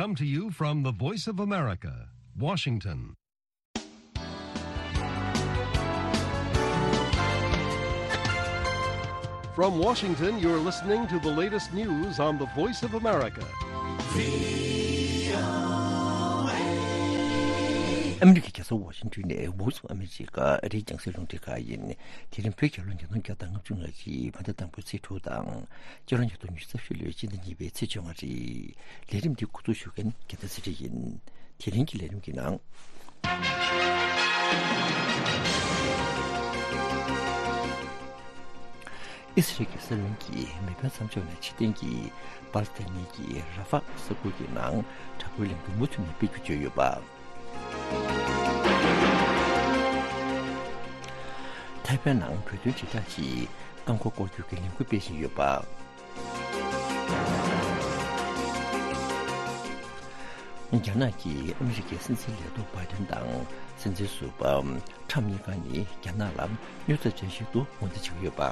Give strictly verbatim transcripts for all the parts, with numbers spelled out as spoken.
Come to you from the Voice of America, Washington. From Washington, you're listening to the latest news on the Voice of America. ཨ་མི་རི་ཀའི་རྒྱལ་ས་ཝ་ཤིང་ཏོན་ནས་Voice of America ཨ་རིའི་རྒྱང་སྲིང་རླུང་འཕྲིན་ཁང་ཡིན། དེ་རིང་བོད་རྒྱལ་ལོ་ཉིས་སྟོང་བརྒྱ་དང་ལྔ་བཅུ་ང་གཅིག་བོད་ཟླ་དང་པོའི་ཚེས་དྲུག་དང་། སྤྱི་ལོ་ཉིས་སྟོང་ཉི་ཤུ་རྩ་བཞི་ལོའི་སྤྱི་ཟླ་གཉིས་པའི་ཚེས་བཅོ་ལྔ་རེད། ལས་རིམ་འདི་འགོ་འཛུགས་ཞུ་མཁན་རྒྱལ་མཚན་ཚེ་རིང་ཡིན། དེ་རིང་གི་ལས་རིམ་གྱི་ནང་། ཨི་སི་རལ་གྱི་ས་གནས་ཀྱི་མེ་འཕེན་མཚམས་འཇོག་ནས་ཕྱིར་འཐེན་གྱིས་པ་ལི་སི་ཐན་ནི་གྱི་ར་ཧྥ་ས་ཁུལ་གྱི་ནང་དྲག་པོའི་ལས་འགུལ་མུ་མཐུད་ནས་སྤེལ་རྒྱུ་བརྗོད་ཡོད་པ། ཐའེ་ཝན་ནང་བོད་དོན་དྲིལ་བསྒྲགས་ཀྱིས་རྐང་འཁོར་སྐོར་སྐྱོད་ཀྱི་ལས་འགུལ་སྤེལ་བཞིན་ཡོད་པ། རྒྱ་ནག་གིས་ཨ་མི་རི་ཀའི་སྲིད་འཛིན་ལས་ཐོག་བྷའི་ཏན་དང་སྲིད་འཛིན་ཟུར་པ་ཁྲམ་གཉིས་ཀ་ནི་རྒྱ་ནག་ལ་གནོད་འཚེ་ཅན་ཞིག་ཏུ་ངོས་འཛིན་བྱེད་ཀྱི་ཡོད་པ།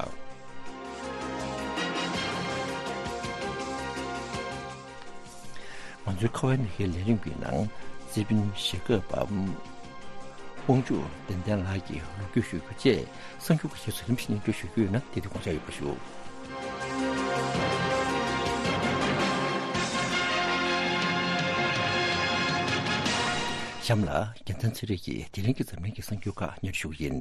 ང་ཚོའི་ཁ་བའི་མི་ཁའི་ལས་རིམ་གྱི་ནང་རྩིས་དཔོན་ཞྭ་སྒབ་པ་དབང་ཕྱུག་བདེ་ལྡན་ལགས་ཀྱིས་ལོ་རྒྱུས་ཞུ་རྒྱུ་བཅས་གསར་འགྱུར་ཁག་ཅིག་ཚུར་རིམ་བཞིན་སྙན་སྒྲོན་ཞུ་རྒྱུ་ཡིན་ན་དེ་དུས་དགོངས་འཇགས་ཡོད་པ་ཞུ། གཤམ་ལ་རྒྱལ་མཚན་ཚེ་རིང་གིས་དེ་རིང་གི་འཛམ་གླིང་གི་གསར་འགྱུར་ཁག་སྙན་སྒྲོན་ཞུ་གི་ཡིན།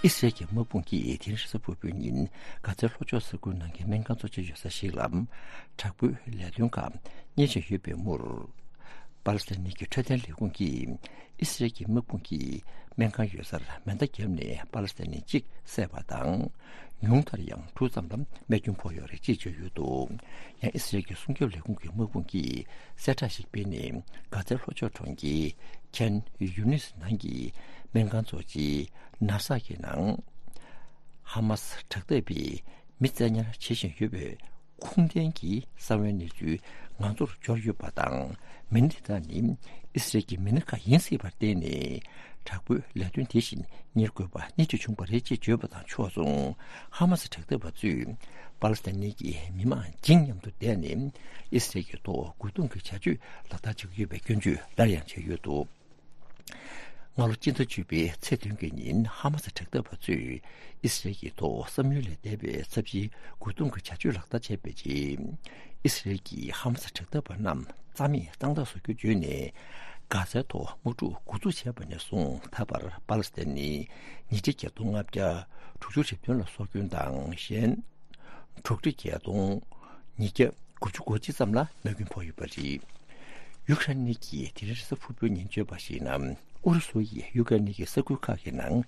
ཨི་སི་རལ་གྱི་དམག་དཔུང་གིས་དེ་རིང་རེས་གཟའ་ཕུར་བུའི་ཉིན་གྷ་ཛའི་ལྷོ་ཕྱོགས་ས་ཁུལ་ནང་གི་སྨན་ཁང་གཙོ་ཆེ་ཡོད་ས་ཞིག་ལ་དྲག་པོའི་ལས་དོན་ཁག་གཉེར་བཞིན་ཡོད་པའི་མུར། པ་ལི་སི་ཐན་ནི་གི་འཕྲོད་བསྟེན་ལས་ཁུངས་ཀྱིས་ཨི་སི་རལ་གྱི་དམག་དཔུང་གིས་སྨན་ཁང་ཡོད་སར་མེ་མདའ་བརྒྱབ་ནས་པ་ལི་སི་ཐན་ནི་གཅིག་བསད་པ་དང་། ཉུང་མཐར་ཡང་དྲུག་ཙམ་ལ་རྨས་སྐྱོན་ཕོག་ཡོད་རེད་ཅེས་བརྗོད་ཡོད་འདུག་ཡང་ཨི་སི་རལ་གྱི་སྲུང་སྐྱོབ་ལས་ཁུངས་ཀྱི་དམག་དཔུང་གིས་གསལ་བསྒྲགས་ཤིག་སྤེལ་ནས་གྷ་ཛའི་ལྷོ་ཕྱོགས་གྲོང་ཁྱེར་ཁན་ཡུ་ནིས་ནང་གི་སྨན་ཁང་གཙོ་ཆེ་ན་ས་གི་ནང་ཧ་མ་སི་དྲག་འཐབ་པས་མི་བཙན་ཉར་བྱེད་བཞིན་ཡོད་པའི་ཁུངས་ལྡན་གྱི་གསང་བའི་གནས་ཚུལ་ང་ཚོར་འབྱོར་ཡོད་པ་དང་། མི་སྣ་དེ་དག་ནི་ཨི་སི་རལ་གྱི་མི་སྣ་ཁག་ཡིན་སྲིད་པར་བརྟེན་ནས་དྲག་པོའི་ལས་དོན་དེ་བཞིན་གཉེར་དགོས་པ་སྣེ་ཁྲིད་བྱུང་བ་རེད་ཅེས་བརྗོད་པ་དང་ཕྱོགས་མཚུངས། ཧ་མ་སི་དྲག་འཐབ་པ་ཚོས་པ་ལི་སི་ཐན་ནི་གི་མི་མང་བརྗིད་ཉམས་སུ་བསྡད་ནས་ཨི་སི་རལ་གྱི་ཐོག་རྒོལ་རྡུང་གི་བྱ་སྤྱོད་ལག་བསྟར་བྱེད་ཀྱི་ཡོད་པའི་སྐྱོན་བརྗོད་སླར་ཡང་བྱས་ཡོད་འདུག་སྔ་ལོ་སྤྱི་ཟླ་བཅུ་པའི་ཚེས་བདུན་གྱི་ཉིན་ཧ་མ་སི་དྲག་འཐབ་པ་ཚོས་ཨི་སི་རལ་གྱི་ཐོག་བསམ་ཡུལ་ལས་འདས་པའི་ཚབས་ཆེའི་རྒོལ་རྡུང་གི་བྱ་སྤྱོད་ལག་བསྟར་བྱས་པའི་རྗེས། ཨི་སི་རལ་གྱིས་ཧ་མ་སི་དྲག་འཐབ་པ་རྣམས་རྩ་མེད་གཙང་དག་བཟོ་རྒྱུ་བརྗོད་ནས། གྷ་ཛའི་ཐོག་དམག་འཁྲུག་འགོ་འཛུགས་བྱས་པ་ནས་བཟུང་ད་བར་པ་ལི་སི་ཐན་ནི་ཉིས་ཁྲི་བརྒྱད་སྟོང་ལྔ་བརྒྱ་དྲུག་ཅུ་རེ་བདུན་ལ་སྲོག་སྐྱོན་དང་གཞན། དྲུག་ཁྲི་བརྒྱད་སྟོང་ཉིས་བརྒྱ་དགུ་བཅུ་གོ་གཅིག་ཙམ་ལ་རྨས་སྐྱོན་ཕོག་ཡོད་པ་རེད། ཡུ་ཁ་རེན་གྱིས་དེ་རིང་རེས་གཟའ་ཕུར་བུའི་ཉིན་བརྗོད་པར་གཞིགས་ན། ཨུ་རུ་སུ་ཡིས་ཡུ་ཁ་རེན་གྱི་ས་ཁུལ་ཁག་གི་ནང་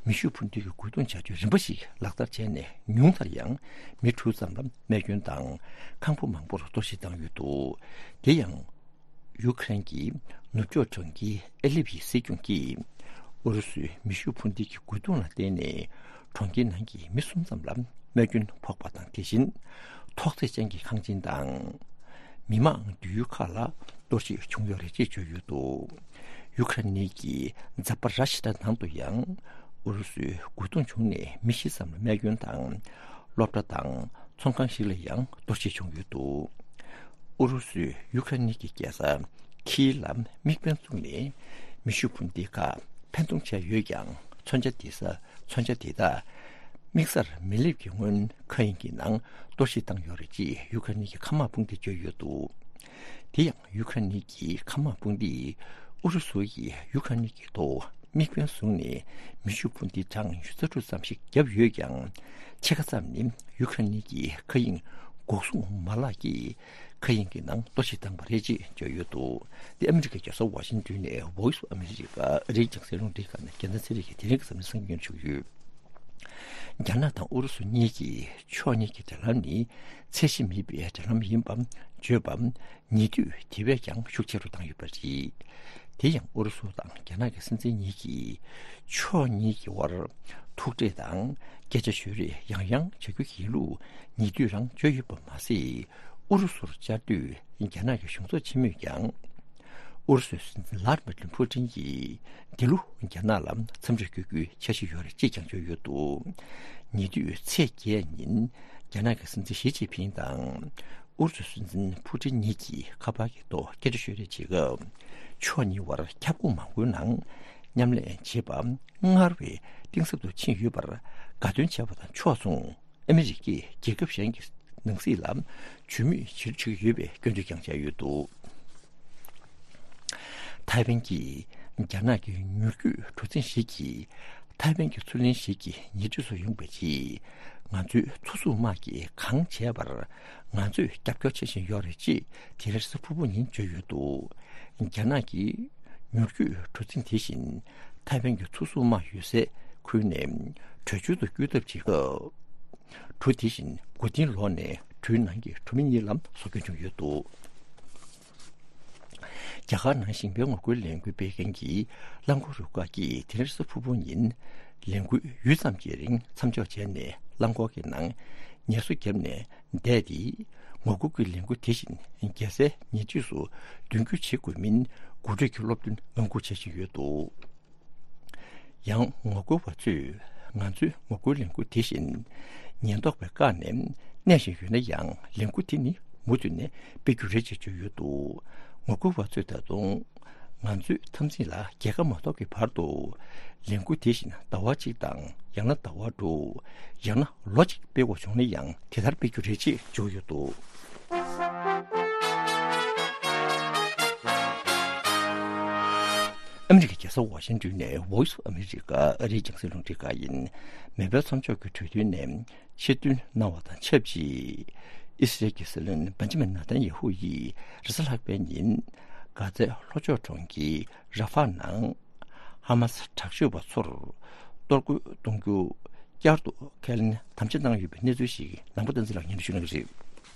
མེ་ཤུགས་འཕུར་མདེལ་གྱི་རྒོལ་རྡུང་བྱ་སྤྱོད་རིམ་པ་ཞིག་ལག་བསྟར་བྱས་ནས། ཉུང་མཐར་ཡང་མི་དྲུག་ཙམ་ལ་རྨས་སྐྱོན་དང་། ཁང་པ་མང་པོར་གཏོར་བཤིག་བཏང་ཡོད་འདུག་དེ་ཡང་། ཡུ་ཁ་རེན་གྱི་ནུབ་ཕྱོགས་གྲོང་ཁྱེར་ཨེ་ལིབ་ཡི་སྲིད་སྐྱོང་གིས། ཨུ་རུ་སུའི་མེ་ཤུགས་འཕུར་མདེལ་གྱི་རྒོལ་རྡུང་ལ་བརྟེན་ནས། གྲོང་ཁྱེར་ནང་གི་མི་གསུམ་ཙམ་ལ་རྨས་སྐྱོན་ཕོག་པ་དང་། དེ་བཞིན་ཐོག་བརྩེགས་ཅན་གྱི་ཁང་ཆེན་དང་། མི་མང་སྡོད་ཡུལ་ཁག་ལ་གཏོར་བཤིག་བྱུང་ཡོད་རེད་ཅེས་བརྗོད་ཡོད་འདུག་ཡུ་ཁ་རེན་གྱི་མཛའ་པ་ར་ཤི་ཡ་ནང་དུ་ཡང་ཨུ་རུ་སུའི་རྒོལ་རྡུང་བྱུང་ནས་མི་བཞི་ཙམ་ལ་རྨས་སྐྱོན་དང་། སློབ་གྲྭ་དང་ཚོང་ཁང་ཞིག་ལ་ཡང་གཏོར་བཤིག་བྱུང་ཡོད་འདུག་ཨུ་རུ་སུས་ཡུ་ཁ་རེན་གྱི་རྒྱལ་ས་ཁིའི་ལ་དམིགས་འབེན་བཙུགས་ནས་མེ་ཤུགས་འཕུར་མདེལ་ཁག་འཕེན་གཏོང་བྱས་ཡོད་ཀྱང་། མཚོན་ཆ་དེ་ས་མཚོན་ཆ་དེ་དག་དམིགས་སར་མི་སླེབས་ཀྱི་སྔོན། མཁའ་དབྱིངས་ཀྱི་ནང་གཏོར་བཤིག་བཏང་ཡོད་རེད་ཅེས་ཡུ་ཁ་རེན་གྱི་མཁའ་དམག་དཔུང་སྡེས་བརྗོད་ཡོད་འདུག་དེ་ཡང་ཡུ་ཁ་རེན་གྱི་མཁའ་དམག་དཔུང་སྡེས་ཨུ་རུ་སུ་ཡིས་ཡུ་ཁ་རེན་གྱི་ཐོག་དམིགས་འབེན་བཟུང་ནས་མེ་ཤུགས་འཕུར་མདེལ་གྲངས་ཉི་ཤུ་རྩ་དྲུག་ཙམ་ཞིག་བརྒྱབ་ཡོད་ཀྱང་། ཕྱེད་ཀ་ཙམ་ནི་ཡུ་ཁ་རེན་གྱི་མཁའ་དབྱིངས་འགོག་སྲུང་མ་ལག་གིས་མཁའ་དབྱིངས་ཀྱི་ནང་གཏོར་བཤིག་བཏང་པ་རེད་ཅེས་བརྗོད་ཡོད་འདུག་དེ་ཨ་མི་རི་ཀའི་རྒྱལ་ས་ཝ་ཤིང་ཏོན་ནས་Voice of America ཨ་རིའི་རྒྱང་སྲིང་རླུང་འཕྲིན་ཁང་ནས་རྒྱལ་མཚན་ཚེ་རིང་གིས་དེ་རིང་གི་འཛམ་གླིང་གསར་འགྱུར་ཞུ་གི་ཡོད། རྒྱ་ནག་དང་ཨུ་རུ་སུ་གཉིས་ཀྱིས་ཕྱོགས་གཉིས་ཀྱི་འབྲེལ་ལམ་ནི་ཚད་གཞི་མེད་པའི་འབྲེལ་ལམ་ཡིན་པ་བརྗོད་པ། ཉེ་དུས་དེ་བས་ཀྱང་ཤུགས་ཆེ་རུ་བཏང་ཡོད་པ་རེད། དེ་ཡང་ཨུ་རུ་སུ་དང་རྒྱ་ནག་གི་སྲིད་འཛིན་གཉིས་ཀྱིས་ཕྱོགས་གཉིས་ཀྱི་དབར་ཐུག་འཕྲད་དང་སྐད་ཆ་ཤོད་རེས་ཡང་ཡང་བྱ་རྒྱུ་ཡིན་ལུགས་ཉེ་དུས་རང་བརྗོད་ཡོད་པ་མ་ཟད། ཨུ་རུ་སུར་བཅར་དུས་རྒྱ་ནག་གི་གཞུང་ཚབ་ཆེན་མོས་ཀྱང་། ཨུ་རུ་སུའི་སྲིད་འཛིན་ལྷ་དི་མི་ཏྲི་ཕུ་ཏིན་གྱིས་འདི་ལོ་རྒྱ་ནག་ལ་འཚམས་འདྲི་བསྐྱོད་རྒྱུའི་འཆར་གཞི་ཡོད་རེད་ཅེས་ཀྱང་བརྗོད་ཡོད་འདུག་ཉེ་དུས་ཚེས་བརྒྱད་ཉིན་ རྒྱ་ནག་གི་སྲིད་འཛིན་ཞི་ཅིན་ཕིང་དང་ཨུ་རུ་སུའི་སྲིད་འཛིན་ཕུ་ཀྲིན་གཉིས་ཀྱིས་ཁ་པར་གྱི་ཐོག་སྐད་ཆ་ཤོད་རེས་བྱེད་སྐབས། ཕྱོགས་གཉིས་བར་ཁྱབ་ཁོངས་མང་པོའི་ནང་མཉམ་ལས་བྱེད་པ་སྔར་བས་གཏིང་ཟབ་ཏུ་ཕྱིན་ཡོད་པར་དགའ་སྟོན་བྱས་པ་དང་ཕྱོགས་མཚུངས། ཨ་མི་རི་ཀས་རྒྱལ་ཁབ་གཞན་གྱི་ནང་སྲིད་ལ་ཇུས་མེད་བྱེད་ཀྱི་ཡོད་པའི་སྐྱོན་བརྗོད་ཀྱང་བྱས་ཡོད་འདུག་ཐའེ་ཝན་གྱིས་རྒྱ་ནག་གི་མྱུར་སྐྱོད་གྲུ་གཟིངས་ཤིག་གིས་ཐའེ་ཝན་གྱི་མཚོ་གླིང་ཞིག་གི་ཉེ་འཁྲིས་སུ་ཡོང་བའི་རྗེས། ང་ཚོའི་མཚོ་སྲུང་དམག་གིས་གང་བྱས་པར་ང་ཚོས་རྒྱབ་སྐྱོར་བྱེད་བཞིན་ཡོད་རེད་ཅེས་དེ་རིང་གཟའ་ཕུར་བུ་ཉིན་བརྗོད་ཡོད་འདུག་རྒྱ་ནག་གིས་མྱུར་སྐྱོད་གྲུ་གཟིངས་དེ་བཞིན་ཐའེ་ཝན་གྱི་མཚོ་སྲུང་དམག་ཡོད་སའི་ཁུལ་ནས་བྲོས་བྱོལ་དུ་བསྐྱོད་ཐབས་བྱེད་སྐབས། གྲུ་དེ་བཞིན་མགོ་རྟིང་ལོག་ནས་གྲུའི་ནང་གི་གྲུ་མི་གཉིས་ལ་སྲོག་སྐྱོན་བྱུང་ཡོད་འདུག་རྒྱ་གར་ནང་ཞིང་པའི་ངོ་རྒོལ་ལས་འགུལ་སྤེལ་མཁན་གྱི་རླངས་འཁོར་རུ་ཁག་གིས་དེ་རིང་གཟའ་ཕུར་བུ་ཉིན་ལས་འགུལ་ཡུད་ཙམ་གྱི་རིང་མཚམས་འཇོག་བྱས་ནས། རླངས་འཁོར་གྱི་ནང་ངལ་གསོ་བརྒྱབ་ནས་བསྡད་དེ། ངོ་རྒོལ་གྱི་ལས་འགུལ་དེ་བཞིན་རྒྱལ་སའི་ཉེ་འཁྲིས་སུ་མདུན་སྐྱོད་བྱེད་དགོས་མིན་འགོ་ཁྲིད་ཀྱི་སློབ་སྟོན་ངང་སྒུག་བྱེད་བཞིན་ཡོད་འདུག་ཡང་ངོ་རྒོལ་བ་ཚོས་ང་ཚོའི་ངོ་རྒོལ་ལས་འགུལ་དེ་བཞིན་ཉེན་རྟོག་པས་བཀག་ནས་གནས་བཞིན་ཡོད་ན་ཡང་། ལས་འགུལ་དེ་ནི་མུ་མཐུད་ནས་སྤེལ་རྒྱུ་རེད་ཅེས་བརྗོད་ཡོད་འདུག་ངོ་རྒོལ་བ་ཚོས་ད་དུང་ང་ཚོའི་འཐབ་འཛིང་ལ་རྒྱལ་ཁ་མ་ཐོབ་ཀྱི་བར་དུ་ལས་འགུལ་དེ་བཞིན་ཟླ་བ་གཅིག་དང་། ཡང་ན་ཟླ་བ་དྲུག་ཡང་ན་ལོ་གཅིག་སྤེལ་དགོས་བྱུང་ན་ཡང་དེ་ལྟར་སྤེལ་རྒྱུ་རེད་ཅེས་བརྗོད་ཡོད་འདུག་ཨ་མི་རི་ཀའི་རྒྱལ་ས་ཝ་ཤིང་ཏོན་ནས་Voice of America ཨ་རིའི་རྒྱང་སྲིང་རླུང་འཕྲིན་ཁང་ཡིན། མེ་འཕེན་མཚམས་འཇོག་གི་གྲོས་མཐུན་ནས་ཕྱིར་འདོན་གནང་བ་དང་ཆབས་ཅིག་ཨི་སི་རལ་གྱི་སྲིད་བློན་བན་ཇི་མིན་ནེ་ཐན་ཡ་ཧུ་ཡིས་རེས་གཟའ་ལྷག་པའི་ཉིན་གྷ་ཛའི་ལྷོ་ཕྱོགས་གྲོང་ཁྱེར་ར་ཧྥ་ནང་ཧ་མ་སི་དྲག་སྤྱོད་པ་ཚོར་གཏོར་རྒོལ་གཏོང་རྒྱུ་བསྐྱར་དུ་ཁས་ལེན་དམ་བཅའ་གནང་ཡོད་པའི་གནས་ཚུལ་ཞིག་ནང་པ་བསྟན་འཛིན་ལགས་སྙན་སྒྲོན་ཞུ་གནང་གི་རེད།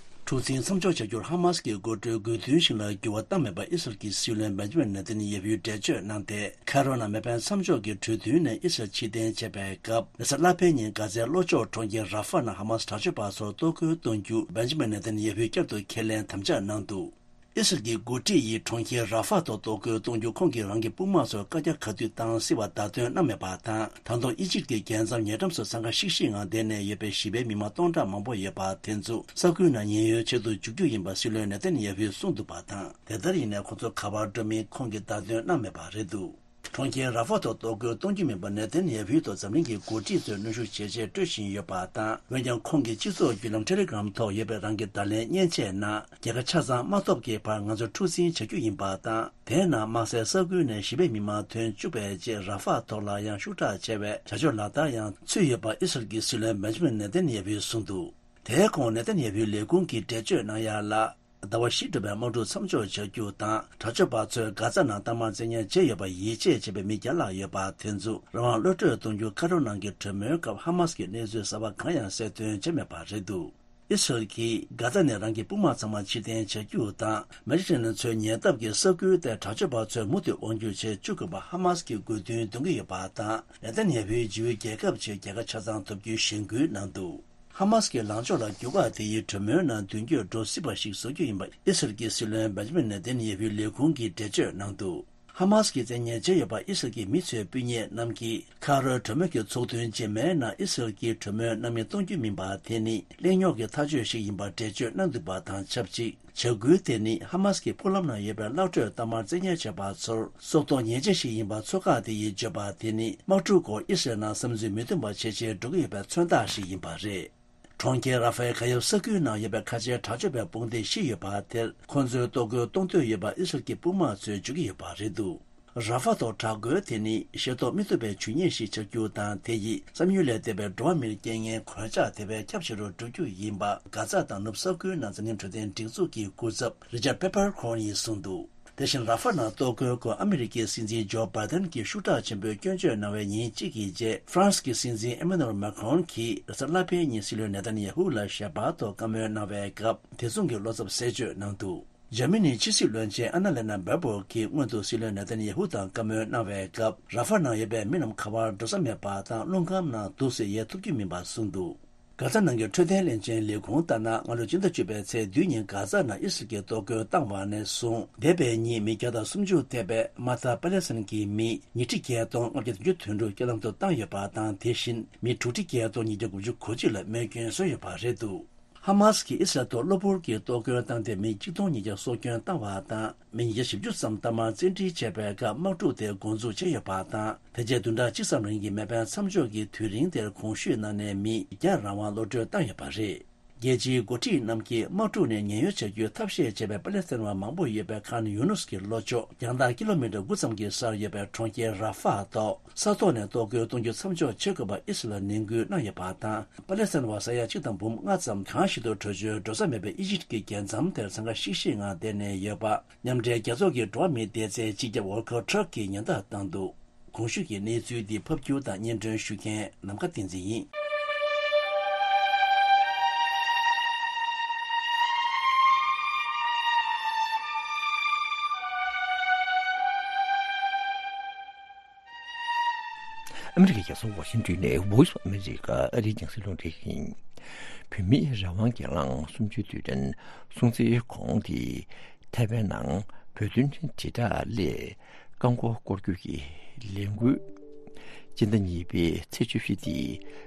གྲུ་གཟིངས་མཚམས་འཇོག་བྱ་རྒྱུར་ཧ་མ་སི་གི་འགོ་ཁྲིད་དགོས་འདུན་ཞིག་ལ་འགྱུར་བ་བཏང་མེད་པར་ཨི་སི་རལ་གྱི་སྲིད་བློན་བན་ཇི་མིན་ནེ་ཐན་ཡ་ཧུས་འགྲེལ་བརྗོད་གནང་སྟེ། ཁ་རོ་ནང་མེ་འཕེན་མཚམས་འཇོག་གི་གྲོས་མཐུན་ནས་ཨི་སི་རལ་ཕྱིར་འཐེན་བྱས་པའི་སྐབས། རེས་གཟའ་ལྷག་པའི་ཉིན་གྷ་ཛའི་ལྷོ་ཕྱོགས་གྲོང་ཁྱེར་ར་ཧྥ་ནང་ཧ་མ་སི་དྲག་སྤྱོད་པ་ཚོར་གཏོར་རྒོལ་གཏོང་རྒྱུ་བན་ཇི་མིན་ནེ་ཐན་ཡ་ཧུས་བསྐྱར་དུ་ཁས་ལེན་དམ་བཅའ་གནང་འདུག་ཨི་སི་རལ་གྱི་འགོ་ཁྲིད་ཡིས་གྲོང་ཁྱེར་ར་ཧྥ་ཐོག་གཏོར་རྒོལ་གཏོང་རྒྱུ་ཁོང་གིས་རང་གི་དཔུང་དམག་ཚོར་བཀའ་རྒྱ་ག་དུས་བཏང་སྲིད་པ་བརྡ་སྟོན་གནང་མེད་པ་དང་། ད་དུང་ཨི་ཇིབ་ཀྱི་རྒྱལ་མཚམས་ཉེ་འགྲམ་སུ་འཚང་ཁ་ཤིག་ཤིག་ངང་བསྡད་ནས་ཡོད་པའི་ཞི་བའི་མི་མང་སྟོང་ཕྲག་མང་པོ་ཡོད་པ་དེ་ཚོ་ས་ཁུལ་ནང་ཉེན་གཡོལ་ཆེད་དུ་འཇུག་རྒྱུ་ཡིན་པ་སྲིད་བློན་ནེ་ཐན་ཡ་ཧུས་གསུངས་འདུག་པ་དང་། དེ་ལྟར་ཡིན་ནའི་ཁོང་ཚོ་ག་པར་འགྲོ་མིན་ཁོང་གིས་བརྡ་སྟོན་གནང་མེད་པ་རེད་འདུག་གྲོང་ཁྱེར་ར་ཧྥ་ཐོག་གཏོར་རྒོལ་གཏོང་རྒྱུ་མིན་པར་ནེ་ཐན་ཡ་ཧུའི་ཐོག་འཛམ་གླིང་གི་འགོ་ཁྲིད་ཚོས་གནོན་ཤུགས་ཇེ་ཆེར་སྤྲོད་བཞིན་ཡོད་པ་དང་། འོན་ཀྱང་ཁོང་གིས་སྤྱི་ཚོགས་བརྒྱུད་ལམ་ཊེ་ལི་གྷ་རམ་ཐོག་ཡོད་པའི་རང་གི་བརྡ་ལན་མཉེན་ཆས་ནང་། རྒྱལ་ཁ་ཆ་ཚང་མ་ཐོབ་ཀྱི་བར་ང་ཚོ་འཁྲུག་འཛིང་བྱ་རྒྱུ་ཡིན་པ་དང་། དེའི་ནང་དམག་སའི་ས་ཁུལ་ནས་ཞི་བའི་མི་མང་ཐོན་བཅུག་པའི་རྗེས་ར་ཧྥ་ཐོག་ལ་ཡང་ཤུགས་དྲག་ཆེ་བའི་བྱ་སྤྱོད་ལག་བསྟར་ཡང་ཚུད་ཡོད་པ་ཨི་སི་རལ་གྱི་སྲིད་བློན་བན་ཇི་མིན་ནེ་ཐན་ཡ་ཧུས་གསུངས་འདུག་དེའི་གོང་ནེ་ཐན་ཡ་ཧུའི་ལས་ཁུངས་ཀྱིས་འགྲེལ་བརྗོད་གནང་ཡ་ལ། ཟླ་བ་བཞི་འགྲོ་བའི་དམག་འཁྲུག་མཚམས་འཇོག་བྱ་རྒྱུ་དང་། དྲག་སྤྱོད་པ་ཚོས་གྷ་ཛ་ནང་གཏའ་མར་བཙན་ཉར་བྱས་ཡོད་པར་ཡིད་ཆེས་བྱེད་པའི་མི་བརྒྱ་ལྷག་ཡོད་པ་དེ་ཚོ་རང་དབང་གློད་གྲོལ་གཏོང་རྒྱུ་ཁ་རོ་ནང་གི་གྲོས་མོལ་སྐབས་ཧ་མ་སི་གི་གནས་ཚུལ་གསར་པ་གང་ཡང་གསལ་སྟོན་བྱས་མེད་པ་རེད་འདུག་ཨི་སི་རལ་གྱིས་གྷ་ཛ་ནས་རང་གི་དཔུང་དམག་ཚང་མ་ཕྱིར་འཐེན་བྱ་རྒྱུ་དང་། མེ་ཌི་ཊེ་རེ་ནན་མཚོའི་ཉེ་འདབས་ཀྱི་ས་ཁུལ་དེར་དྲག་སྤྱོད་པ་ཚོས་མུ་མཐུད་དབང་སྒྱུར་བྱེད་བཅུག་དགོས་པ་ཧ་མ་སི་གི་དགོས་འདུན་འདོན་གྱི་ཡོད་པ་དང་། ནེ་ཐན་ཡ་ཧུའི་ཇིའུའི་རྒྱལ་ཁབ་ཆེད་རྒྱལ་ཁ་ཆ་ཚང་ཐོབ་རྒྱུའི་གཞེན་སྐུལ་གནང་འདུག་ཧ་མ་སི་ཀྱི་ལངས་ཕྱོགས་ལ་འགྱུར་བ་དེ་ཡིས་གྲོས་མོལ་ནང་མདུན་སྐྱོད་འགྲོ་སྲིད་པ་ཞིག་བཟོ་རྒྱུ་ཡིན་པ་ཨི་སི་རལ་གྱི་སྲིད་བློན་བེན་ཇི་མིན་ནེ་ཐན་ཡ་ཧུའི་ལས་ཁུངས་ཀྱིས་འགྲེལ་བརྗོད་གནང་འདུག་ཧ་མ་སི་ཀྱིས་བཙན་ཉར་བྱས་ཡོད་པ་ཨི་སི་རལ་གྱི་མི་ཚོའི་སྤུན་ཉེ་རྣམས་ཀྱིས་ཁ་རོའི་གྲོས་མོལ་གྱི་ཚོགས་ཐུན་རྗེས་མའི་ནང་ཨི་སི་རལ་གྱིས་གྲོས་མོལ་གནང་མི་གཏོང་རྒྱུ་མིན་པ་དེ་ནི་གླེང་རྙོག་གི་ཐག་གཅོད་ཞིག་ཡིན་པར་འགྲེལ་བརྗོད་གནང་འདུག་པ་དང་ཆབས་ཅིག་བྱ་འགུལ་དེ་ནི་ཧ་མ་སི་ཀྱི་སྤུ་ལམ་ནང་ཡོད་པའི་གློད་གྲོལ་གཏའ་མར་བཙན་ཉར་བྱས་པ་ཚོར་སྲོག་ཐོག་ཉེས་ཆད་ཞིག་ཡིན་པ་ཚོགས་ཁག་དེ་ཡིས་བརྗོད་པ་དེ་ནི་དམག་འཁྲུག་སྐོར་ཨི་སི་རལ་ནང་བསམ་ཚུལ་མི་མཐུན་པ་ཇེ་ཆེར་འགྲོ་གི་ཡོད་པའི་མཚོན་རྟགས་ཤིག་ཡིན་པ་རེད། གྲོང་ཁྱེར་ར་ཧྥའི་གྷ་ཡབ་ས་ཁུལ་ནང་ཡོད་པའི་ཁ་ཆེའི་དྲག་སྤྱོད་པའི་དཔུང་སྡེ་བཞི་ཡོད་པ་དེར་ཁོང་ཚོས་གཏོར་རྒོལ་གཏོང་འདོད་ཡོད་པ་ཨི་སི་རལ་གྱི་དཔུང་དམག་ཚོས་བརྗོད་ཀྱི་ཡོད་པ་རེད་འདུག་ར་ཧྥ་ཐོག་དྲག་རྒོལ་དེ་ནི་ཤེས་རྟོགས་མི་ཐུབ་པའི་ཇུས་ཉེས་ཤིག་ཆགས་རྒྱུ་དང་། དེ་ཡིས་བསམ་ཡུལ་ལས་འདས་པའི་འགྲོ་བ་མིར་རྐྱེན་ངན་གོད་ཆག་དེ་བས་ཁྱབ་ཆེ་རུ་འགྲོ་རྒྱུ་ཡིན་པ། གྷ་ཛ་དང་ནུབ་ས་ཁུལ་ནང་འཛམ་གླིང་འཕྲོད་བསྟེན་སྒྲིག་འཛུགས་ཀྱི་སྐུ་ཚབ་རི་ཅར་པེ་པར་ཁོན་ཡིས་གསུངས་འདུག་དེ་བཞིན་ར་ཧྥ་ནང་གཏོར་རྒོལ་སྐོར་ཨ་མི་རི་ཀའི་སྲིད་འཛིན་ཇོ་བྷའི་ཏན་གྱིས་ཤུགས་དྲག་ཆེན་པོས་སྐྱོན་བརྗོད་གནང་བའི་ཉིན་གཅིག་གི་རྗེས། ཧྥ་རན་སི་གི་སྲིད་འཛིན་ཨེ་མ་ནུ་ཨེལ་མེ་ཁོན་གྱིས་རེས་གཟའ་ལྷག་པའི་ཉིན་སྲིད་བློན་ནེ་ཐན་ཡ་ཧུ་ལ་ཞལ་པར་ཐོག་བཀའ་མོལ་གནང་བའི་སྐབས། དེ་མཚུངས་ཀྱི་བློ་འཚབ་གསལ་བརྗོད་གནང་འདུག་འཇར་མ་ནིའི་ཕྱི་སྲིད་བློན་ཆེན་ཨ་ན་ལེ་ན་བེར་བོག་གིས་སྔོན་དུ་སྲིད་བློན་ནེ་ཐན་ཡ་ཧུ་དང་བཀའ་མོལ་གནང་བའི་སྐབས། ར་ཧྥ་ནང་ཡོད་པའི་མི་རྣམས་ག་པར་འགྲོ་ས་མེད་པ་དང་། རླུང་ཁམས་ནང་འདུག་སེ་ཡལ་ཐུབ་ཀྱི་མིན་པར་གསུངས་འདུག་གྷ་ཛ་ནང་གི་འཕྲོད་བསྟེན་ལྷན་ཚོགས་ལས་ཁུངས་ལྟར་ན། སྔ་ལོའི་སྤྱི་ཟླ་བཅུ་པའི་ཚེས་བདུན་ཉིན་གྷ་ཛ་ནང་ཨི་སི་རལ་གྱིས་གཏོར་རྒོལ་བཏང་བ་ནས་བཟུང་འདས་པའི་ཉིན་མི་བརྒྱ་དང་སུམ་ཅུ་ཐེ་བའི་དམག་འཐབ་པ་ལེ་སི་ཐན་གྱི་མི་ཉིས་ཁྲི་བརྒྱད་སྟོང་ལྔ་བརྒྱ་བདུན་ཅུ་དོན་དྲུག་རྐྱེན་ལམ་དུ་བཏང་ཡོད་པ་དང་། དེ་བཞིན་མི་དྲུག་ཁྲི་བརྒྱད་སྟོང་ཉིས་བརྒྱ་དགུ་བཅུ་གོ་གཅིག་ལ་རྨས་སྐྱོན་བཟོས་ཡོད་པ་རེད་འདུག་ཧ་མཱ་སི་ཀྱིས་ཨི་སི་རལ་ཐོག་གློ་བུར་གྱི་གཏོར་རྒོལ་བཏང་སྟེ་མི་གཅིག་སྟོང་ཉིས་བརྒྱ་སྲོག་སྐྱོན་བཏང་བ་དང་། མི་ཉིས་བརྒྱ་བཞི་བཅུ་ཙམ་ཐ་མག་བཙན་ཁྲིད་བྱས་པའི་སྐབས་དམག་འཁྲུག་དེ་འགོ་འཛུགས་བྱས་ཡོད་པ་དང་། དེ་རྗེས་བདུན་ཕྲག་གཅིག་ཙམ་རིང་གི་མེ་འཕེན་མཚམས་འཇོག་གི་དུས་རིང་དེར་གོང་ཞུས་ནང་ནས་མི་བརྒྱ་རང་དབང་གློད་གྲོལ་བཏང་ཡོད་པ་རེད། རྒྱལ་སྤྱིའི་འགོ་ཁྲིད་རྣམས་ཀྱིས་དམག་འཁྲུག་ནས་ཉེན་གཡོལ་བྱ་རྒྱུའི་ཐབས་ཤེས་བྱས་པའི་པ་ལེ་སི་ཐན་བ་མང་པོ་ཡོད་པའི་ཁཱན་ཡུ་ནུས་ཀྱི་ལྷོ་ཕྱོགས་རྒྱང་ཐག་ཀི་ལོ་མི་ཊར་དགུ་ཙམ་གྱི་སར་ཡོད་པའི་གྲོང་ཁྱེར་ར་ཧྥ་ཐོག་ས་ཐོག་ནས་གཏོར་རྒོལ་གཏོང་རྒྱུ་མཚམས་འཇོག་བྱེད་དགོས་པ་ཨི་སི་རལ་ལ་ནན་སྐུལ་གནང་ཡོད་པ་དང་། པ་ལེ་སི་ཐན་བ་ས་ཡ་གཅིག་དང་འབུམ་ལྔ་ཙམ་གང་ཞིག་ཏུ་བྲོས་བྱོལ་འགྲོ་ས་མེད་པའི་ཨི་ཇིབ་ཀྱི་རྒྱལ་མཚམས་དེར་འཚང་ཁ་ཤིག་ཤིག་ངང་བསྡད་ནས་ཡོད་པ། མཉམ་འབྲེལ་རྒྱལ་ཚོགས་ཀྱི་འགྲོ་བ་མིའི་བདེ་རྩའི་སྤྱི་ཁྱབ་ཝོལ་ཀར་ཊརཀ་གིས་ཉེན་བརྡ་བཏང་འདུག་གོང་ཞུས་ཀྱི་གནས་ཚུལ་འདི་ཕབ་སྒྱུར་དང་སྙན་སྒྲོན་ཞུ་མཁན་ནམ་མཁའ་བསྟན་འཛིན་ཡིན། ཨ་མི་རི་ཀའི་རྒྱལ་ས་ཝ་ཤིང་ཏོན་ནས་Voice of America ཨ་རིའི་རྒྱང་སྲིང་རླུང་འཕྲིན་ཡིན། བོད་མིའི་རང་དབང་སྒེར་ལངས་གསུམ་བཅུའི་དུས་དྲན་སྲུང་བརྩིའི་གོང་དེ་ཐའེ་ཝན་ནང་བོད་དོན་དྲིལ་བསྒྲགས་སླད་རྐང་འཁོར་སྐོར་སྐྱོད་ཀྱི་ལས་འགུལ་སྤྱི་ཟླ་གཉིས་པའི་ཚེས་བཅུ་བཞི་སྟེ་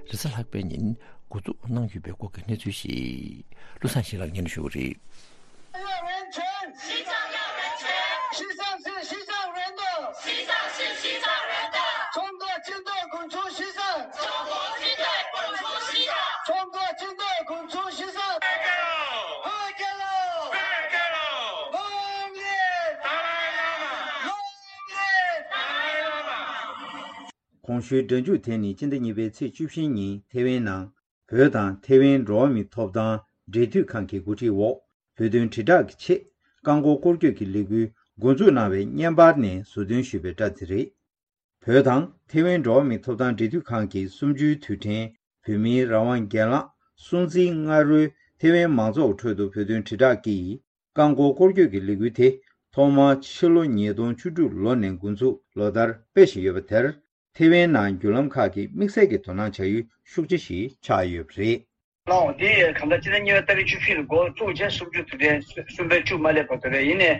རེས་གཟའ་ལྷག་པའི་ཉིན་འགོ་འཛུགས་གནང་ཡོད་པའི་སྐོར་གྱི་གནས་ཚུལ་ཞིག་བློ་བཟང་ཞིང་ལགས་སྙན་ཞུ་གི་རེད། 要人权，西藏要人权，西藏是西藏人的，西藏是西藏人的，中国军队滚出西藏，中国军队滚出西藏，中国军队滚出西藏。Back it off! Back it off! Back it off! Long live! Dalai Lama! Long live! Dalai Lama! གོང་ཞུས་སྒྲ་འཇུག་དེ་ནི་སྤྱི་ཟླ་གཉིས་པའི་ཚེས་བཅུ་བཞི་ཉིན་ཐེ་ཝན་ནང་བོད་དང་ཐེ་ཝན་འགྲོ་བ་མིའི་ཐོབ་ཐང་འབྲེལ་མཐུད་ཁང་གི་འགོ་ཁྲིད་འོག་བོད་དོན་དྲིལ་བསྒྲགས་ཀྱི་ཆེད་རྐང་འཁོར་སྐོར་སྐྱོད་ཀྱི་ལས་འགུལ་འགོ་འཛུགས་གནང་བའི་བརྙན་པར་ནས་ཟུར་འདོན་ཞུས་པའི་སྒྲ་དེ་རེད། བོད་དང་ཐེ་ཝན་འགྲོ་བ་མིའི་ཐོབ་ཐང་འབྲེལ་མཐུད་ཁང་གི་གསུམ་བཅུའི་དུས་དྲན་བོད་མིའི་རང་དབང་སྒེར་ལངས་སྲུང་བརྩིའི་སྔ་རོལ་ཐེ་ཝན་མང་ཚོགས་ཁྲོད་དུ་བོད་དོན་དྲིལ་བསྒྲགས་ཀྱིས་རྐང་འཁོར་སྐོར་སྐྱོད་ཀྱི་ལས་འགུལ་དེ་ཐོག་མར་ཕྱི་ལོ་ཉིས་སྟོང་བཅུ་དྲུག་ལོ་ནས་འགོ་འཛུགས་ལོ་ལྟར་སྤེལ་བཞིན་ཡོད་པ་དེར། ཐེ་ཝན་ནང་བརྒྱུད་ལམ་ཁག་གིས་དམིགས་བསལ་གྱི་དོ་སྣང་བྱ་ཡུལ་ཤུགས་ཆེ་ཞིག་ཆགས་ཡོད་པ་རེད། ལའོ། དེ་གང་ལྟར་སྤྱི་ཟླ་གཉིས་པའི་ཏ་རིག་བཅུ་བཞི་ལ་འགོ་བཙུགས་རྗེས་སུམ་ཅུ་དུས་དྲན་གསུམ་པའི་བཅུ་མ་སླེབས་བར་དུ་རེད། ཡིན་ནའི་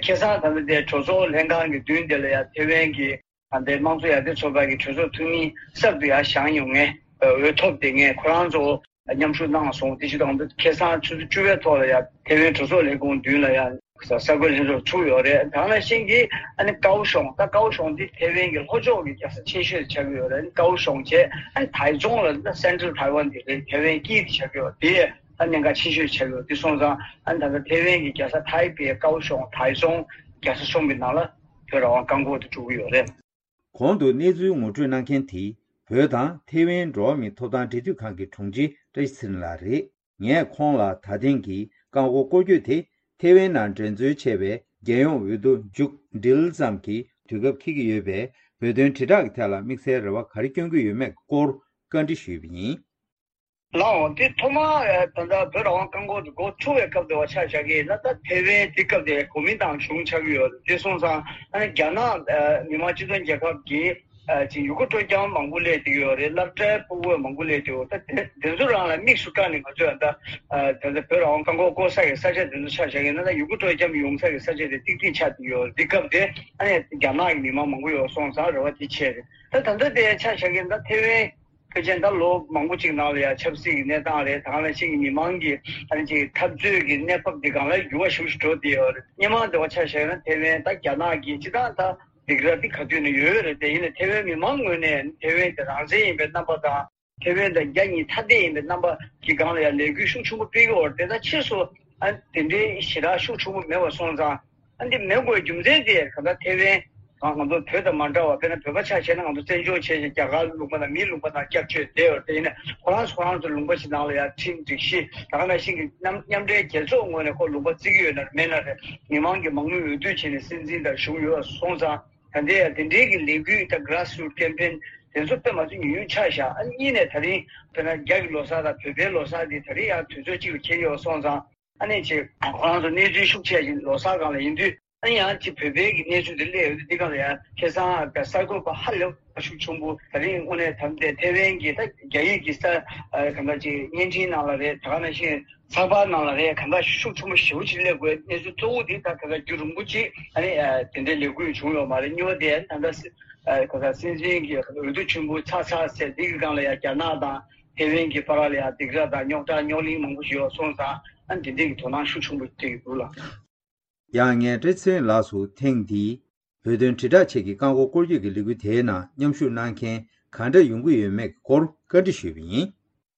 ཁ་སང་ད་ལྟ་དེ་གྲོས་ཚོགས་ལྷན་ཁང་གི་མདུན་དེ་ལ་ཡང་ཐེ་ཝན་གྱི་ད་ལྟའི་དམངས་གཙོ་ཡར་ཐོན་ཚོགས་པ་གི་གྲོས་ཚོགས་འཐུས་མི་གསར་དུ་ཡར་བཞེངས་ཡོང་མཁན་འོས་ཐོབ་དེ་ངས་ཁོ་རང་ཚོ་མཉམ་ཞུགས་གནང་སོང་། དེ་བཞིན་དུ་ཁ་སང་ཆུ་ཚོད་བཅུ་པའི་ཐོག་ལ་ཡང་ཐེ་ཝན་གྲོས་ཚོགས་ལས་ཁུངས་མདུན་ལ་ཡང་གསར་འགོད་ལྷན་ཚོགས་ཚུགས་ཡོད་རེད། དེ་ནང་བཞིན་གྱི་ཨ་ནི་ཀའོ་ཤོང་། ད་ཀའོ་ཤོང་འདི་ཐེ་ཝན་གྱི་ལྷོ་ཕྱོགས་ཀྱི་རྒྱལ་ས་ཆེ་ཤོས་ཆགས་ཀྱི་ཡོད་རེད། ཀའོ་ཤོང་བྱས་ཨ་ནི་ཐའེ་ཙུང་ལ་ད་སེན་ཊྲལ་ཐའེ་ཝན་དེ་རེད། ཐེ་ཝན་དཀྱིལ་དེ་ཆགས་ཀྱི་ཡོད། དེ་ཨ་གནད་འགག་ཆེ་ཤོས་ཆགས་ཀྱི་ཡོད། དེ་སོང་ཙང་ཨ་ནི་ད་ལྟ་ཐེ་ཝན་གྱི་རྒྱལ་ས་ཐའེ་པེ་ཀའོ་ཤོང་ཐའེ་ཙུང་རྒྱལ་ས་གཞུང་གི་ནང་ལ་བོད་རང་དབང་རྐང་འཁོར་དེ་འགྲོ་གི་ཡོད་རེད། གོང་དུ་གནས་ཚུལ་ངོ་སྤྲོད་གནང་མཁན་དེ་བོད་དང་ཐེ་ཝན་འགྲོ་བ་མིའི་ཐོབ་ཐང་འབྲེལ་མཐུད་ཁང་གི་དྲུང་ཆེ་བཀྲ་ཤིས་ཚེ་རིང་ལགས་རེད། ངས་ཁོང་ལ་ད་ཐེངས་ཀྱི་རྐང་འཁོར་སྐོར་སྐྱོད་དེ་ཐེ་ཝན་ནང་འགྲན་རྩོད་ཆེ་བའི་རྒྱལ་ཡོངས་འོས་བསྡུ་མཇུག་སྒྲིལ་ཙམ་གྱི་དུས་སྐབས་འཁེལ་གྱི་ཡོད་པས། བོད་དོན་དྲིལ་བསྒྲགས་ཀྱི་ཐད་ལ་དམིགས་བསལ་རེ་བ་ག་རེ་བསྐྱོན་གྱི་ཡོད་མེད་སྐོར་བཀའ་འདྲི་ཞུས་པ་ཡིན། ལའོ། དེ་ཐོག་མར་ད་ལྟ་བོད་རང་དབང་རྐང་འཁོར་དེ་འགོ་ཚུགས་པའི་སྐབས་དེ་བ་ཆ་བཞག་གི་ཡིན་ན། ད་ཐེ་ཝན་དེ་སྐབས་དེ་གོ་མིན་ཏང་གཞུང་ཆགས་ཀྱི་ཡོད། དེ་སོང་ཙང་ཨ་ནི་རྒྱ་ནག་མི་དམངས་སྤྱི་མཐུན་རྒྱལ་ཁབ་ཀྱི་ཅིག་ཡུལ་སྐོར་སྤྲོ་འཆམ་མང་པོ་སླེབས་བསྡད་ཡོད་རེད། སློབ་གྲྭའི་སྤུ་གུ་མང་པོ་སླེབས་བསྡད་ཡོད། ད་དེ་དེ་ཚོ་རང་ལ་དམིགས་སུ་བཀར་ནས་ང་ཚོས་ད་ད་ལྟ་བོད་རང་དབང་རྐང་འཁོར་སྐོར་ས་གི་ས་ཆ་དེ་ཚོ་ཆ་བཞག་གི་ཡིན་ན། ད་ཡུལ་སྐོར་སྤྲོ་འཆམ་ཡོང་ས་གི་ས་ཆ་དེ་ཏིག་ཏིག་ཆགས་བསྡད་ཡོད་རེད། དེ་སྐབས་དེ་ཨ་ནི་རྒྱ་ནག་གི་མི་མང་མང་པོ་ཡོད་སོང་ཙང་རེ་བ་དེ་ཆེ་རེད། ད་ད་ལྟ་དེ་ཆ་བཞག་གི་ཡིན་ན། ད་ཐེ་ཝན་ཕལ་ཆེར་ད་ལོ་མང་པོ་ཅིག་ནང་ལ་ཡང་ཆབ་སྲིད་ཀྱི་གནས་སྟངས་རེད། དེ་ག་ནང་བཞིན་གྱི་མི་མང་གི་ཨ་ནི་ཅིག་འཐབ་རྩོད་ཀྱི་གནས་བབ་འདི་སྒང་ལ་འགྱུར་བ་ཞེ་པོ་ཞིག་འགྲོ་བསྡད་ཡོད་རེད། སྔོན་མ་འདྲ་བ་ཆ་བཞག་ན་ཐེ་ཝན་ད་རྒྱ་ནག་གི་སྤྱི་བཏང་ད་སྡིགས་ར་འདི་ག་དུས་ནས་ཡོད་རེད། དེ་ཡིན་ན་ཐེ་ཝན་མི་མང་ངོས་ནས་ཐེ་ཝན་དེ་རང་བཙན་ཡིན་པའི་རྣམ་པ་དང་། ཐེ་ཝན་དང་རྒྱ་གཉིས་ཐ་དད་ཡིན་པའི་རྣམ་པ་གི་སྒང་ལ་ཡང་ལས་འགུལ་ཤུགས་ཆེན་པོ་སྤེལ་གྱི་ཡོད་རེད། དེ་ད་ཕྱིས་སུ་ཨ་དེ་འདྲའི་ཞེ་དྲག་ཤུགས་ཆེན་པོ་མེད་པ་སོང་ཙང་། ཨ་འདི་མེད་དགོས་རྒྱུ་མཚན་དེ་ག་ད་ཐེ་ཝན་ང་ང་ཚོ་བོད་དང་མ་འདྲ་བ། དཔེར་ན་བོད་པ་ཆ་བཞག་ན་ང་ཚོ་བཙན་བྱོལ་བྱས་ཤིང་རྒྱ་གར་ལུང་པ་དང་མིའི་ལུང་པ་ནང་སྐྱབས་བཅོལ་བསྡད་ཡོད་རེད། དེ་ཡིན་ན་ཁོ་རང་ཚོ་ཁོ་རང་ཚོ་ལུང་པ་ཞིག་ནང་ལ་ཡང་ཁྲིམས་སྒྲིག་གཞི་ད་ག་ནང་བཞིན་གྱི་མཉམ་མཉམ་འབྲེལ་རྒྱལ་ཚོགས་ངོས་ནས་ཁོ་ལུང་པ་བརྩི་གི་ཡོད་ན་མེད་ན་རེད། མི་མང་གི་མང་མོས་འོས་བསྡུ་བྱས་ནས་སྲིད་འཛིན་དང་གཞུང་ཡོད་སོང་ཙང་། ད་ལྟའི་ཡང་དེ་འདྲའི་གི་ལས་འགུལ་དང་grassroot campaign དེ་ཚོ་དཔེ་མ་ཚོ་ཉུང་ཉུང་ཆགས་བཞག་ཨ་གཉིས་ནས་ད་རིང་དཔེར་ན་རྒྱ་གི་ལོ་གསར་དང་བོད་པའི་ལོ་གསར་དེ་ད་རིང་ཡང་དུས་ཚོད་གཅིག་ལ་འཁེལ་ཡོད་སོང་ཙང་། ཨ་ནི་ཅིག་ཁོ་རང་ཚོ་གནས་ཚུལ་ཤུགས་ཆེ་ཞིང་ལོ་གསར་སྒང་ལ་ཡིན་དུས། ཨ་ནི་ཡང་ཅིག་བོད་པའི་གི་གནས་ཚུལ་དེ་སླེབས་ཡོད་དུས། འདི་སྒང་ལ་ཡང་ཁ་སང་གསར་འགོད་པ་ཧ་ལས་ ཤུགས་ཆེན་པོ། ད་རིང་དངོས་གནས་དམ་དེ་ཐེ་ཝན་གྱི་ད་རྒྱ་ཡིག་གི་ས་གང་ག་ཅིག་བརྙན་འཕྲིན་ནང་ལ་རེད། ད་ག་ནང་བཞིན་ཚགས་པར་ནང་ལ་རེད། གང་ག་ཤུགས་ཆེན་པོ་ཞེ་པོ་ཅིག་སླེབས་དགོས། གནས་ཚུལ་གཙོ་བོ་འདི་ད་ག་ག་རྒྱུན་རིང་པོ་ཅིག་ཨ་ནི་དེ་འདྲའི་ལས་འགུལ་བྱུང་ཡོད་མ་རེད། གཉིས་པ་དེ་ད་ལྟ་ག་ག་སྲིད་འཛིན་གྱི་འོས་བསྡུ་ཆེན་པོ་ཚར་ཚར་ཟེར་འདི་གི་སྒང་ལ་ཡང་རྒྱ་ནག་དང་ཐེ་ཝན་གྱི་བར་ལ་ཡང་སྡིགས་ར་དང་རྙོག་དྲ་རྙོག་གླེང་མང་པོ་ཞིག་ཡོད་སོང་ཙང་ཨ་ནི་དེ་འདྲའི་གི་དོ་སྣང་ཤུགས་ཆེན་པོ་སྤྲད་ཀྱི་འདུག་ལ། ཡང་ངས་བཀྲ་ཤིས་ཚེ་རིང་ལགས་སུ་ཐེངས་འདིའི་བོད་དོན་དྲིལ་བསྒྲགས་ཆེད་ཀྱི་རྐང་འཁོར་སྐོར་སྐྱོད་ཀྱི་ལས་འགུལ་དེའི་ནང་མཉམ་ཞུགས་གནང་མཁན་གང་འདྲ་ཡོང་གི་ཡོད་མེད་ཀྱི་སྐོར་བཀའ་འདྲི་ཞུས་པ་ཡིན།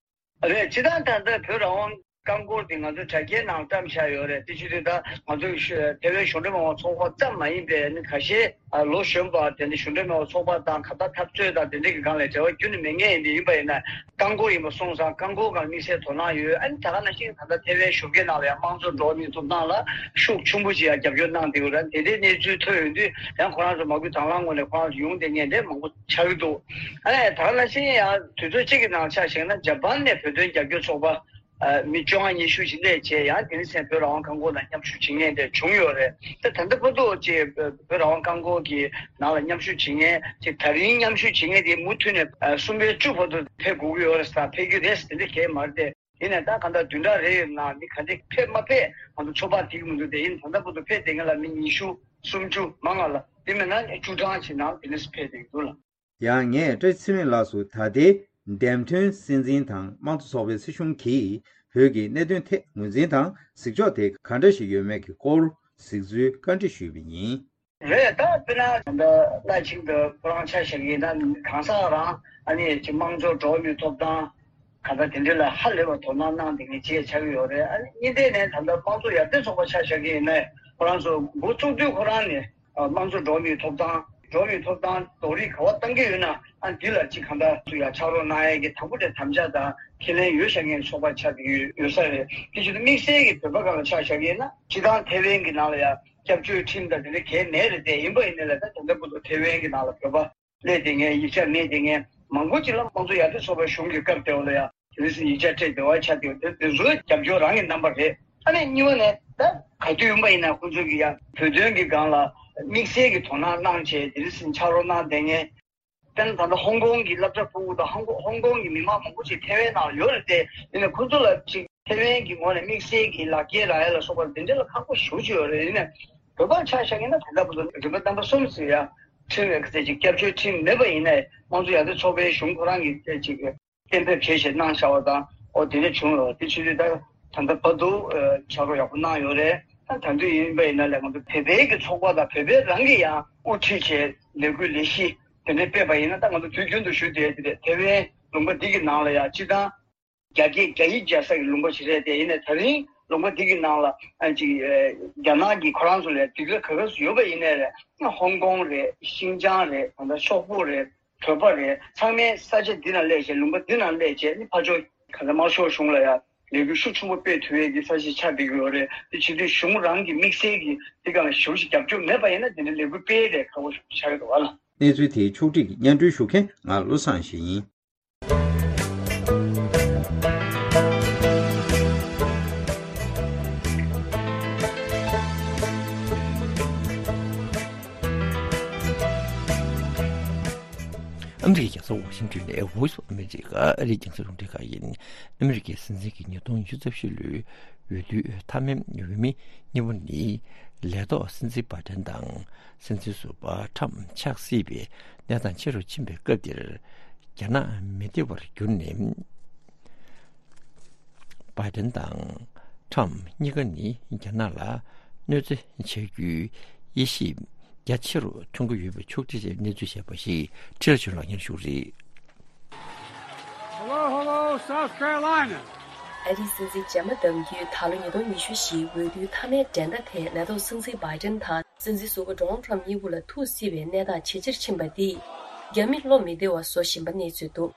རེད། སྤྱིར་བཏང་ད་ལྟ་བོད་རང་དབང་རྐང་འཁོར་དེ་ང་ཚོའི་དྲ་རྒྱའི་ནང་བཀྲམ་བཞག་ཡོད་རེད། དེ་བྱེད་དུས་ད་ང་ཚོའི་ཐེ་ཝན་གཞུང་འབྲེལ་མ་འོངས་པ་ཚོགས་པ་ཙམ་མ་ཡིན་པའི་ནི་ཁ་ཤས་ལོ་གཞོན་པ་དེ་འདྲ་གཞུང་འབྲེལ་མ་འོངས་པ་ཚོགས་པ་དང་ག་ད་འཐབ་རྩོད་དང་དེ་འདྲ་གི་སྒང་ལ་འབྲེལ་བ་ཁྱོན་ནས་མེད་མཁན་ཡིན་དེ་ཡིན་པ་ཡིན་ན། རྐང་འཁོར་ཡིན་པ་སོང་ཙང་རྐང་འཁོར་སྒང་དམིགས་བསལ་དོ་སྣང་ཡོད། ཨ་ནི་ད་ག་ནང་བཞིན་ད་ལྟ་ཐེ་ཝན་གཞུང་སྒེར་ནང་ལ་ཡང་དམངས་གཙོ་འགྲོ་བ་མིའི་ཐོབ་ཐང་ལ་ཤུགས་ཆེན་པོ་ཅིག་ཡང་རྒྱབ་སྐྱོར་གནང་བསྡད་ཡོད་རེད། དེ་འདྲའི་གནས་ཚུལ་ཐོན་ཡོང་དུས་ཡང་ཁོ་རང་ཚོ་མ་བསྐུལ་དང་བླངས་ངོས་ནས་ཁོ་རང་ཚོ་ཡོང་བསྡད་མཁན་དེ་མང་པོ་ཆགས་ཀྱི་འདུག་ཨ་ནི་ད་ག་ནང་བཞིན་ཡང་དུས་ཚོད་གཅིག་གི་ནང་ཆ་བཞག་ན་ཇ་པན་ནས་བོད་དོན་རྒྱབ་སྐྱོར་ཚོགས་པ་ཨ་མི་བཅོ་ལྔ་ཉི་ཤུ་ཞིག་སླེབས་བྱས་ཡང་དེ་རིང་སང་བོད་རང་དབང་རྐང་འཁོར་ནང་མཉམ་ཞུགས་བྱེད་མཁན་དེ་བྱུང་ཡོད་རེད། ད་ད་ལྟ་བར་དུ་ཅིག་བོད་རང་དབང་རྐང་འཁོར་གྱི་ནང་ལ་མཉམ་ཞུགས་བྱེད་མཁན་ཅིག་ད་རིང་མཉམ་ཞུགས་བྱེད་མཁན་དེ་མུ་མཐུད་ནས་ཨ་གསུམ་པའི་བཅུ་བར་དུ་ཕེབས་དགོས་ཀྱི་ཡོད་རེད་ཟེར། ཕེབས་ཀྱི་རེད་ཟེར་དེ་འདྲ་གང་ཡང་མ་རེད་དེ། ཡིན་ནའི་ད་གང་ལྟར་བདུན་ཕྲག་རེ་ཡོད་ན་མི་ག་འདྲ་ཕེབས་མ་ཕེབས་ང་ཚོ་ཚོད་དཔག་འགྲིག་གི་མི་འདུག་སྟེ། ཡིན་ད་ལྟ་བར་དུ་ཕེབས་བསྡད་མཁན་ལ་མི་ཉི་ཤུ་སུམ་ཅུ་མང་ང་ལ་དེ་མིན་ན་བཅུ་གྲངས་ཅིག་ནང་དེ་འདྲ་ཕེབས་བསྡད་ཀྱི་འདུག་ལ། ཡང་ངས་བཀྲ་ཤིས་ཚེ་རིང་ལགས་སུ་ད་ལྟའི་འདེམས་ཐོན་སྲིད་འཛིན་དང་དམངས་གཙོ་ཚོགས་པའི་སྲིད་གཞུང་གིས་བོད་ཀྱི་གནད་དོན་ཐད་ངོས་འཛིན་དང་གཟིགས་ཕྱོགས་དེ་ག་འདྲ་ཞིག་ཡོད་མེད་ཀྱི་སྐོར་གཟིགས་ཚུལ་བཀའ་འདྲི་ཞུས་པ་ཡིན། རེད། ད་དཔེར་ན་ད་ལྟ་བླ་ཆེན་དུ་ཁོ་རང་ཆ་བཞག་གིན་ན་གང་ཟག་རང་ཨ་ནི་ཅིག་དམངས་གཙོ་འགྲོ་བ་མིའི་ཐོབ་ཐང་གང་ལྟར་དེ་འདྲ་ལ་ཧ་ལས་པ་དོ་སྣང་གནང་བསྡད་མཁན་ཅིག་ཆགས་ཀྱི་ཡོད་རེད། ཨ་ནི་གཉིས་ཐད་ནས་ད་ལྟ་དམངས་གཙོ་ཡར་ཐོན་ཚོགས་པ་ཆ་བཞག་གིན་ཡིན་ན་ཁོ་རང་ཚོ་འགོ་བཙུགས་དུས་ཁོ་རང་ནས་དམངས་གཙོ་འགྲོ་བ་མིའི་ཐོབ་ཐང་འགྲོ་བ་མིའི་ཐོབ་ཐང་རྡོག་རིལ་ག་བ་བཏང་གི་ཡོད་ན་ཨ་འདི་ལ་ཅིག་གང་ལྟར་ཚུར་ཡར་ཕྱག་རོགས་གནང་ཡས་ཀྱི་དང་པོ་དེ་དམ་བཅའ་དང་ཁས་ལེན་ཡོད་བཞག་མཁན་ཚོགས་པ་ཆགས་ཀྱི་ཡོད་ས་རེད། དེ་བཞིན་དུ་དམིགས་བསལ་གྱི་བོད་པ་སྒང་ལ་ཆ་བཞག་གིན་ན་སྤྱིར་བཏང་ཐེ་ཝན་གྱི་ནང་ལ་ཡང་སྐྱབས་བཅོལ་ཁྲིམས་དང་དེ་འདྲ་གང་ཡང་མེད་རེད་དེ། ཡིན་པ་ཡིན་ནའི་ལ་ད་ད་ལྟ་བར་དུ་ཐེ་ཝན་གྱི་ནང་ལ་བོད་པ་སླེབས་བསྡད་མཁན་ཡིག་ཆ་མེད་བསྡད་མཁན་མང་པོ་ཅིག་ལ་དམངས་གཙོ་ཡར་ཐོན་ཚོགས་པའི་གཞུང་གི་སྐབས་དེ་བ་ལ་ཡང་དེ་རིང་སང་ཡིག་ཆ་སྤྲད་བདེ་བ་ཆགས་བསྡད་ཡོད་དེ། དེ་ཚོའི་རྒྱབ་སྐྱོར་རང་གི་རྣམ་པ་རེད། ཨ་ནི་གཉིས་པ་ནས་ད་ག་དུས་ཡིན་པ་ཡིན་ན་ཁོང་ཚོ་གི་ཡང་བོད་དོན་གྱི་སྒང་ལ་དམིགས་བསལ་གྱི་དོ་སྣང་གནང་བྱས་དེ་རིང་སང་ཕྱག་རོགས་གནང་བསྡད་མཁན། དཔེར་ན་ད་ལྟ་ཧོང་ཀོང་གི་སློབ་གྲྭ་ཕྲུ་གུ་དང་ཧོང་ཀོང་ཧོང་ཀོང་གི་མི་མང་མང་པོ་ཅིག་ཐེ་ཝན་ནང་ཡོད་རེད་དེ། ཡིན་ནའི་ཁོ་ཚོ་ལ་ཅིག་ཐེ་ཝན་གྱི་ངོས་ནས་དམིགས་བསལ་གྱི་ལག་འཁྱེར་རག་ཡ་ལ་སོགས་པ་དེ་འདྲ་ལ་ཁག་པོ་ཞེ་པོ་ཅིག་ཡོད་རེད། ཡིན་ནའི་བོད་པ་ཆ་བཞག་ཡིན་ན་ད་ལྟ་བར་དུ་རིམ་པ་རྣམ་པ་གསུམ་ཟེར་ཡ་ཁྲིམས་ཀྱི་ཅིག་སྐྱབས་བཅོལ་ཁྲིམས་མེད་པ་ཡིན་ནའི་དམངས་གཙོ་ཡར་ཐོན་ཚོགས་པའི་གཞུང་ཁོ་རང་གིས་ཅིག་གཏན་འབེབས་བྱས་བྱས་གནང་བཞག་པ་དང་འོ་དེ་འདྲ་བྱུང་ཡོད། དེ་བྱེད་དུས་ད་ད་ལྟ་བར་དུ་ཕྱག་རོགས་ཡག་པོ་གནང་ཡོད་རེད། ད་ད་དུང་ཡིན་པ་ཡིན་ན་ལས་ང་ཚོ་བོད་པའི་གི་ཚོགས་པ་དང་བོད་པའི་རང་གི་ཡང་དབུ་ཁྲིད་བྱས་ལས་འགུལ་ལས་གཞི་དེ་འདྲ་སྤེལ་བ་ཡིན་ན། ད་ང་ཚོ་དུས་རྒྱུན་དུ་ཞུ་བསྡད་དེ་རེད། ཐེ་ཝན་ལུང་པ་འདི་གི་ནང་ལ་ཡང་སྤྱིར་བཏང་རྒྱ་སྐད་རྒྱ་ཡིག་སྦྱར་ས་གི་ལུང་པ་ཞིག་རེད་དེ། ཡིན་ནའི་ད་རིང་ལུང་པ་འདི་གི་ནང་ལ་ཨ་ཅིག་རྒྱ་ནག་གི་ཁོ་རང་ཚོ་ལ་སྡིགས་ར་ག་ག་ཚོད་ཡོད་པ་ཡིན་ནའི་རེད། ཧོང་ཀོང་རེད། ཤིན་ཅང་རེད། ད་ལྟ་ཤོག་བུ་རེད། བོད་པ་རེད། ཚང་མའི་ས་ཆ་འདི་ནང་སླེབས་བྱས་ལུང་པ་འདི་ནང་སླེབས་བྱས་ནི་ཕར་ཕྱོགས་ག་ཚོད་དམར་ཤོག་གཞུང་ལ་ཡང་ལས་འགུལ་ཤུགས་ཆེན་པོ་སྤེལ་ཐུབ་ཡས་ཀྱི་ས་ཆ་ཆགས་བསྡད་ཀྱི་ཡོད་རེད། དེ་བྱེད་དུས་གཞུང་རང་གི་དམིགས་བསལ་གྱི་དེ་ག་ལ་ཞེ་པོ་ཞིག་རྒྱབ་སྐྱོར་མེད་པ་ཡིན་ན་དེ་འདྲའི་ལས་འགུལ་སྤེལ་ཡས་ལས་ཁག་པོ་ཞེ་པོ་ཆགས་ཀྱི་འདུག་བ་ལ། གནས་ཚུལ་དེ་ཕྱོགས་སྒྲིག་གིས་སྙན་སྒྲོན་ཞུ་མཁན་ང་བློ་བཟང་ཡེ་ཤེས་ཡིན། ཨ་མི་རི་ཀའི་རྒྱལ་ས་ཝ་ཤིང་ཏོན་ནས་Voice of America ཨ་རིའི་རྒྱང་སྲིང་རླུང་འཕྲིན་ཁང་ཡིན། ཨ་མི་རི་ཀའི་སྲིད་འཛིན་གྱི་ཉིས་སྟོང་ཉི་ཤུ་རྩ་བཞི་ལོའི་འོས་བསྡུའི་མཐའ་མའི་འོས་མི་གཉིས་པོ་ནི། ལས་ཐོག་སྲིད་འཛིན་བྷའི་ཌེན་དང་སྲིད་འཛིན་ཟུར་པ་ཁྲམ་ཆགས་སྲིད་པའི་གནས་སྟངས་ཆེ་རུ་ཕྱིན་པའི་སྐབས་འདིར། རྒྱ་ནག་མི་བདེ་བར་གྱུར་ནས། བྷའི་ཌེན་དང་ཁྲམ་གཉིས་ཀ་ནི་རྒྱ་ནག་ལ་གནོད་འཚེ་བྱ་རྒྱུའི་དབྱེ་ཞིབ་རྒྱ་ཆེ་རུ་གཏོང་གི་ཡོད་པའི་ཕྱོགས་སྒྲིག་ཆེད་གནས་ཚུལ་བཤད་པ་ཞིག་ཁྲི་ལ་ཆོས་ལགས་སྙན་ཞུ་རེད། Hello, hello, South Carolina. ཨ་རིའི་སྲིད་འཛིན་རྗེས་མ་གདམ་རྒྱུའི་ད་ལོ་ཉིས་སྟོང་ཉི་ཤུ་བཞིའི་འོས་བསྡུའི་མཐའ་མའི་འགྲན་ཟླ་དེ་ལས་ཐོག་སྲིད་འཛིན་བྷའི་ཌེན་དང་སྲིད་འཛིན་ཟུར་པ་ཌོ་ནལ་ཊམ་གཉིས་པོ་ལ་ཐུག་སྲིད་པའི་གནས་སྟངས་ཇེ་ཆེར་ཕྱིན་པ་འདིས་རྒྱ་མི་བློ་མི་བདེ་བ་བཟོ་བཞིན་པ་གནས་ཚུལ་འདུག་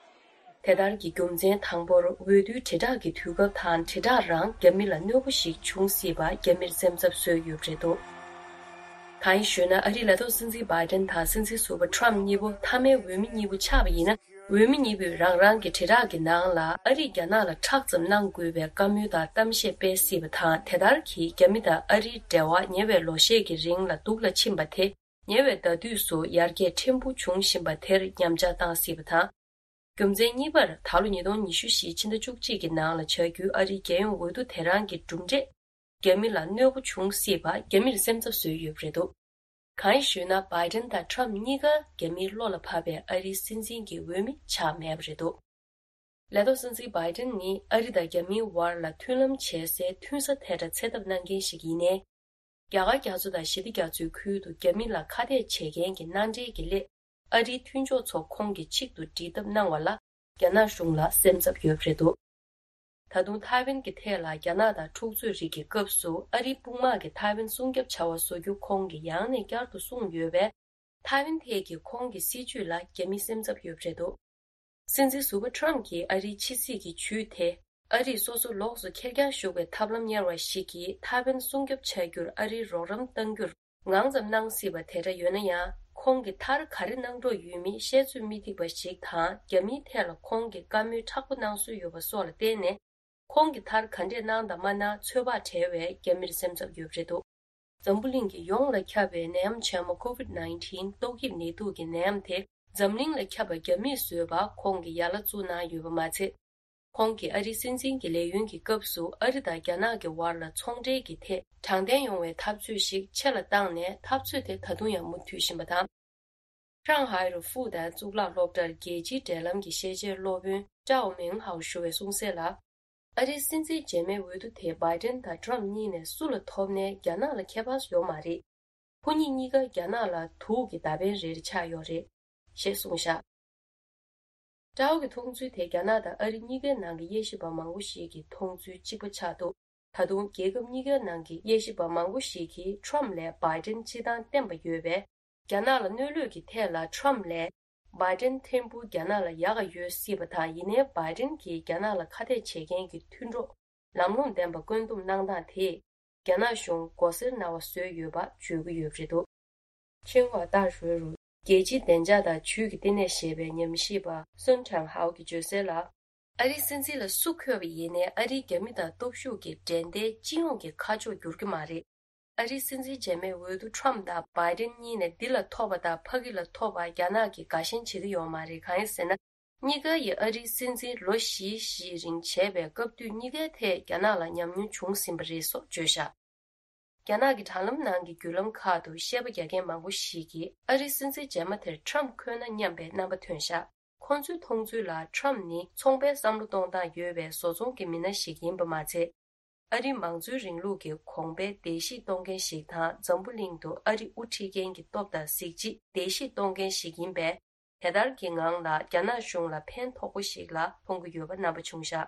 དེ་ལྟར་གྱི་རྒྱུ་མཚན་དང་པོར་འོས་བསྡུའི་དྲིལ་བསྒྲགས་ཀྱི་དུས་སྐབས་དང་དྲིལ་བསྒྲགས་རང་རྒྱ་མི་ལ་གནོད་པ་ཞིག་འབྱུང་སྲིད་པ་རྒྱ་མིར་སེམས་འཚབ་བཟོས་ཡོད་པ་རེད་འདུག་གང་ཡིན་ཞུས་ན་ཨ་རིའི་ལས་ཐོག་སྲིད་འཛིན་བྷའི་ཌེན་དང་སྲིད་འཛིན་ཟུར་པ་ཊམ་གཉིས་པོ་མཐའ་མའི་འོས་མི་གཉིས་པོ་ཆགས་པ་ཡིན་ན། འོས་མི་གཉིས་པོས་རང་རང་གི་དྲིལ་བསྒྲགས་ཀྱི་ནང་ལ་ཨ་རིས་རྒྱ་ནག་ལ་ཁྲག་ཙམ་གནང་དགོས་པའི་བཀའ་མོལ་དང་གཏམ་བཤད་སྤེལ་སྲིད་པ་དང་། དེ་ལྟར་གྱིས་རྒྱ་མི་དང་ཨ་རིའི་འབྲེལ་བ་ཉེ་བའི་ལོ་ཤས་ཀྱི་རིང་ལ་སྡུག་ལ་ཕྱིན་པ་དེ་ ཉེ་བའི་ཟླ་དུས་སུ་ཡར་རྒྱས་ཕྲན་བུ་བྱུང་བཞིན་པ་དེར་ཉམས་ཆག་བཏང་སྲིད་པ་དང་། རྒྱུ་མཚན་གཉིས་པར་ད་ལོ་ཉིས་སྟོང་ཉི་ཤུ་བཞི་ཕྱི་ཟླ་བཅུ་གཅིག་གི་ནང་ལ་བྱ་རྒྱུའི་ཨ་རིའི་རྒྱལ་ཡོངས་འོས་བསྡུ་དེ་རང་གི་གྲུབ་འབྲས་རྒྱ་མི་ལ་གནོད་པ་བྱུང་སྲིད་པ་རྒྱ་མིར་སེམས་འཚབ་བཟོས་ཡོད་པ་རེད་འདུག་གང་ཡིན་ཞུས་ན། བྷའི་ཌེན་དང་ཁྲམ་གཉིས་ཀ་རྒྱ་མིའི་བློ་ལ་བབས་པའི་ཨ་རིའི་སྲིད་འཛིན་གྱི་འོས་མི་ཆགས་མེད་པ་རེད་འདུག་ལས་ཐོག་སྲིད་འཛིན་བྷའི་ཌེན་ནི་ཨ་རི་དང་རྒྱ་མིའི་བར་ལ་མཐུན་ལམ་བྱེད་སའི་མཐུན་ས་དེ་འདྲ་འཚོལ་ཐབས་གནང་མཁན་ཞིག་ཡིན་ནའི། རྒྱ་གར་རྒྱ་མཚོ་དང་ཞི་བདེ་རྒྱ་མཚོའི་ཁུལ་དུ་རྒྱ་མི་ལ་ཁ་གཏད་བྱེད་མཁན་གྱི་མནའ་འབྲེལ་གྱི་སླད། ཨ་རིའི་མཐུན་ཕྱོགས་ཚོ་ཁོང་གི་ཆེད་དུ་སྒྲིལ་ཐབས་གནང་བ་ལ་རྒྱ་ནག་གཞུང་ལ་སེམས་འཚབ་ཡོད་པ་རེད་འདུག་ད་དུང་ཐའེ་ཝན་གྱི་ཐད་ལ་རྒྱ་ནག་དང་འཁྲུག་རྩོད་རིགས་ཀྱི་སྐབས་སུ་ཨ་རིའི་དཔུང་དམག་གིས་ཐའེ་ཝན་སྲུང་སྐྱོབ་བྱ་བ་བཟོ་རྒྱུ་ཁོང་གིས་ཡང་ནས་བསྐྱར་དུ་གསུངས་ཡོད་པས། ཐའེ་ཝན་ཐད་ཀྱི་ཁོང་གི་སྲིད་བྱུས་ལ་རྒྱ་མི་སེམས་འཚབ་ཡོད་པ་རེད་འདུག་སྲིད་འཛིན་ཟུར་པ་ཁྲམ་གྱིས་ཨ་རིའི་ཕྱི་སྲིད་ཀྱི་ཇུས་དེ། ཨ་རིས་སོ་སོ་ལོགས་སུ་ཁེར་རྐྱང་ཞུགས་པའི་ཐབས་ལམ་གཉེར་བ་ཞིག་གིས་ཐའེ་ཝན་སྲུང་སྐྱོབ་བྱ་རྒྱུར་ཨ་རིའི་རོགས་རམ་གཏང་རྒྱུར་ངང་ཙམ་གནང་སྲིད་པ་དེ་འདྲ་ཡོད་ན་ཡང་། ཁོང་གིས་མཐར་ག་རེ་གནང་འདོད་ཡོད་མེད་བཤད་ཚོད་མི་ཐིག་པ་ཞིག་དང་། རྒྱ་མིའི་ཐད་ལ་ཁོང་གིས་བཀའ་མོལ་མཁྲེགས་པོ་གནང་སྲོལ་ཡོད་པ་སོགས་ལ་བརྟེན་ནས། ཁོང་གིས་མཐར་ག་འདྲས་གནང་དང་མ་གནང་ཚོད་དཔག་བྲལ་བས་རྒྱ་མིར་སེམས་འཚབ་ཡོད་པ་རེད་འདུག་འཛམ་བུ་གླིང་གི་ཡོངས་ལ་ཁྱབ་པའི་ནད་ཡམས་ཆེན་མོ་ཀོ་ཝིད་ནའིན་ཊིན་ཏོག་དབྱིབས་ནད་དུག་གི་ནད་ཡམས་དེ་འཛམ་གླིང་ལ་ཁྱབ་པ་རྒྱ་མིས་བཟོས་པ་ཁོང་གིས་ཡ་ལ་བཙུགས་གནང་ཡོད་པ་མ་ཚད། ཁོང་གིས་ཨ་རིའི་སྲིད་འཛིན་གྱི་ལས་ཡུན་གྱི་སྐབས་སུ་ཨ་རི་དང་རྒྱ་ནག་གི་བར་ལ་ཚོང་འབྲེལ་གྱི་ཐད་དྲང་བདེན་ཡོང་བའི་འཐབ་རྩོད་ཞིག་ཆེ་ལ་བཏང་ནས། འཐབ་རྩོད་དེ་ད་དུང་ཡང་མུ་མཐུད་བཞིན་པ་དང་། ཧྲང་ཧའེ་རུ་ཧྥུའུ་ཏན་གཙུག་ལག་སློབ་གྲྭར་རྒྱལ་སྤྱིའི་འབྲེལ་ལམ་གྱི་ཤེས་བྱའི་སློབ་དཔོན་ཀྲའོ་མེང་ཧའོ་ཞུ་བས་གསུངས་གསལ་ལ། ཨ་རིའི་སྲིད་འཛིན་རྗེས་མའི་འོས་བསྡུ་དེ་བྷའི་ཌེན་དང་ཁྲམ་གཉིས་ནས་སུ་ལ་ཐོབ་ནའི་རྒྱ་ནག་ལ་ཁྱད་པར་ཡོད་མ་རེད། ཁོ་གཉིས་གཉིས་ཀ་རྒྱ་ནག་ལ་དུག་གི་མདའ་འཕེན་རེ་རེ་ཆགས་ཡོད་རེད། ཞེས་གསུངས་བཞག་ཀྲའོ་གི་མཐོང་ཚུལ་དེ་རྒྱ་ནག་དང་ཨ་རི་གཉིས་ཀའི་ནང་གི་དབྱེ་ཞིབ་པ་མང་པོ་ཞིག་གི་མཐོང་ཚུལ་གཅིག་པ་ཆགས་འདུག་ད་དུང་རྒྱལ་ཁབ་གཉིས་ཀའི་ནང་གི་དབྱེ་ཞིབ་པ་མང་པོ་ཞིག་གིས་ཁྲམ་ལས་བྷའི་ཌེན་སྤྱི་བཏང་བརྟན་པ་ཡོད་པས། རྒྱ་ནག་ལ་གནོད་ལུགས་ཀྱི་ཐད་ལ་ཁྲམ་ལས་བྷའི་ཌེན་ཕྲན་བུ་རྒྱ་ནག་ལ་ཡག་ག་ཡོད་སྲིད་པ་དང་། ཡིན་ནའི་བྷའི་ཌེན་གྱིས་རྒྱ་ནག་ལ་ཁ་གཏད་བྱེད་མཁན་གྱི་མཐུན་གྲོགས་ལམ་ལྷོང་ལྡན་པ་བཀོད་འདོམས་གནང་སྟངས་དེས། རྒྱ་ནག་གཞུང་མགོ་སེར་ན་བ་བཟོས་ཡོད་པ་བརྗོད་ཀྱི་ཡོད་པ་རེད་འདུག་ཆིན་ཧྭ་ཏཱ་ཧྲུའེ་རུ་རྒྱལ་སྤྱིའི་བདེ་འཇགས་དང་ཇུས་ཀྱི་བསྟི་གནས་ཞེས་པའི་ཉམས་ཞིབ་པ་སུན་ཁྲང་ཧའོ་གིས་བརྗོད་གསལ་ལ། ཨ་རིའི་སྲིད་འཛིན་ལ་སུ་འཁོད་པ་ཡིན་ནའི་ཨ་རིའི་རྒྱ་མི་དང་སྟོབས་ཤུགས་ཀྱི་འགྲན་ཟླའི་སྤྱི་ཡོངས་ཀྱི་ཁ་ཕྱོགས་འགྱུར་གྱི་མ་རེད། ཨ་རིའི་སྲིད་འཛིན་རྗེས་མའི་འོས་བསྡུ་ཁྲམ་དང་བྷའི་ཌེན་གཉིས་ནས་འདི་ལ་ཐོབ་པ་དང་ཕ་གི་ལ་ཐོབ་པ་རྒྱ་ནག་གིས་དགའ་ཞེན་བྱེད་ཀྱི་ཡོད་མ་རེད། གང་ཡིན་ཟེར་ན། གཉིས་ཀ་ཡིས་ཨ་རིའི་སྲིད་འཛིན་ལོ་བཞི་བཞིའི་རིང་བྱས་པའི་སྐབས་དུས་གཉིས་ཀའི་ཐད་རྒྱ་ནག་ལ་ཉམས་མྱོང་བྱུང་ཟིན་པ་རེད་སོགས་བརྗོད་བཞག་རྒྱ་ནག་གི་དྲ་ལམ་ནང་གི་བརྒྱུད་ལམ་ཁག་ཏུ་བཤད་པ་རྒྱག་མཁན་མང་པོ་ཞིག་གིས་ཨ་རིའི་སྲིད་འཛིན་རྗེས་མ་དེར་ཁྲམ་འཁོད་ན་སྙམ་པའི་རྣམ་པ་ཐོན་བཞག་ཁོང་ཚོའི་མཐོང་ཚུལ་ལ་ཁྲམ་ནི་ཚོང་པའི་བསམ་བློ་གཏོང་སྟངས་ཡོད་པའི་བཟོ་ཚོང་གི་མི་སྣ་ཞིག་ཡིན་པ་མ་ཚད། ཨ་རིའི་མང་གཙོའི་རིང་ལུགས་ཀྱི་གོང་འཕེལ་བརྡལ་བཤིག་གཏོང་མཁན་ཞིག་དང་། འཛམ་བུ་གླིང་དུ་ཨ་རི་དབུ་ཁྲིད་མཁན་གྱི་སྟོབས་དང་གཟི་བརྗིད་བརྡལ་བཤིག་གཏོང་མཁན་ཞིག་ཡིན་པས། དེ་ལྟར་གྱི་ངང་ལ་རྒྱ་ནག་གཞུང་ལ་ཕན་ཐོགས་པོ་ཞིག་ལ་མཐོང་གི་ཡོད་པ་རྣམ་པ་བྱུང་བཞག་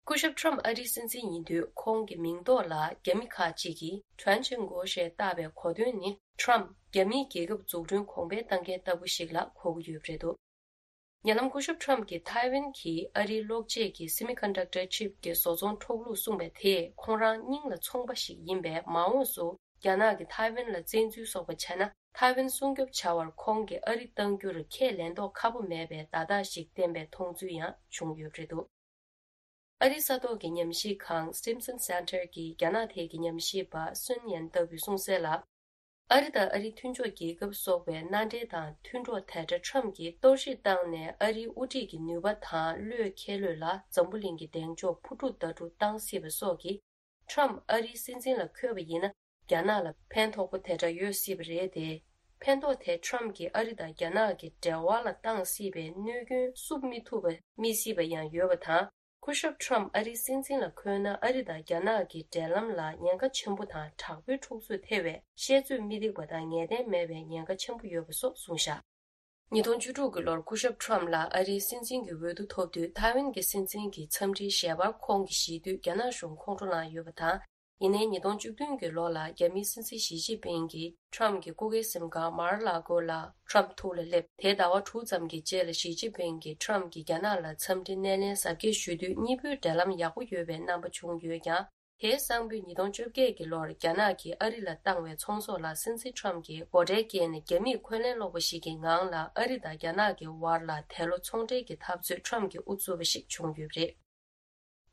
སྐུ་ཞབས་ཁྲམ་ཨ་རིའི་སྲིད་འཛིན་ཡིན་དུས་ཁོང་གི་མིང་ཐོག་ལ་རྒྱ་མི་ཁག་ཅིག་གིས་ཁྲན་ཆེན་གོ་ཞེས་བཏགས་པའི་གོ་དོན་ནི་ཁྲམ་རྒྱ་མིའི་རྒྱལ་ཁབ་འཛུགས་སྐྲུན་གོང་འཕེལ་གཏང་མཁན་ལྟ་བུ་ཞིག་ལ་གོ་གི་ཡོད་པ་རེད་འདུག་ཉེ་ལམ་སྐུ་ཞབས་ཁྲམ་གྱིས་ཐའེ་ཝན་གྱི་ཨ་རིའི་གློག་ཆས་ཀྱི་སེ་མི་ཀོན་ཌག་ཊར་ཆིབ་ཀྱི་བཟོ་ཚོང་འཕྲོག་ལུགས་གསུངས་པ་དེས་ཁོང་རང་སྙིང་ལ་མཚུངས་པ་ཞིག་ཡིན་པས། མ་འོངས་སུ་རྒྱ་ནག་གིས་ཐའེ་ཝན་ལ་བཙན་འཛུལ་སོགས་པ་བྱས་ན། ཐའེ་ཝན་སྲུང་སྐྱོབ་བྱ་བར་ཁོང་གིས་ཨ་རི་གཏང་རྒྱུར་ཁས་ལེན་མདོག་ཁ་པོ་མེད་པའི་བརྡ་རྟགས་ཤིག་བསྟན་པའི་མཐོང་ཚུལ་ཡང་བྱུང་ཡོད་པ་རེད་འདུག་ཨ་རིའི་ས་ཐོག་གི་ཉམས་ཞིབ་ཁང་Stimson Center གྱི་རྒྱ་ནག་ཐད་ཀྱི་ཉམས་ཞིབ་པ་སུན་ཡན་ལྟ་བུས་གསུངས་གསལ་ལ། ཨ་རི་དང་ཨ་རིའི་མཐུན་ཕྱོགས་རྒྱལ་ཁབ་སོགས་པའི་མནའ་འབྲེལ་དང་མཐུན་གྲོགས་དེ་འདྲ་ཁྲམ་གྱིས་གཏོར་བཤིག་བཏང་ནས། ཨ་རིའི་དབུ་ཁྲིད་ཀྱི་ནུས་པ་དང་བློས་འཁེལ་ལོས་ལ་འཛམ་བུ་གླིང་གི་གདེང་འཇོག་འཕུར་འགྲོ་ཟླ་གྲུ་བཏང་སྲིད་པ་སོགས་ཀྱིས། ཁྲམ་ཨ་རིའི་སྲིད་འཛིན་ལ་འཁོད་པ་ཡིན་ན། རྒྱ་ནག་ལ་ཕན་ཐོགས་པོ་དེ་འདྲ་ཡོད་སྲིད་པ་རེད་དེ། ཕན་ཐོགས་དེ་ཁྲམ་གྱིས་ཨ་རི་དང་རྒྱ་ནག་གི་འབྲེལ་བ་ལ་བཏང་སྲིད་པའི་གནོད་སྐྱོན་བསུབ་མི་ཐུབ་པ་རྨིས་སྲིད་པ་ཡང་ཡོད་པ་དང་། སྐུ་ཞབས་ཁྲམ་ཨ་རིའི་སྲིད་འཛིན་ལ་འཁོད་ན། ཨ་རི་དང་རྒྱ་ནག་གི་འབྲེལ་ལམ་ལ་ཉེན་ཁ་ཆེན་པོ་དང་། དྲག་པོའི་འཁྲུག་རྩོད་ཐེ་བའི་བཤད་ཚོད་མི་འདེགས་པ་དང་ངེས་གཏན་མེད་པའི་ཉེན་ཁ་ཆེན་པོ་ཡོད་པ་སོགས་གསུངས་བཞག་ཉིས་སྟོང་བཅུ་དྲུག་གི་ལོར་སྐུ་ཞབས་ཁྲམ་ལ་ཨ་རིའི་སྲིད་འཛིན་གྱི་འོས་བསྡུ་ཐོབ་དུས། ཐའེ་ཝན་གྱི་སྲིད་འཛིན་གྱི་འཚམས་འདྲིའི་ཞལ་པར་ཁོང་གིས་བཞེས་དུས། རྒྱ་ནག་གཞུང་ཁོང་ཁྲོ་ལངས་ཡོད་པ་དང་། ཡིན་ནའི་ཉིས་སྟོང་བཅུ་བདུན་གྱི་ལོ་ལ་རྒྱ་མིའི་སྲིད་འཛིན་ཞི་ཅིན་ཕིང་གིས་ཁྲམ་གྱི་སྐུ་སྒེར་གཟིམ་ཁང་མར་ལ་གོ་ལ་ཁྲམ་ཐུགས་ལ་སླེབས། དེའི་ཟླ་བ་དྲུག་ཙམ་གྱི་རྗེས་ལ་ཞི་ཅིན་ཕིང་གིས་ཁྲམ་གྱིས་རྒྱ་ནག་ལ་འཚམས་འདྲི་སྣེ་ལེན་གཟབ་རྒྱས་ཞུ་དུས། གཉིས་པོའི་འབྲེལ་ལམ་ཡག་པོ་ཡོད་པའི་རྣམ་པ་བྱུང་ཡོད་ཀྱང་། དེའི་སང་ཕོད་ཉིས་སྟོང་བཅོ་བརྒྱད་ཀྱི་ལོར་རྒྱ་ནག་གིས་ཨ་རི་ལ་བཏང་བའི་ཚོང་ཟོག་ལ་སྲིད་འཛིན་ཁྲམ་གྱིས་སྒོ་ཁྲལ་བཀལ་ནས། རྒྱ་མིས་འཁོན་ལན་སློག་པ་ཞིག་གི་ངང་ལ་ཨ་རི་དང་རྒྱ་ནག་གི་བར་ལ་དེ་ལོ་ཚོང་འབྲེལ་གྱི་འཐབ་རྩོད་ཁྲམ་གྱིས་དབུ་བཙུགས་པ་ཞིག་བྱུང་ཡོད་པ་རེད།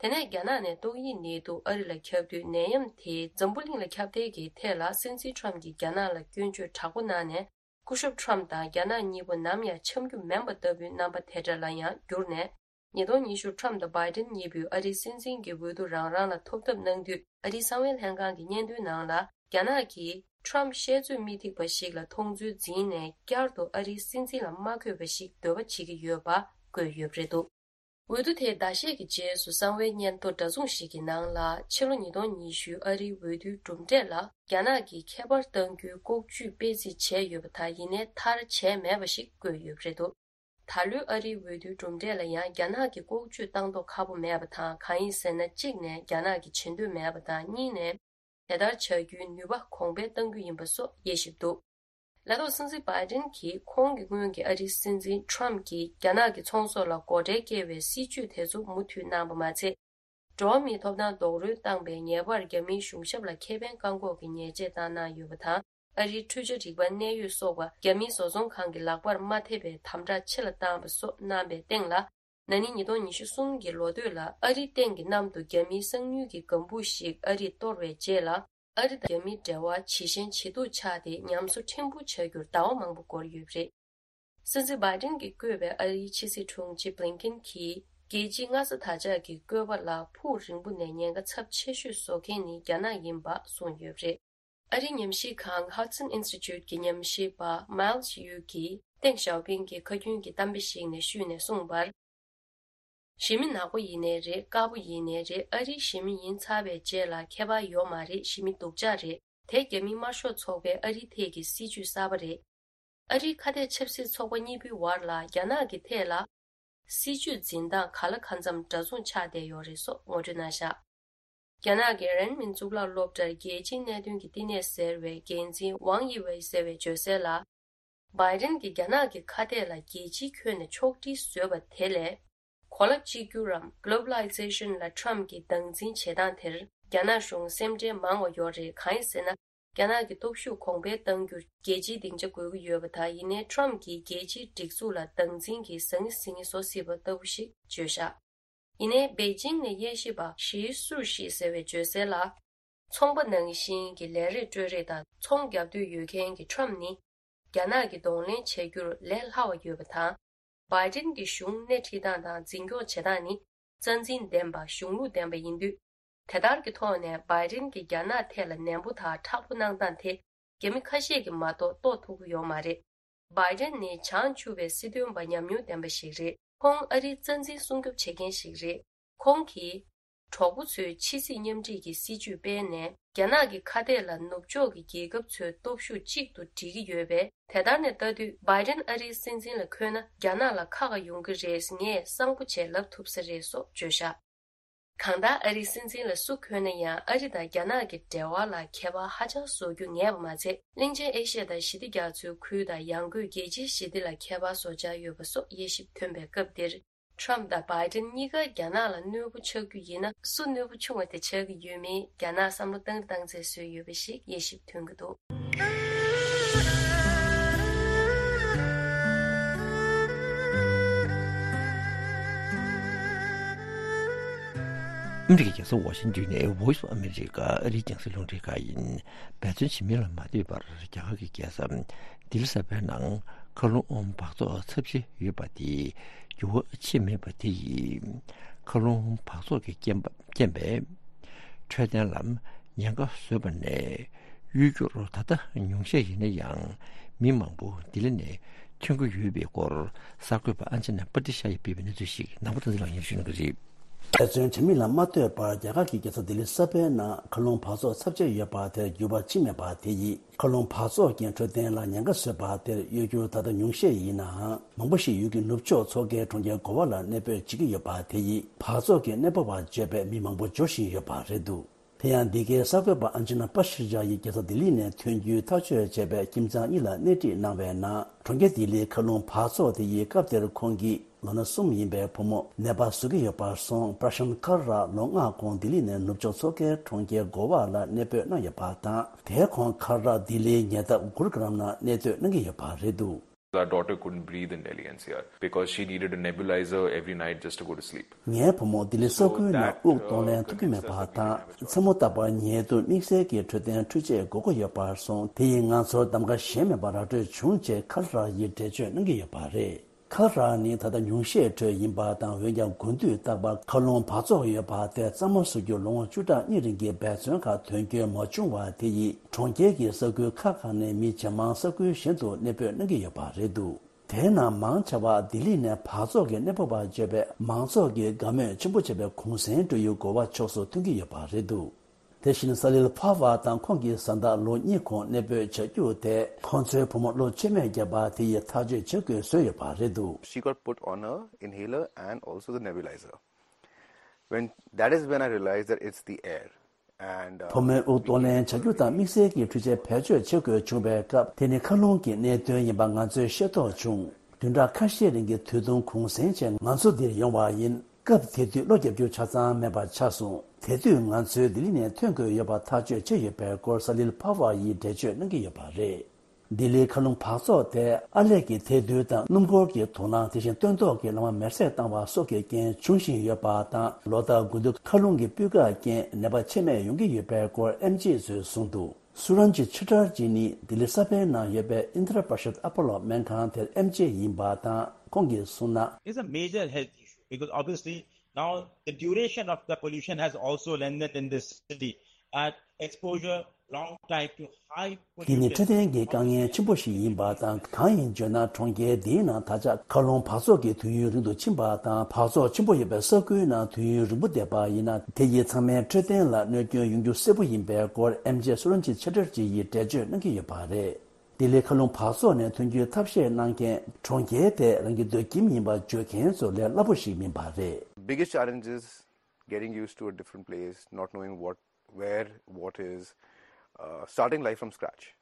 དེ་ནས་རྒྱ་ནག་ནས་ཏོག་དབྱིབས་ནད་དུག་ཨ་རི་ལ་ཁྱབ་དུས། ནད་ཡམས་དེས་འཛམ་བུ་གླིང་ལ་ཁྱབ་གདལ་གྱི་ཐད་ལ་སྲིད་འཛིན་ཁྲམ་གྱིས་རྒྱ་ནག་ལ་སྐྱོན་བརྗོད་དྲག་པོ་གནང་ནས། སྐུ་ཞབས་ཁྲམ་དང་རྒྱ་ནག་གཉིས་པོ་ནམ་ཡང་འཆམ་རྒྱུ་མིན་པ་ལྟ་བུའི་རྣམ་པ་དེ་འདྲ་ལ་ཡང་བསྒྱུར་ནས། ཉིས་སྟོང་ཉི་ཤུ་ཁྲམ་དང་བྷའི་ཌེན་གཉིས་པོས་ཨ་རིའི་སྲིད་འཛིན་གྱི་འོས་བསྡུ་རང་རང་ལ་ཐོབ་ཐབས་གནང་དུས། ཨ་རིའི་གསང་བའི་ལྷན་ཁང་གི་སྙན་ཐོའི་ནང་ལ། རྒྱ་ནག་གིས་ཁྲམ་བཤད་ཚོད་མི་ཐིག་པ་ཞིག་ལ་མཐོང་ཚུལ་འཛིན་ནས། བསྐྱར་དུ་ཨ་རིའི་སྲིད་འཛིན་ལ་མ་འཁོད་པ་ཞིག་འདོད་པ་བྱེད་ཀྱི་ཡོད་པ་བཀོད་ཡོད་པ་རེད་འདུག་འོས་བསྡུ་དེའི་ཟླ་ཤས་ཀྱི་རྗེས་སུ་གསང་བའི་སྙན་ཐོ་འདྲ་མཚུངས་ཤིག་གི་ནང་ལ། ཕྱི་ལོ་ཉིས་སྟོང་ཉི་ཤུ་ཨ་རིའི་འོས་བསྡུའི་གྲུབ་འབྲས་ལ་རྒྱ་ནག་གིས་ཁྱད་པར་གཏང་རྒྱུའི་ལྐོག་ཇུས་སྤེལ་རྩིས་བྱས་ཡོད་པ་དང་། ཡིན་ནའི་མཐར་བྱས་མེད་པ་ཞིག་བཀོད་ཡོད་པ་རེད་འདུག་ད་ལོའི་ཨ་རིའི་འོས་བསྡུའི་གྲུབ་འབྲས་ལ་ཡང་རྒྱ་ནག་གིས་ལྐོག་ཇུས་བཏང་མདོག་ཁ་པོ་མེད་པ་དང་། གང་ཡིན་ཟེར་ན། གཅིག་ནས་རྒྱ་ནག་གིས་བྱེད་འདོད་མེད་པ་དང་། གཉིས་ནས་དེ་ལྟར་བྱ་རྒྱུའི་ནུས་པ་གོང་འཕེལ་གཏང་རྒྱུ་ཡིན་པ་སོགས་དབྱེ་ཞིབ་འདུག་ལས་ཐོག་སྲིད་འཛིན་བྷའི་ཌེན་གྱིས་ཁོང་གི་སྔོན་གྱི་ཨ་རིའི་སྲིད་འཛིན་ཁྲམ་གྱིས་རྒྱ་ནག་གི་ཚོང་ཟོག་ལ་སྒོ་ཁྲལ་བཀལ་བའི་སྲིད་ཇུས་དེ་ཚོ་མུ་མཐུད་གནང་པ་མ་ཚད། འགྲོ་བ་མིའི་ཐོབ་ཐང་རྡོག་རོལ་བཏང་པའི་ཉེས་པར་རྒྱ་མིའི་གཞུང་ཞབས་ལ་ཁེ་ཕན་བཀག་འགོག་གི་ཉེས་ཆད་བཏང་གནང་ཡོད་པ་དང་། ཨ་རིའི་འཕྲུལ་ཆས་རིག་པ་གནད་ཡོད་སོགས་པ་རྒྱ་མིའི་བཟོ་ཚོང་ཁང་གི་ལག་པར་མ་ཐེབས་པའི་དམ་དྲག་ཆེ་ལ་བཏང་བ་སོགས་གནང་པའི་སྟེང་ལ། ན་ནིང་ཉིས་སྟོང་ཉི་ཤུ་གསུམ་གྱི་ལོ་སྟོད་ལ་ཨ་རིའི་སྟེང་གི་གནམ་དུ་རྒྱ་མིའི་གསང་ཉུལ་གྱི་ལྒང་བུ་ཞིག་ཨ་རིས་གཏོར་བའི་རྗེས་ལ། ཨ་རི་དང་རྒྱ་མིའི་འབྲེལ་བ་ཇེ་ཞན་ཇེ་སྡུག་ཆགས་ཏེ། ཉམས་གསོ་ཕྲན་བུ་ཆགས་རྒྱུར་ཟླ་བ་མང་པོ་འགོར་ཡོད་པ་རེད། སྲིད་འཛིན་བྷའི་ཌེན་གྱིས་བསྐོས་པའི་ཨ་རིའི་ཕྱི་སྲིད་དྲུང་ཆེ་བྷི་ལིན་ཀེན་གྱིས། རྒྱལ་སྤྱིའི་མངའ་ས་དར་ཆགས་ཀྱི་བཀོད་པ་ལ་ཕུགས་རིང་པོ་ནས་ཉེན་ཁ་ཚབས་ཆེ་ཤོས་བཟོ་མཁན་ནི་རྒྱ་ནག་ཡིན་པ་གསུངས་ཡོད་པ་རེད། ཨ་རིའི་ཉམས་ཞིབ་ཁང་Hudson Institute གྱི་ཉམས་ཞིབ་པ་Miles Yu གིས་ཏེང་ཞའོ་ཕིང་གི་ཁ་རྒྱུན་གྱི་གཏམ་དཔེ་ཞིག་ནས་བཤུས་ནས་གསུངས་པར། གཞི་མི་ནག་པོ་ཡིན་ནའི་རེད། དཀར་པོ་ཡིན་ནའི་རེད། ཨ་རིའི་གཞི་མི་ཡིན་ཚར་བའི་རྗེས་ལ་ཁྱད་པར་ཡོད་མ་རེད། གཞི་མི་སྡུག་ཅག་རེད། དེ་རྒྱ་མིའི་དམར་ཤོག་ཚོགས་པའི་ཨ་རིའི་ཐད་ཀྱི་སྲིད་ཇུས་གསར་པ་རེད། ཨ་རིའི་ཁ་གཏད་ཆབ་སྲིད་ཚོགས་པ་གཉིས་པོའི་བར་ལ་རྒྱ་ནག་གི་ཐད་ལ་སྲིད་ཇུས་འཛིན་སྟངས་ག་ལ་གང་འཚམ་འདྲ་མཚུངས་ཆགས་བསྡད་ཡོད་རེད་སོགས་ངོ་སྤྲོད་གནང་བཞག་རྒྱ་ནག་གི་རེན་མིན་གཙུག་ལག་སློབ་གྲྭར་རྒྱལ་སྤྱིའི་གནད་དོན་གྱི་བསྟི་གནས་ཟེར་བའི་འགན་འཛིན་ཝང་དབྱི་ཝེ་ཟེར་བས་བརྗོད་གསལ་ལ། བྷའི་ཌེན་གྱིས་རྒྱ་ནག་གི་ཁ་གཏད་ལ་རྒྱལ་སྤྱིའི་ཁྱོན་ནས་ཕྱོགས་སྒྲིག་བཟོས་པ་དེ་ལས། གོ་ལ་གཅིག་གྱུར་རམ་Globalization ལ་ཁྲམ་གྱི་སྟངས་འཛིན་བྱེད་སྟངས་དེར་རྒྱ་ནག་གཞུང་སེམས་ཁྲལ་མང་བ་ཡོད་རེད། གང་ཡིན་ཟེར་ན། རྒྱ་ནག་གི་སྟོབས་ཤུགས་གོང་འཕེལ་གཏང་རྒྱུར་རྒྱལ་སྤྱིའི་སྡིངས་ཆ་དགོས་ཀྱི་ཡོད་པ་དང་། ཡིན་ནའི་ཁྲམ་གྱིས་རྒྱལ་སྤྱིའི་སྒྲིག་འཛུགས་ལ་སྟངས་འཛིན་གྱི་ཟང་ངེ་ཟིང་ངེ་བཟོ་སྲིད་པ་ལྟ་བུ་ཞིག་བརྗོད་བཞག་ཡིན་ནའི་པེ་ཅིང་ནས་དབྱེ་ཞིབ་པ་ཞི་སུར་ཤི་ཟེར་བས་བརྗོད་གསལ་ལ། ཚོང་པ་ནང་བཞིན་གྱི་ལས་རེས་སྤྲོད་རེས་དང་ཚོང་རྒྱག་འདོད་ཡོད་མཁན་གྱི་ཁྲམ་ནི། རྒྱ་ནག་གི་གདོང་ལེན་བྱ་རྒྱུར་ལས་སླ་བ་ཡོད་པ་དང་། བྷའི་ཌེན་གྱི་གཞུང་སྣེ་ཁྲིད་སྟངས་དང་འཛིན་སྐྱོང་བྱེད་སྟངས་ནི་རྩ་འཛིན་ལྡན་པ་གཞུང་ལུགས་ལྡན་པ་ཡིན་དུས། དེ་ལྟར་གྱི་ཐོག་ནས་བྷའི་ཌེན་གྱིས་རྒྱ་ནག་ཐད་ལ་ནན་པོ་དང་མཁྲེགས་པོ་གནང་སྟངས་དེ་རྒྱ་མི་ཁ་ཤས་ཀྱིས་མ་གཏོགས་རྟོགས་ཐུབ་ཀྱི་ཡོད་མ་རེད། བྷའི་ཌེན་ནི་བྱང་ཆུབ་པའི་སྲིད་དོན་པ་ཉམས་མྱོང་ལྡན་པ་ཞིག་རེད། ཁོང་ཨ་རིའི་རྩ་འཛིན་སྲུང་སྐྱོབ་བྱེད་མཁན་ཞིག་རེད། ཁོང་གིས། གྲོགས་པོ་ཚོའི་ཕྱི་སྲིད་མཉམ་འཁྲིས་ཀྱི་སྲིད་ཇུས་སྤེལ་ནས། རྒྱ་ནག་གི་ཁ་གཏད་ལ་ནུབ་ཕྱོགས་ཀྱི་རྒྱལ་ཁབ་ཚོའི་སྟོབས་ཤུགས་གཅིག་ཏུ་སྒྲིལ་གྱི་ཡོད་པས། དེ་ལྟར་ནས་ལྟ་དུས་བྷའི་ཌེན་ཨ་རིའི་སྲིད་འཛིན་ལ་འཁོད་ན་རྒྱ་ནག་ལ་ཁག་ཁག་ཡོང་གི་རེད། ངས་གསང་པོ་བྱས་ལབ་ཐུབ་ས་རེད་སོགས་བརྗོད་བཞག་གང་ལྟར་ཨ་རིའི་སྲིད་འཛིན་ལ་སུ་འཁོད་ན་ཡང་། ཨ་རི་དང་རྒྱ་ནག་གི་འབྲེལ་བ་ལ་ཁྱད་པར་ཧ་ཅང་བཟོ་རྒྱུ་ངེས་པ་མ་ཚད། གླིང་ཆེན་ཨེ་ཤི་ཡ་དང་ཞི་བདེ་རྒྱ་མཚོའི་ཁུལ་དང་ཡང་སྒོས་རྒྱལ་སྤྱིའི་ཞི་བདེ་ལ་ཁྱད་པར་བཟོ་འཆར་ཡོད་པ་སོགས་དབྱེ་ཞིབ་ཐོན་པའི་སྐབས་འདིར། ཁྲམ་དང་བྷའི་ཌེན་གཉིས་ཀ་རྒྱ་ནག་ལ་གནོད་པོ་ཆགས་རྒྱུ་ཡིན་ན། སུ་གནོད་པོ་ཆུང་བ་དེ་ཆགས་ཀྱི་ཡོད་མེད་རྒྱ་ནག་བསམ་བློ་བཏང་རེ་བཏང་ཚད་བཟོས་ཡོད་པ་ཞིག་དབྱེ་ཞིབ་ཐོན་གྱི་འདུག་ཨ་མི་རི་ཀའི་རྒྱལ་ས་ཝ་ཤིང་ཏོན་ནས་Voice of America ཨ་རིའི་རྒྱང་སྲིང་རླུང་འཕྲིན་ཁང་ཡིན། འབད་བརྩོན་བྱེད་མིན་ལ་མ་ལྟོས་པར་རྒྱ་གར་གྱི་རྒྱལ་ས་ལྡི་ལི་གསར་པའི་ནང་མཁའ་རླུང་འབག་བཙོག་ཚབས་ཆེ་ཡོད་པ་དེ་འགྱུར་བ་ཕྱིན་མེད་པ་དེ་ཡིས། མཁའ་རླུང་འབག་བཙོག་གི་རྐྱེན་པ་རྐྱེན་པས་འཕྲོད་བསྟེན་ལ་ཉེན་ཁ་བཟོས་པ་ནས། གཡོས་སྒྱུར་ད་ལྟ་ཉུང་ཤས་ཡིན་ན་ཡང་། མི་མང་པོ་ལྡི་ལི་ནས་ཐོན་གྱི་ཡོད་པའི་སྐོར་གསར་འགོད་པ་ཨན་ཅི་ན་པ་ཏི་ཤ་ཡིས་སྤེལ་བའི་གནས་ཚུལ་ཞིག་ནང་པ་བསྟན་འཛིན་ལགས་སྙན་ཞུ་གནང་གི་རེད། འབད་བརྩོན་བྱེད་མིན་ལ་མ་ལྟོས་པར་རྒྱ་གར་གྱི་རྒྱལ་ས་ལྡི་ལི་གསར་པའི་ནང་མཁའ་རླུང་འབག་བཙོག་ཚབས་ཆེ་ཡོད་པ་དེར་འགྱུར་བ་ཕྱིན་མེད་པ་དེ་ཡིས། མཁའ་རླུང་འབག་བཙོག་གིས་འཕྲོད་བསྟེན་ལ་ཉེན་ཁ་བཟོས་པ་དེར་གཡོས་སྒྱུར་ད་ལྟ་ཉུང་ཤས་ཡིན་ནའང་། མང་པོ་ཞིག་ཡུལ་གྱི་ནུབ་ཕྱོགས་མཚོ་ཁའི་གྲོང་ཁྱེར་གོ་བ་ལ་གནས་སྤོས་བྱེད་ཀྱི་ཡོད་པ་དེ་ཡིས། འབག་བཙོག་གི་གནས་སྤོ་བ་བརྗོད་པའི་མི་མང་པོ་འབྱོར་བཞིན་ཡོད་པ་རེད་འདུག་དེ་ཡང་འདི་གའི་གསར་འགོད་པ་ཨན་ཅི་ན་པ་ཤི་ཇ་ཡིས་རྒྱལ་ས་ལྡི་ལི་ནས་ཐོན་རྒྱུའི་ཐག་གཅོད་བྱས་པའི་ཁྱིམ་ཚང་གཉིས་ལ་སྣེ་ཁྲིད་གནང་བའི་ནང་། གྲོང་ཁྱེར་ལྡི་ལིའི་མཁའ་རླུང་འབག་བཙོག་དེ་ཡིས་སྐབས་དེར་ཁོང་གི་ལོ་ན་གསུམ་ཡིན་པའི་བུ་མོ་ནད་པ་བཟོ་གི་ཡོད་པར་སོང་། པྲ་ཤཱན་ཁར་ར་ལོ་ལྔ་གོང་ལྡི་ལི་ནས་ནུབ་ཕྱོགས་མཚོ་ཁའི་གྲོང་ཁྱེར་གོ་བ་ལ་གནས་སྤོས་གནང་ཡོད་པ་དང་། དེའི་གོང་ཁར་ར་ལྡི་ལིའི་ཉེ་འདབས་གུར་གྷ་རམ་ནང་གནས་སྡོད་གནང་གི་ཡོད་པ་རེད་འདུག Our daughter couldn't breathe in Delhi N C R because she needed a nebulizer every night just to go to sleep. ངའི་བུ་མོ་ལྡི་ལི་ས་ཁུལ་ནང་དབུགས་གཏོང་ལེན་ཐུབ་ཀྱི་མེད་པ་དང་། མཚན་མོ་རྟག་པར་ཉལ་དུས་དམིགས་བསལ་གྱི་འཕྲོད་བསྟེན་འཕྲུལ་ཆས་དགོས་མཁོ་ཡོད་པར་སོང་། དེ་ཡིས་ང་ཚོར་གདམ་ག་གཞན་མེད་པར་ར་སྤྲོད་བྱུང་ཅེས་ཁལ་ར་ཡིས་འགྲེལ་བརྗོད་གནང་གི་ཡོད་པ་རེད། ཁལ་ར་ནི་ད་ལྟ་ཉུང་ཤས་ཁྲོད་ཡིན་པ་དང་། འོན་ཀྱང་དགུན་དུས་རྟག་པར་མཁའ་རླུང་འབག་བཙོག་ཡོད་པ་དེ་གཙང་མ་བཟོ་རྒྱུར་ལོ་ངོ་བཅུ་ཕྲག་གཉིས་རིང་གི་འབད་བརྩོན་ཁག་དོན་འཁྱོལ་མ་བྱུང་བ་དེ་ཡིས་གྲོང་ཁྱེར་གྱི་ས་ཁུལ་ཁག་ཁག་ནས་མི་ཇེ་མང་ས་ཁུལ་གཞན་དུ་གནས་སྤོས་གནང་གི་ཡོད་པ་རེད་འདུག་དེའི་ནང་མང་ཆེ་བ་ལྡི་ལི་ནས་འབག་བཙོག་གི་གནས་སྤོ་བར་བརྗོད་པས། མང་ཚོགས་ཀྱིས་དགའ་མོས་ཆེན་པོ་བྱེད་པའི་གུང་སེང་སྤྲོད་ཡུལ་གོ་བ་ཕྱོགས་སུ་ཐོན་གྱི་ཡོད་པ་རེད་འདུག་དེ་བཞིན་ས་ལིལ་ཕ་བ་དང་ཁོང་གི་བཟའ་ཟླ་ལོ་གཉིས་གོང་གནས་སྤོས་བྱ་རྒྱུ་དེ། ཁོང་ཚོའི་བུ་མོ་ལོ་བཅོ་ལྔ་བརྒྱབ་པ་དེ་ཡིས་ཐག་གཅོད་བྱེད་དགོས་བཟོས་ཡོད་པ་རེད་འདུག She got put on a inhaler and also the nebulizer. When, that is when I realized that it's the air. And, uh, བུ་མོའི་དབུགས་གཏོང་ལེན་བྱ་རྒྱུ་དང་དམིགས་བསལ་གྱི་འཕྲུལ་ཆས་བེད་སྤྱོད་བྱེད་དགོས་བྱུང་བའི་སྐབས། དེ་ནི་མཁའ་རླུང་གི་གནད་དོན་ཡིན་པ་ང་ཚོས་ཤེས་རྟོགས་བྱུང་། བདུན་ཕྲག་ཁ་ཤས་རིང་གི་དུས་ཐུང་གུང་སེང་བྱས་ང་ཚོ་འདིར་ཡོང་བ་ཡིན། སྐབས་དེ་དུས་གློ་རྒྱག་རྒྱུ་ཆ་ཚང་མེད་པ་ཆགས་སོང་། དེ་དུས་ང་ཚོས་ལྡི་ལི་ནས་ཐོན་དགོས་ཡོད་པ་ཐག་གཅོད་བྱས་ཡོད་པའི་སྐོར་ས་ལིལ་ཕ་བ་ཡིས་འགྲེལ་བརྗོད་གནང་གི་ཡོད་པ་རེད། ལྡི་ལིའི་མཁའ་རླུང་འབག་བཙོག་དེ་ཨར་ལས་ཀྱི་ཐལ་རྡུལ་དང་སྣུམ་འཁོར་གྱི་དུག་རླངས། དེ་བཞིན་སྟོན་ཐོག་གི་ལམ་མེར་སྲེག་བཏང་བ་སོགས་ཀྱི་རྐྱེན་འབྱུང་བཞིན་ཡོད་པ་དང་། ལོ་ལྟར་དགུན་དུས་མཁའ་རླུང་གི་སྤུས་ཀ་རྐྱེན་ནད་པ་ཆེད་མེད་ཡོང་གི་ཡོད་པའི་སྐོར་ཨེམ་ཆི་ཚོས་གསུངས་འདུག་སུ་རན་ཇི་ཆི་ཏྲར་ཇི་ནི་ལྡི་ལི་ས་པཎ་ནང་ཡོད་པའི་ཨིན་དྲ་པ་ཤད་ཨ་པོ་ལོ་སྨན་ཁང་དེར་ཨེམ་ཆི་ཡིན་པ་དང་། ཁོང་གིས་གསུངས་ན། It's a major health issue because obviously now the duration of the pollution has also lengthened in this city and exposure long time to high pollution. འདི་ནི་འཕྲོད་བསྟེན་གྱི་དཀའ་ངལ་ཆེན་པོ་ཞིག་ཡིན་པ་དང་། གང་ཡིན་བརྗོད་ན། གྲོང་ཁྱེར་འདིའི་ནང་ད་ཆ་མཁའ་རླུང་འབག་བཙོག་གི་དུས་ཡུན་རིང་དུ་ཕྱིན་པ་དང་། འབག་བཙོག་ཆེན་པོ་ཡོད་པའི་ས་ཁུལ་ནང་དུས་ཡུན་རིང་པོ་བསྡད་པ་ཡིན་ན། དེ་ཡིས་ཚང་མའི་འཕྲོད་བསྟེན་ལ་གནོད་སྐྱོན་ཡོང་རྒྱུ་གསལ་པོ་ཡིན་པའི་སྐོར་ཨེམ་ཆི་སུ་རན་ཇི་ཆི་ཏྲར་ཇི་ཡིས་འགྲེལ་བརྗོད་གནང་གི་ཡོད་པ་རེད། ལྡི་ལིའི་མཁའ་རླུང་འབག་བཙོག་ནས་ཐོན་རྒྱུའི་ཐབས་ཤེས་གནང་མཁན། གྲོང་ཁྱེར་དེ་རང་གི་སྡོད་ཁྱིམ་ཡིན་པར་བརྗོད་མཁན་ཚོ་ལས་སླ་པོ་ཞིག་མིན་པ་རེད། Biggest challenge is getting used to a different place, not knowing what, where what is, uh, starting life from scratch.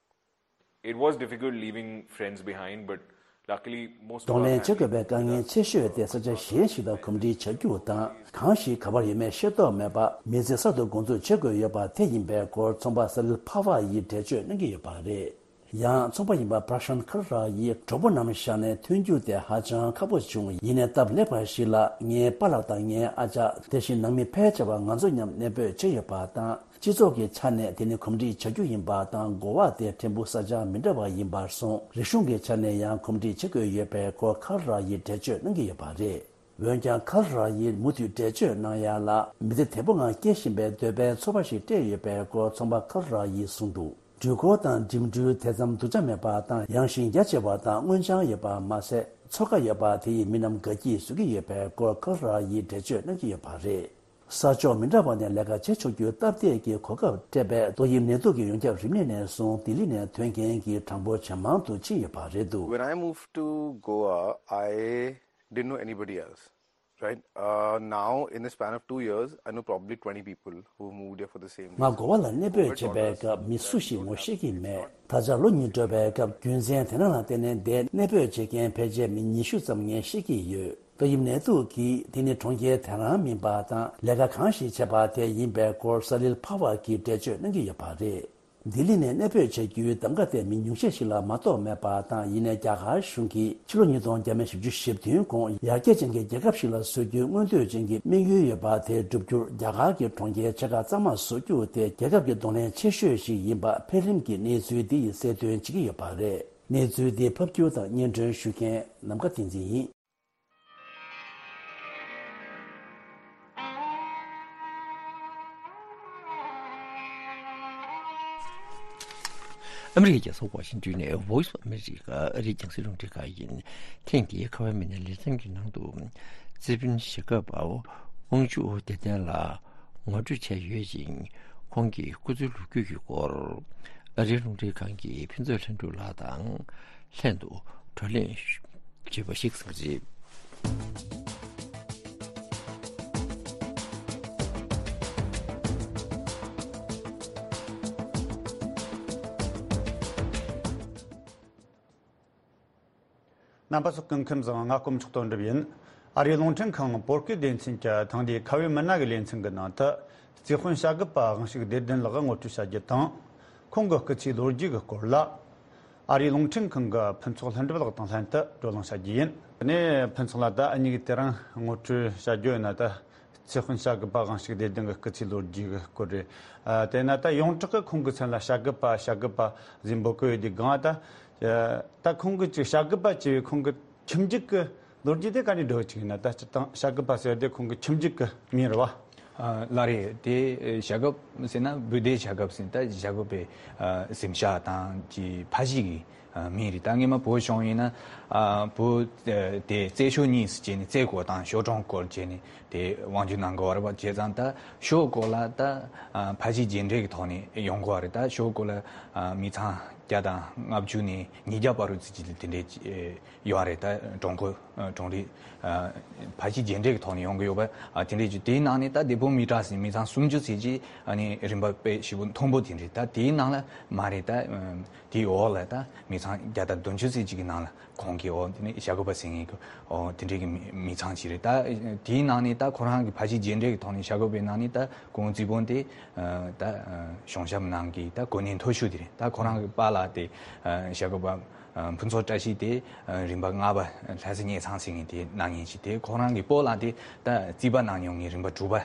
It was difficult leaving friends behind, but luckily most of གདོང་ལེན་བྱེད་དགོས་པའི་དཀའ་ངལ་ཆེ་ཤོས་དེ་ས་ཆ་གཞན་ཞིག་དང་གོམས་འདྲིས་བྱ་རྒྱུ་དང་། གང་ཞིག་ག་པར་ཡོད་མེད་ཤེས་རྟོགས་མེད་པར་མི་ཚེ་གསར་དུ་འགོ་འཛུགས་བྱེད་དགོས་ཡོད་པ་དེ་ཡིན་པའི་སྐོར་ཚོང་པ་ས་ལིལ་ཕ་བ་ཡིས་འགྲེལ་བརྗོད་གནང་གི་ཡོད་པ་རེད། ཡང་ཚོང་པ་ཡིན་པ་པྲ་ཤན་ཁར་ར་ཡིས་གྲོགས་པོ་རྣམས་བཞག་ནས་ཐོན་རྒྱུ་དེ་ཧ་ཅང་ཁག་པོ་བྱུང་། ཡིན་ནའི་སྟབས་ལེགས་པ་ཞིག་ལ་ངའི་པཱ་ལགས་དང་ངའི་ཨ་ཅག་དེ་བཞིན་ནང་མི་ཕལ་ཆེ་བ་ང་ཚོ་མཉམ་གནས་སྤོས་བྱས་ཡོད་པ་དང་། སྤྱི་ཚོགས་ཀྱི་ཆ་ནས་དེ་ནི་གོམས་འདྲིས་བྱ་རྒྱུ་ཡིན་པ་དང་། གོ་བ་དེ་ཕྲན་བུ་ས་ཆ་མི་འདྲ་བ་ཡིན་པར་སོང་། རིག་གཞུང་གི་ཆ་ནས་ཡང་གོམས་འདྲིས་བྱེད་དགོས་ཡོད་པའི་སྐོར་ཁར་ར་ཡིས་འགྲེལ་བརྗོད་གནང་གི་ཡོད་པ་རེད། འོན་ཀྱང་ཁར་ར་ཡིས་མུ་མཐུད་འགྲེལ་བརྗོད་གནང་ཡ་ལ། མི་ཚེ་བདེ་པོ་ངང་སྐྱེལ་བཞིན་པའི་འདོད་པའི་ཚོར་བ་ཞིག་སྤྲད་ཡོད་པའི་སྐོར་ཚོང་པ་ཁར་ར་ཡིས་གསུངས་འདུག་འགྲུལ་འཁོར་དང་འགྲིམ་འགྲུལ་དེ་ཙམ་སྡུག་ཅག་མེད་པ་དང་། ཡངས་ཤིང་རྒྱ་ཆེ་བ་དང་། སྔོ་ལྗང་ཡོད་པ་མ་ཟད། མཚོ་ཁ་ཡོད་པ་དེ་ཡིས་མི་རྣམས་དགའ་སྐྱིད་བཟོ་གི་ཡོད་པའི་སྐོར་ཁར་ར་ཡིས་འགྲེལ་བརྗོད་གནང་གི་ཡོད་པ་རེད། ས་ཕྱོགས་མི་འདྲ་བ་ནས་ལས་ཀ་བྱེད་ཆོག་རྒྱུའི་སྟབས་བདེ་གི་གོ་སྐབས་སྤྲད་པས། ཏོག་དབྱིབས་ནད་དུག་གི་ཡོངས་ཁྱབ་རིམས་ནད་ནས་བཟུང་ལྡི་ལི་ནས་ཐོན་མཁན་གྱི་གྲངས་འབོར་ཇེ་མང་དུ་ཕྱིན་ཡོད་པ་རེད་འདུག When I moved to Goa, I didn't know anybody else, right? Uh, now, in the span of two years, I know probably twenty people who moved here for the same ང་reason. གོ་བ་ལ་གནས་སྤོས་བྱས་པའི་སྐབས་མི་སུ་ཞིག་ངོ་ཤེས་ཀྱི་མེད། ད་ཆ་ལོ་གཉིས་འགྲོ་བའི་སྐབས་རྒྱུ་མཚན་དེ་རང་ལ་བརྟེན་ནས་འདིར་གནས་སྤོས་བྱེད་མཁན་ཕལ་ཆེར་མི་ཉི་ཤུ་ཙམ་ངས་ཤེས་ཀྱི་ཡོད། ཏོག་དབྱིབས་ནད་དུག་གིས་དེ་ནི་གྲོང་ཁྱེར་དེ་རང་མིན་པ་དང་། ལས་ཀ་གང་ཞིག་བྱས་པ་དེ་ཡིན་པའི་སྐོར་ས་ལིལ་ཕ་བ་གིས་འགྲེལ་བརྗོད་གནང་གི་ཡོད་པ་རེད། ལྡི་ལི་ནས་གནས་སྤོས་བྱ་རྒྱུའི་གདམ་ག་དེ་མི་ཉུང་ཤས་ཤིག་ལ་མ་གཏོགས་མེད་པ་དང་། ཡིན་ནའི་རྒྱ་གར་གཞུང་གིས་ཕྱི་ལོ་ཉིས་སྟོང་བརྒྱ་མེད་བཞི་བཅུ་ཞེ་བདུན་གོང་ཡར་རྒྱས་ཅན་གྱི་རྒྱལ་ཁབ་ཞིག་ལ་བཟོ་རྒྱུའི་མངོན་འདོད་ཅན་གྱི་དམིགས་ཡུལ་ཡོད་པ་དེ་བསྒྲུབ་རྒྱུར། རྒྱ་གར་གྱི་གྲོང་ཁྱེར་ཆེ་ཁག་གཙང་མ་བཟོ་རྒྱུ་དེ་རྒྱལ་ཁབ་ཀྱི་གདོང་ལེན་ཆེ་ཤོས་ཤིག་ཡིན་པ་འཕེལ་རིམ་གྱི་གནས་ཚུལ་འདི་ཡིས་གསལ་སྟོན་བྱེད་ཀྱི་ཡོད་པ་རེད། གནས་ཚུལ་འདི་ཕབ་སྒྱུར་དང་སྙན་སྒྲོན་ཞུ་མཁན་ནམ་མཁའ་བསྟན་འཛིན་ཡིན། ཨ་མི་རི་ཀའི་རྒྱལ་ས་ཝ་ཤིང་ཏོན་ནས་Voice of America ཨ་རིའི་རྒྱང་སྲིང་རླུང་འཕྲིན་ཁང་ཡིན། ཐེངས་འདིའི་ཁ་བའི་མི་སྣའི་ལེ་ཚན་གྱི་ནང་དུ། རྩེ་ཕུན་ཞྭ་སྒབ་པ་དབང་ཕྱུག་བདེ་ལྡན་ལགས་ངོ་སྤྲོད་བྱས་ཡོད་ཅིང་། ཁོང་གི་སྐུ་ཚེའི་ལོ་རྒྱུས་ཀྱི་སྐོར། ཨ་རིའི་རླུང་འཕྲིན་ཁང་གི་ཕུན་ཚོགས་ལྷུན་གྲུབ་ལགས་དང་ལྷན་དུ་བགྲོ་གླེང་བྱས་པ་ཞིག་གསན་གྱི་རེད། རྣམ་པ་ཚོ་སྐུ་ཁམས་བཟང་། ང་དཀོན་མཆོག་དོན་གྲུབ་ཡིན། ཨ་རིའི་རླུང་འཕྲིན་ཁང་བོད་སྐད་སྡེ་ཚན་གྱི་ཐེངས་འདིའི་ཁ་བའི་མི་སྣ་གི་ལེ་ཚན་གྱི་ནང་དུ། རྩེ་ཕུན་བྱ་རྒོད་པ་དབང་ཕྱུག་བདེ་ལྡན་ལགས་ངོ་སྤྲོད་བྱ་རྒྱུ་དང་། ཁོང་གི་སྐུ་ཚེའི་ལོ་རྒྱུས་ཀྱི་སྐོར་ལ། ཨ་རིའི་རླུང་འཕྲིན་ཁང་གི་ཕུན་ཚོགས་ལྷུན་གྲུབ་ལགས་དང་ལྷན་དུ་བགྲོ་གླེང་བྱ་རྒྱུ་ཡིན། དེ་ནས་ཕུན་ཚོགས་ལགས། ད་འུ་གཉིས་ཀྱིས་དེ་རིང་ངོ་སྤྲོད་བྱ་རྒྱུ་ཡིན་ན། ད་ཚེ་དཔོན་བྱ་རྒོད་པ་དབང་ཕྱུག་བདེ་ལྡན་གྱི་སྐུ་ཚེའི་ལོ་རྒྱུས་ཀྱི་སྐོར་རེད། ཨ། དེས་ན་ད་ཡོངས་གྲགས་ཀྱི་ཁོང་གི་མཚན་ལ་བྱ་རྒོད་པ། བྱ་རྒོད་པ་ཟེར་འབོད་ཀྱི་ཡོད་དུས་སྒང་། ད་ད་ཁོང་གི་ཅིག་བྱ་རྒོད་པ་ཅེས་པའི་ཁོང་གི་ཁྱིམ་རྒྱུད་ཀྱི་ལོ་རྒྱུས་དེ་ག་ནས་འགྲོ་ཅིག་ཡིན་ན། ད་སྤྱིར་བཏང་བྱ་རྒོད་པ་ཟེར་དེ་ཁོང་གི་ཁྱིམ་རྒྱུད་ཀྱི་མིང་རེད་བ། ཨ། ལགས་རེད། དེ་བྱ་རྒོད་ཟེར་ན་བུ་དེ་བྱ་རྒོད་ཟེར། ད་བྱ་རྒོད་པའི་ཨ་གཟིམ་ཤག་དང་གི་ཕ་གཞིས་ཀྱི་ཨ་མིང་རེད། ད་སྔོན་མ་བོད་གཞུང་ཡིན་ན། ཨ། བོད་དེ་རྩེ་ཤོད་གཉིས་སུ་བྱས་ནས། རྩེ་སྐོར་དང་ཤོད་གྲོང་སྐོར་བྱས་ནས་དེ་དབང་སྒྱུར་གནང་དགོས་པ་རེད་བ། བྱས་ཙང་ད་ཤོད་སྐོར་ལ་ད་ཨ་ཕ་གཞིས་རྒྱས་འབྲིང་གི་ཐོག་ནས་ཡོང་དགོས་པ་རེད། ད་ཤོད་སྐོར་ལ་ཨ་མི་ཚང་བརྒྱ་དང་ལྔ་བཅུ་ནས་ཉིས་བརྒྱ་བར་དུ་ཙམ་ཅིག་དེ་འདྲའི་ཡོད་རེད། ད་གྲོང་ཁོ་ཨ་གྲོང་རིགས་ཨ་ཕ་གཞིས་རྒྱས་འབྲིང་གི་ཐོག་ནས་ཡོང་གི་ཡོད་པ། ཨ། དེ་འདྲའི་ཅིག་དེའི་ནང་ནས་ད་དེ་བོད་མི་གྲངས་ཟིན་མི་ཚང་སུམ་ཅུ་ཙམ་ཅིག་ཨ་ནི་རིམ་པ་དཔེ་ཞེ་པོ་མཐོན་པོ་དེ་འདྲ། ད་དེའི་ནང་ལ་མ་རེད། ད་ཨ་དེའི་འོག་ལ་ད་མི་ཚང་བརྒྱ་དང་བདུན་ཅུ་ཙམ་ཅིག་གི་ནང་ལ་ཁོང་གི་འོ་དེ་ནས་བྱ་རྒོད་པ་ཟེར་མཁན་གྱི་འོ་དེ་འདྲའི་གི་མི་མི་ཚང་ཅིག་རེད། ད་དེའི་ནང་ནས་ད་ཁོ་རང་གི་ཕ་གཞིས་རྒྱས་འབྲིང་གི་ཐོག་ནས་བྱ་རྒོད་པའི་ནང་ནས་ད་ཁོང་རྩིས་དཔོན་དེ་ཨ་ད་ཨ་གཞུང་ཞབས་ནང་གི་ད་གོ་གནས་མཐོ་ཤོས་དེ་རེད། ད་ཁོ་རང་གི་པཱ་ལགས་དེ་ཨ་བྱ་རྒོད་པ་ཨ་ཕུན་ཚོགས་བཀྲ་ཤིས་དེ་ཨ་རིམ་པ་ལྔ་པ་ལྷ་ས་གཉན་ཚང་ཟེར་མཁན་དེ་གནང་མཁན་ཅིག་དེ། ཁོ་རང་གི་སྤོ་ལགས་དེ་ད་རྩིས་པ་གནང་མྱོང་མཁན་རིམ་པ་དྲུག་པ་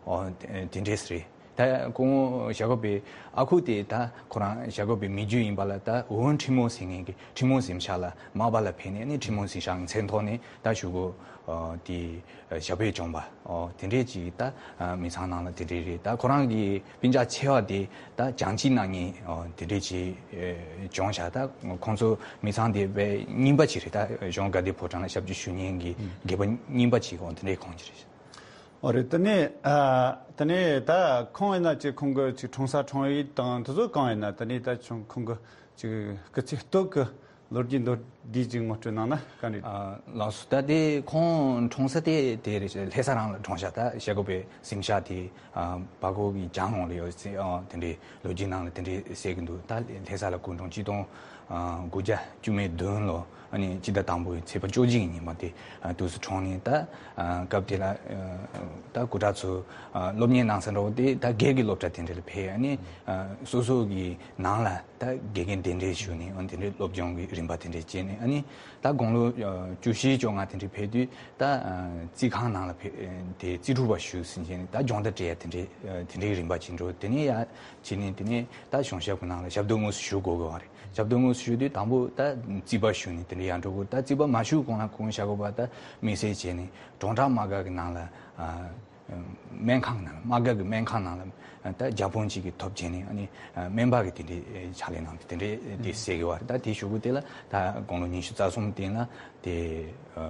འོ་དེ་འདྲས་རེད། ད་ཁོང་བྱ་རྒོད་པའི་ཨ་ཁུ་དེ་ད་ཁོ་རང་བྱ་རྒོད་པའི་མི་རྒྱུད་ཡིན་པ་ལ། ད་འོན་ཁྲི་མོ་ཟེར་མཁན་གྱི་ཁྲི་མོ་གཟིམ་ཤག་ལ་མར་པ་ལ་ཕེབས་ནས་ནི་ཁྲི་མོ་གཟིམ་ཤག་གི་མཚན་ཐོག་ནས་ད་གཞུག་གུ་ཨ་དེ་ཨ་ཞབས་པད་བསྐྱངས་པ་འོ་དེ་འདྲས་ཅིག་ད་ཨ་མི་ཚང་ནང་ལ་དེ་འདྲས་རེད། ད་ཁོ་རང་གི་སྤུན་ཀྱག་ཆེ་བ་དེ་ད་བྱང་ཅིག་གནང་མཁན་འོ་དེ་འདྲས་ཅིག་ཨ་བྱུང་ཤག་ད་ཁོང་ཚོ་མི་ཚང་དེ་དཔེ་རྙིང་པ་ཅིག་རེད། ད་གཞུང་དགའ་ལྡན་ཕོ་བྲང་ལ་ཞབས་ཕྱི་ཞུ་མཁན་གྱི་རྒད་པོ་རྙིང་པ་ཅིག་འོ་དེ་འདྲས་ཁོང་ཅིག་རེད། འོ་རེད། དེ་ནས་ཨ་དེ་ནས་ད་ཁོང་ཡིན་ན་ཅིག་ཁོང་གི་ཅིག་འཁྲུངས་ས་འཁྲུངས་ཡུལ་དང་དེ་ཚོ་གང་ཡིན་ན། དེ་ནས་ད་ཁོང་གི་ཅིག་སྐུ་ཚེ་སྟོད་ཀྱི་ལོ་རྒྱུས་མདོར་བསྡུས་ཅིག་ངོ་སྤྲོད་གནང་ན་ག་འདྲ། ཨ་ལགས་སོ། ད་དེ་ཁོང་འཁྲུངས་ས་དེ་དེ་རེད། ལྷ་ས་རང་ལ་འཁྲུངས་ཤག་ད་བྱ་རྒོད་པའི་གཟིམ་ཤག་དེ་ཨ་བར་སྐོར་གྱི་གྱང་ངོས་ལ་ཡོད་ཟེར། ཨ་དེ་འདྲའི་ལོ་རྒྱུས་ནང་ལ་དེ་འདྲའི་གསལ་གྱི་འདུག་ད་ལྷ་ས་ལ་སྐུ་འཁྲུངས་ཆིག་སྟོང་ཨ་དགུ་བརྒྱ་བཅུ་མེད་བདུན་ལོ། ཨ་ནི་སྤྱི་ཟླ་དང་པོའི་ཚེས་པ་བཅོ་བརྒྱད་ཀྱི་ཉིན་མོ་དེ་ཨ་དུས་སུ་འཁྲུངས་ནས། ད་ཨ་སྐབས་དེ་ལ་ཨ་ད་སྐུ་དྲག་ཚོ་ཨ་སློབ་གཉེར་གནང་ས་འདྲ་བོ་དེ་ད་སྒེར་གྱི་སློབ་གྲྭ་དེ་འདྲ་ལ་ཕེབས། ཨ་ནི་ཨ་སོ་སོ་གི་ནང་ལ་ད་དགེ་རྒན་གདན་འདྲེན་ཞུས་ནས་ཨ་དེ་འདྲའི་སློབ་སྦྱོང་གི་རིམ་པ་དེ་འདྲ་བྱས་ནས། ཨ་ནི་ད་དགུང་ལོ་ཨ་བཅུ་བཞི་བཅོ་ལྔ་དེ་འདྲ་ཕེབས་དུས་ད་ཨ་རྩིས་ཁང་ནང་ལ་ཕེབས། དེ་རྩིས་ཕྲུག་པ་ཞུགས་ཟིན་བྱས་ནས་ད་སྦྱོང་བརྡར་སྤྲད་ཡ་དེ་འདྲའི་ཨ་དེ་འདྲའི་རིམ་པ་ཅིག་འགྲོ། དེ་ནས་ཡར་བྱས་ནས་དེ་ནས་ད་གཞུང་ཞབས་ཀྱི་ནང་ལ་ཞབས་ཏོག་དངོས་སུ་ཞུགས་དགོས་དགོས་པ་རེད། ཞབས་ཏོག་དངོས་སུ་ཞུགས་དུས་དང་པོ་ད་རྩིས་པ་ཞུས་ནས་དེ་འདྲ་ཡར་འགྲོ་དགོས། ད་རྩིས་པ་མ་ཞུགས་གོང་ལ་ཁོང་བྱ་རྒོད་པ་ད་མི་སེར་བྱས་ནས་གྲོང་བྲག་དམག་སྒར་གྱི་ནང་ལ་ཨ་སྨན་ཁང་ནང་ལ། དམག་སྒར་གྱི་སྨན་ཁང་ནང་ལ་ད་བརྒྱ་དཔོན་གཅིག་གིས་ཐོབ་བྱས་ནས། ཨ་ནི་ཨ་སྨན་པ་གི་དེ་འདྲའི་ཕྱག་ལས་གནང་སྟེ་དེ་འདྲའི་དེ་ཟེར་གི་བ་རེད། ད་དེའི་གཞུག་གུ་དེ་ལ་ད་དགུང་ལོ་ཉི་ཤུ་རྩ་གསུམ་སྟེང་ལ་དེ་ཨ་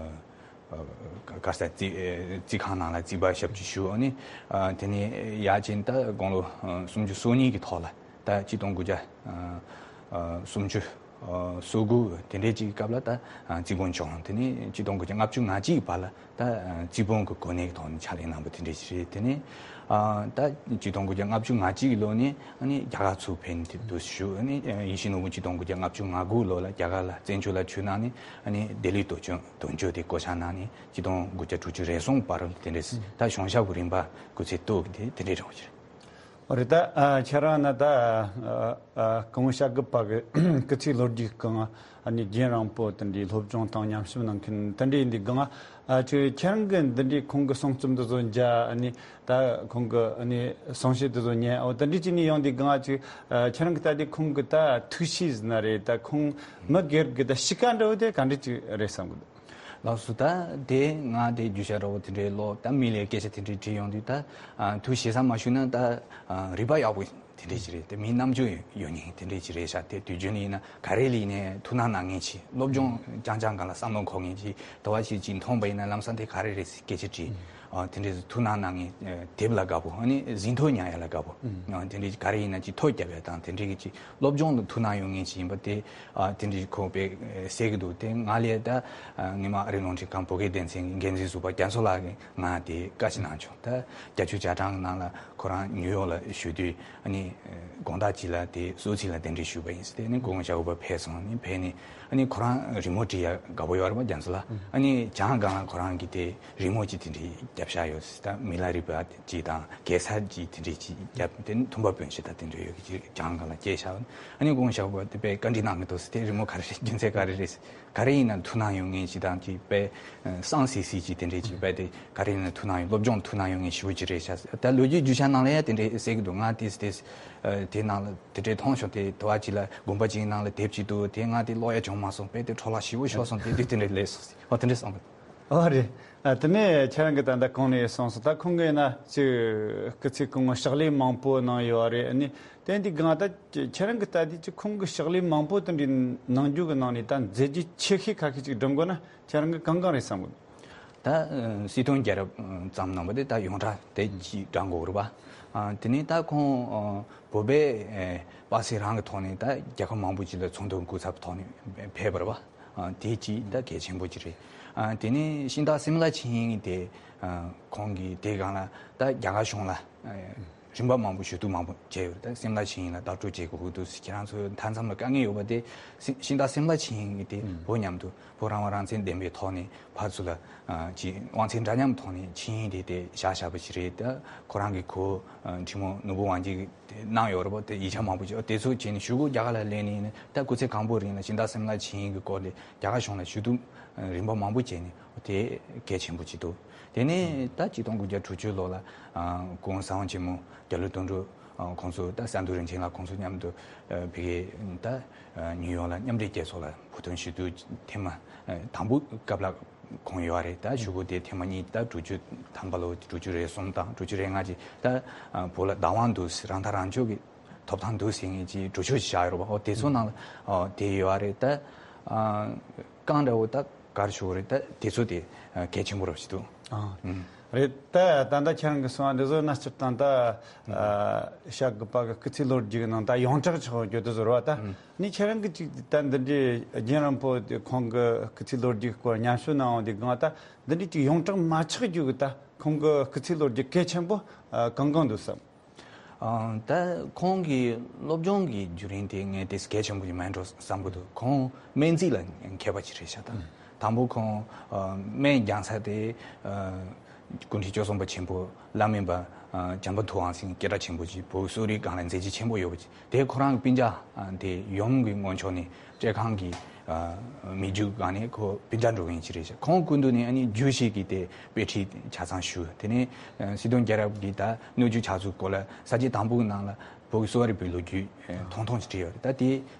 ཨ་ག་ས་རྩིས་རྩིས་ཁང་ནང་ལ་རྩིས་པ་ཞབས་ཕྱི་ཞུ། ཨ་ནི་ཨ་དེ་ནས་ཡར་བྱས་ནས་ད་དགུང་ལོ་ཨ་སུམ་ཅུ་སོ་གཉིས་ཀྱི་ཐོག་ལ། ད་ཆིག་སྟོང་དགུ་བརྒྱ་ཨ་ཨ་སུམ་ཅུ་ཨ་སོ་དགུ་དེ་འདྲའི་ཅིག་གི་སྐབས་ལ་ད་ཨ་རྩིས་དཔོན་བྱུང་། དེ་ནས་ཆིག་སྟོང་དགུ་བརྒྱ་ལྔ་བཅུ་ང་གཅིག་གི་བར་ལ་ད་ཨ་རྩིས་དཔོན་གྱི་གོ་གནས་ཀྱི་ཐོག་ནས་ཕྱག་ལས་གནང་བ་དེ་འདྲ་ཞིག་རེད། དེ་ནས་ཨ་ད་ཆིག་སྟོང་དགུ་བརྒྱ་ལྔ་བཅུ་ང་གཅིག་གི་ལོ་ནས་ཨ་ནི་རྒྱ་གར་ཚུར་ཕེབས་ནས་དེ་དུས་བཞུགས། ཨ་ནི་ཡིད་བཞིན་ནོར་བུ་ཆིག་སྟོང་དགུ་བརྒྱ་ལྔ་བཅུ་ང་དགུ་ལོ་ལ་རྒྱ་གར་ལ་བཙན་བྱོལ་ལ་ཆུད་གནང་ནས། ཨ་ནི་ལྡི་ལི་དོན་གཅོད་དོན་གཅོད་དེ་བསྐོ་བཞག་གནང་ནས་ཆིག་སྟོང་དགུ་བརྒྱ་དྲུག་ཅུ་རེ་གསུམ་བར་དེ་འདྲ་ད་གཞུང་ཞབས་ཀྱི་རིམ་པ་སྐུ་ཚེ་སྟོད་ཀྱི་དེ་དེ་འདྲའི་རང་ཞིག་རེད། རེད། ད་ཨ་ཁྱེད་རང་ན་ད་ཨ་ཨ་གོང་བྱ་རྒོད་པ་གི་སྐུ་ཚེའི་ལོ་རྒྱུས་སྒང་། ཨ་ནི་རྒན་རིང་པོ་དེ་འདྲའི་སློབ་སྦྱོང་དང་ཉམས་ཞིབ་གནང་མཁན་དེ་འདྲ་ཡིན་དུས་སྒང་། ཨ་ཁྱོད་ཁྱེད་རང་གི་འདི་འདྲའི་ཁོང་གི་གསུང་རྩོམ་འདི་ཚོ་མཇལ། ཨ་ནི་ད་ཁོང་གི་ཨ་ནི་གསུང་བཤད་འདི་ཚོ་ཉན། འོ་དེ་འདྲའི་ཅིག་ནས་ཡོང་དུས་སྒང་། ཨ་ཅིག་ཨ་ཁྱེད་རང་གི་ལྟ་དུས་ཁོང་གི་ད་ཐུགས་གཤིས་ཟེར་ན་རེད། ད་ཁོང་མི་སྒེར་གྱི་ད་གཤིས་ཀ་འདྲ་བོ་དེ་ག་འདྲ་ཅིག་རེད་བསམ་གི་འདུག་ལགས་སོ། ད་དེ་ང་དེ་རྒྱུ་ཆ་འདྲ་བོ་དེ་འདྲའི་ལོ་ད་མི་ལ་སྐད་ཆ་དེ་འདྲའི་དྲིས་ཡོང་དུས། ད་ཨ་ཐུགས་ཞེ་ས་མ་ཞུས་ན་ད་ཨ་རིག་པ་ཡག་པོ་དེ་འདྲའི་ཅིག་རེད། དེ་མི་རྣམ་དཔྱོད་ཡོད་མཁན་དེ་འདྲའི་ཅིག་རེད་ཤག་དེ་དུས་རྒྱུན་ཡིན་ན་ག་རེ་ལ་ཡིན་ནའི་ཐུགས་སྣང་གནང་མཁན་ཅིག་སློབ་སྦྱོང་རྐྱང་རྐྱང་སྒང་ལ་བསམ་བློ་འཁོར་མཁན་ཅིག་དོ་བ་ཞིག་ཅིག་མཐོང་པ་ཡིན་ན་ལམ་སང་དེ་ག་རེ་རེད་ཟེར་སྐད་ཆ་དྲིས། ཨ་དེ་འདྲའི་ཐུགས་སྣང་གནང་མཁན་དེབ་ལ་དགའ་པོ། ཨ་ནི་ཟིན་ཐོ་ཉར་ཡ་ལ་དགའ་པོ། ཨ་དེ་འདྲའི་ག་རེ་ཡིན་ན་ཅིག་ཐོ་རྒྱབ་ཡ་དང་དེ་འདྲའི་གི་ཅིག་སློབ་སྦྱོང་ལ་ཐུགས་སྣང་ཡོད་མཁན་ཅིག་ཡིན་པ་དེ། ཨ་དེ་འདྲའི་ཁོ་དཔེ་གསལ་གི་འདུག་དེ་ང་ལས་ད་ཨ་སྔོན་མ་ཨ་རིའི་རླུང་འཕྲིན་ཁང་བོད་སྐད་སྡེ་ཚན་གྱི་འགན་འཛིན་ཟུར་པ་རྒྱ་མཚོ་ལགས་ཀྱིས་ང་དེ་བཀའ་ཞིག་གནང་བྱུང་། ད་བརྒྱད་ཅུ་གྱ་གྲངས་ཀྱི་ནང་ལ་ཁོ་རང་ནིའུ་ཡོག་ལ་བཞུགས་དུས། ཨ་ནི་ དགོང་དག་ཅིག་ལ་དེ་གསོལ་ཚིགས་ལ་གདན་འདྲེན་ཞུས་པ་ཡིན་ཟེར། དེ་ནས་སྐུ་ངོ་ཤར་བུ་པ་ཕེབས་སོང་། ནི་ཕེབས་ནས་ཨ་ནི་ཁོ་རང་རི་མོ་བྲིས་ཡ་དགའ་པོ་ཡོད་རེད་པ། རྒྱ་མཚོ་ལ་ཨ་ནི་གྱང་སྒང་ལ་ཁོ་རང་གིས་དེ་རི་མོ་ཅིག་དེ་འདྲའི་བརྒྱབ་བཞག་ཡོད་ཟེར། ད་མི་ལ་རས་པ་ཅིག་དང་གེ་སར་ཅིག་དེ་འདྲའི་ཅིག་བརྒྱབ། དེ་ནས་ཐུམ་པ་བོན་ཞིག་ད་དེ་འདྲ་ཡོད་གི་ཅིག་གྱང་སྒང་ལ་བཀལ་བཞག། ཨ་ནི་སྐུ་ངོ་ཤར་བུ་པ་དེ་དཔེ་བཀའ་འདྲི་གནང་གི་འདུག་ཟེར། དེ་རི་མོ་ག་རེ་རེད། རྒྱུ་མཚན་ག་རེ་རེད། ག་རེ་ཡིན་ན་ཐུགས་སྣང་ཡོད་མཁན་ཅིག་དང་ཅིག་དཔེ་བསམ་སི་སི་ཅིག་དེ་འདྲའི་ཅིག་དཔེ་དེ་ག་རེ་ཡིན་ན་ཐུགས་སྣང་ཡོད། སློབ་སྦྱོང་ཐུགས་སྣང་ཡོད་མཁན་ཞེ་པོ་ཅིག་རེད་ཤག། ད་ལོ་རྒྱུས་རྒྱུ་ཆ་ནང་ལ་ཡང་དེ་འདྲའི་གསལ་གི་འདུག། ང་དེས་དེས་དེ་ནང་ལ་དེ་འདྲའི་མཐོང་བྱུང་། དེ་དུ་བ་ཅིག་ལ་དགོན་པ་ཅིག་ནང་ལ་དེབ་ཅིག་འདུག། དེ་ང་དེ་ཀློག་ཡ་བྱུང་མ་སོང་། དཔེ་དེ་འཕྲོ་བརླག་ཞེ་པོ་ཤོར་སོང་། དེ་དུས་དེ་འདྲའི་ལས་སོང་ཟེར། ཨོ་དེ་འདྲའི་བསམ་གི་འདུག། ཨོ་རེད། ཨ་དེ་ནས་ཁྱེད་རང་གིས་ད་ལྟ་གོང་ནས་གསུངས་སོང་། ད་ཁོང་གིས་ན་ཅིག་སྐུ་ཚེ་གང་བོ་ཕྱག་ལས་མང་པོ་གནང་ཡོད་རེད། ཨ་ནི་དེ་འདི་གང་ད་ཁྱེད་རང་གིས་ལྟ་དུས་ཅིག་ཁོང་གིས་ཕྱག་ལས་མང་པོ་དེ་འདྲའི་གནང་རྒྱུ་གི་ནང་ནས་ད་མཛད་རྗེས་ཆེ་ཤོས་ཁ་ཤས་ཅིག་སྒྲུབ་དགོས་ན་ཁྱེད་རང་གིས་གང་གང་རེད་བསམ་གི་འདུག། ད་སྲིད་དོན་རྒྱལ་རབས་ཙམ་གནང་བ་དེ་ད་ཡོངས་གྲགས་དེ་ཅིག་བགྲང་དགོས་རེད་པ། ཨ་དེ་ནས་ད་ཁོང་བོད་པའི་པ་སེ་རང་གི་ཐོག་ནས་ད་རྒྱལ་ཁབ་མང་པོ་ཅིག་ལ་ཚོགས་འདུ་སྐུ་ཚབ་ཐོག་ནས་ཕེབས་པ་རེད་པ། ཨ་དེ་ཅིག་ད་གལ་ཆེན་པོ་ཅིག་རེད། ཨ་དེ་ནས་ཤིང་སྟག་སིམ་ལ་ཆིངས་ཡིག་དེ་ཨ་ཁོང་གིས་དེ་སྒང་ལ་ད་རྒྱ་གར་གཞུང་ལ་ཨ་རིམ་པ་མང་པོ་ཞུ་གཏུག་མང་པོ་བྱས་ཡོད་རེད། ད་སིམ་ལ་ཆིངས་ཡིག་ལ་ལྟ་སྐྲོད་བྱེད་དགོས་ཀྱི་འདུག་ཟེར། ཁྱེད་རང་ཚོ་མཐའ་མཚམས་ལ་དཀའ་ངལ་ཡོད་པ་དེ་སི་ཤིང་སྟག་སིམ་ལ་ཆིངས་ཡིག་དེ་བོད་མཉམ་དུ་བོད་རང་དབང་རང་བཙན་བདེན་པའི་ཐོག་ནས་ཕར་ཚུར་ལ་ཨ་ཅིག་དབང་ཚད་འདྲ་མཉམ་ཐོག་ནས་ཆིངས་ཡིག་དེ་དེ་བཞག་བཞག་པ་ཞིག་རེད། ད་ཁོ་རང་གི་གོ་ཨ་ཁྲི་མོ་ནོར་བུ་དབང་རྒྱལ་གྱིས་དེ་གནང་ཡོད་རེད་པ། དེ་ཡིག་ཆ་མང་པོ་ཅིག་དེ་ཚོ་བྱས་ནས་ཞུ་སྒོ་རྒྱ་གར་ལ་སླེབས་ནས་ད་སྐུ་ཚེ་གང་པོའི་རིང་ལ་ཤིང་སྟག་སིམ་ལ་ཆིངས་ཡིག་གི་སྐོར་ལ་རྒྱ་གར་གཞུང་ལ་ཞུ་གཏུག་རིམ་པ་མང་པོ་བྱས་ནས་དེ་གལ་ཆེན་པོ་ཅིག་འདུག། དེ་ནས་ད་ཆིག་སྟོང་དགུ་བརྒྱ་དྲུག་ཅུ་ལོ་ལ་ཨ་སྐུ་ངོ་ས་དབང་ཆེན་མོ་རྒྱ་ལོ་དོན་གྲུབ་ཨ་ཁོང་ཚོ་ད་ས་འདུ་རིན་ཆེན་ལགས་ཁོང་ཚོ་མཉམ་དུ་ཨ་ཕ་གི་ད་ཨ་ནིའུ་ཡོག་ལ་མཉམ་འབྲེལ་རྒྱལ་ཚོགས་ལ་བོད་དོན་ཞུ་གཏུག་ཐེངས་མ་ཨ་དང་པོ་སྐབས་ལ་ཁོང་ཡོད་རེད། ད་ཞུ་སྒོ་དེ་ཐེངས་མ་གཉིས་ད་དྲུག་ཅུ་ཐམ་པ་ལོ་དྲུག་ཅུ་རེ་གསུམ་དང་དྲུག་ཅུ་རེ་ལྔ་ཅིག་ད་ཨ་བོད་ལ་བདག་དབང་འདུག་ཟེར། རང་ཐག་རང་གཅོད་ཀྱི་ཐོབ་ཐང་འདུག་ཟེར་མཁན་གྱི་གྲོས་ཆོད་ཅིག་བཞག་ཡོད་རེད་པ། ཨོ་དེ་ཚོ་ནང་ལ་ཨོ་དེ་ཡོད་རེད། ད་ཨ་རྐང་འདྲ་བོ་ད་ག་རེ་ཞུ་དགོས་རེད། ད་དེ་ཚོ་དེ་ཨ་གལ་ཆེན་པོ་རེད་ཞུ་འདུག། ཨ་ཨུམ། རེད། ད་ད་ལྟ་ཁྱེད་རང་གིས་གསུངས་པ་འདི་ཚོ་ན་སྤྱིར་བཏང་ད་ཨ་བཤད་དགོས་པ་གི་སྐུ་ཚེ་ལོ་རྒྱུས་ཀྱི་ནང་ད་ཡོངས་གྲགས་ཆགས་ཡོད་དུ་ཟེར་བ། ད་ཨུམ། ནི་ཁྱེད་རང་གིས་ཅིག་ད་འདི་འདྲའི་རྒན་རིང་པོ་དེ་ཁོང་གི་སྐུ་ཚེ་ལོ་རྒྱུས་སྐོར་ཉམས་ཞིབ་གནང་བ་འདི་གང་ད་འདི་འདྲའི་ཅིག་ཡོངས་གྲགས་མ་ཆགས་རྒྱུ་གི་ད་ཁོང་གི་སྐུ་ཚེ་ལོ་རྒྱུས་གལ་ཆེན་པོ་ཨ་གང་གང་འདུག་བསམ། ཨང་། ད་ཁོང་གི་སློབ་སྦྱོང་གི་བརྒྱུད་རིམ་དེ་ངས་དེ་གལ་ཆེན་པོ་ཞིག་མིན་འགྲོ་བསམ་གྱི་འདུག། ཁོང་སྨན་རྩིས་ལ་མཁས་པ་ཅིག་རེད་ཤག། ད་དང་པོ་ཁོང་ཨ་སྨན་རྒྱག་ས་དེ་ཨ་སྐུ་ཕྲེང་བཅུ་གསུམ་པ་ཆེན་པོ་བླ་སྨན་པ་ཨ་བྱམས་པ་ཐུབ་དབང་ཟེར་མཁན་སྐད་གྲགས་ཆེན་པོ་ཅིག་བོད་གསོ་རིག་སྒང་ལ་མཛད་རྗེས་ཆེན་པོ་ཡོད་པ་ཅིག། དེ་ཁོ་རང་གི་སྤུན་ཀྱག་ཨ་དེ་ཡུམ་གྱི་ངོས་ཕྱོགས་ནས་བཀྲས་ཁང་གི་ཨ་མི་རྒྱུད་སྒང་ནས་ཁོ་སྤུན་ཀྱག་འགྲོ་མཁན་ཅིག་རེད་ཤག། ཁོང་སྐུ་མདུན་ནས་ཨ་ནི་རྒྱུད་བཞི་གི་དེ་དཔེ་ཁྲིད་ཆ་ཚང་ཞུས། དེ་ནས་ཨ་སྲིད་དོན་རྒྱལ་རབས་ཀྱི་ད་སྣོད་བཅུད་ཆགས་ཚུལ་སྐོར་ལ་ས་བཅད་དང་པོ་གི་ནང་ལ་བོད་ཀྱི་གསོ་བ་རིག་པའི་ལོ་རྒྱུས་ཨ་ཐུང་ཐུང་ཞིག་བྲིས་ཡོད་རེད། ད་དེ་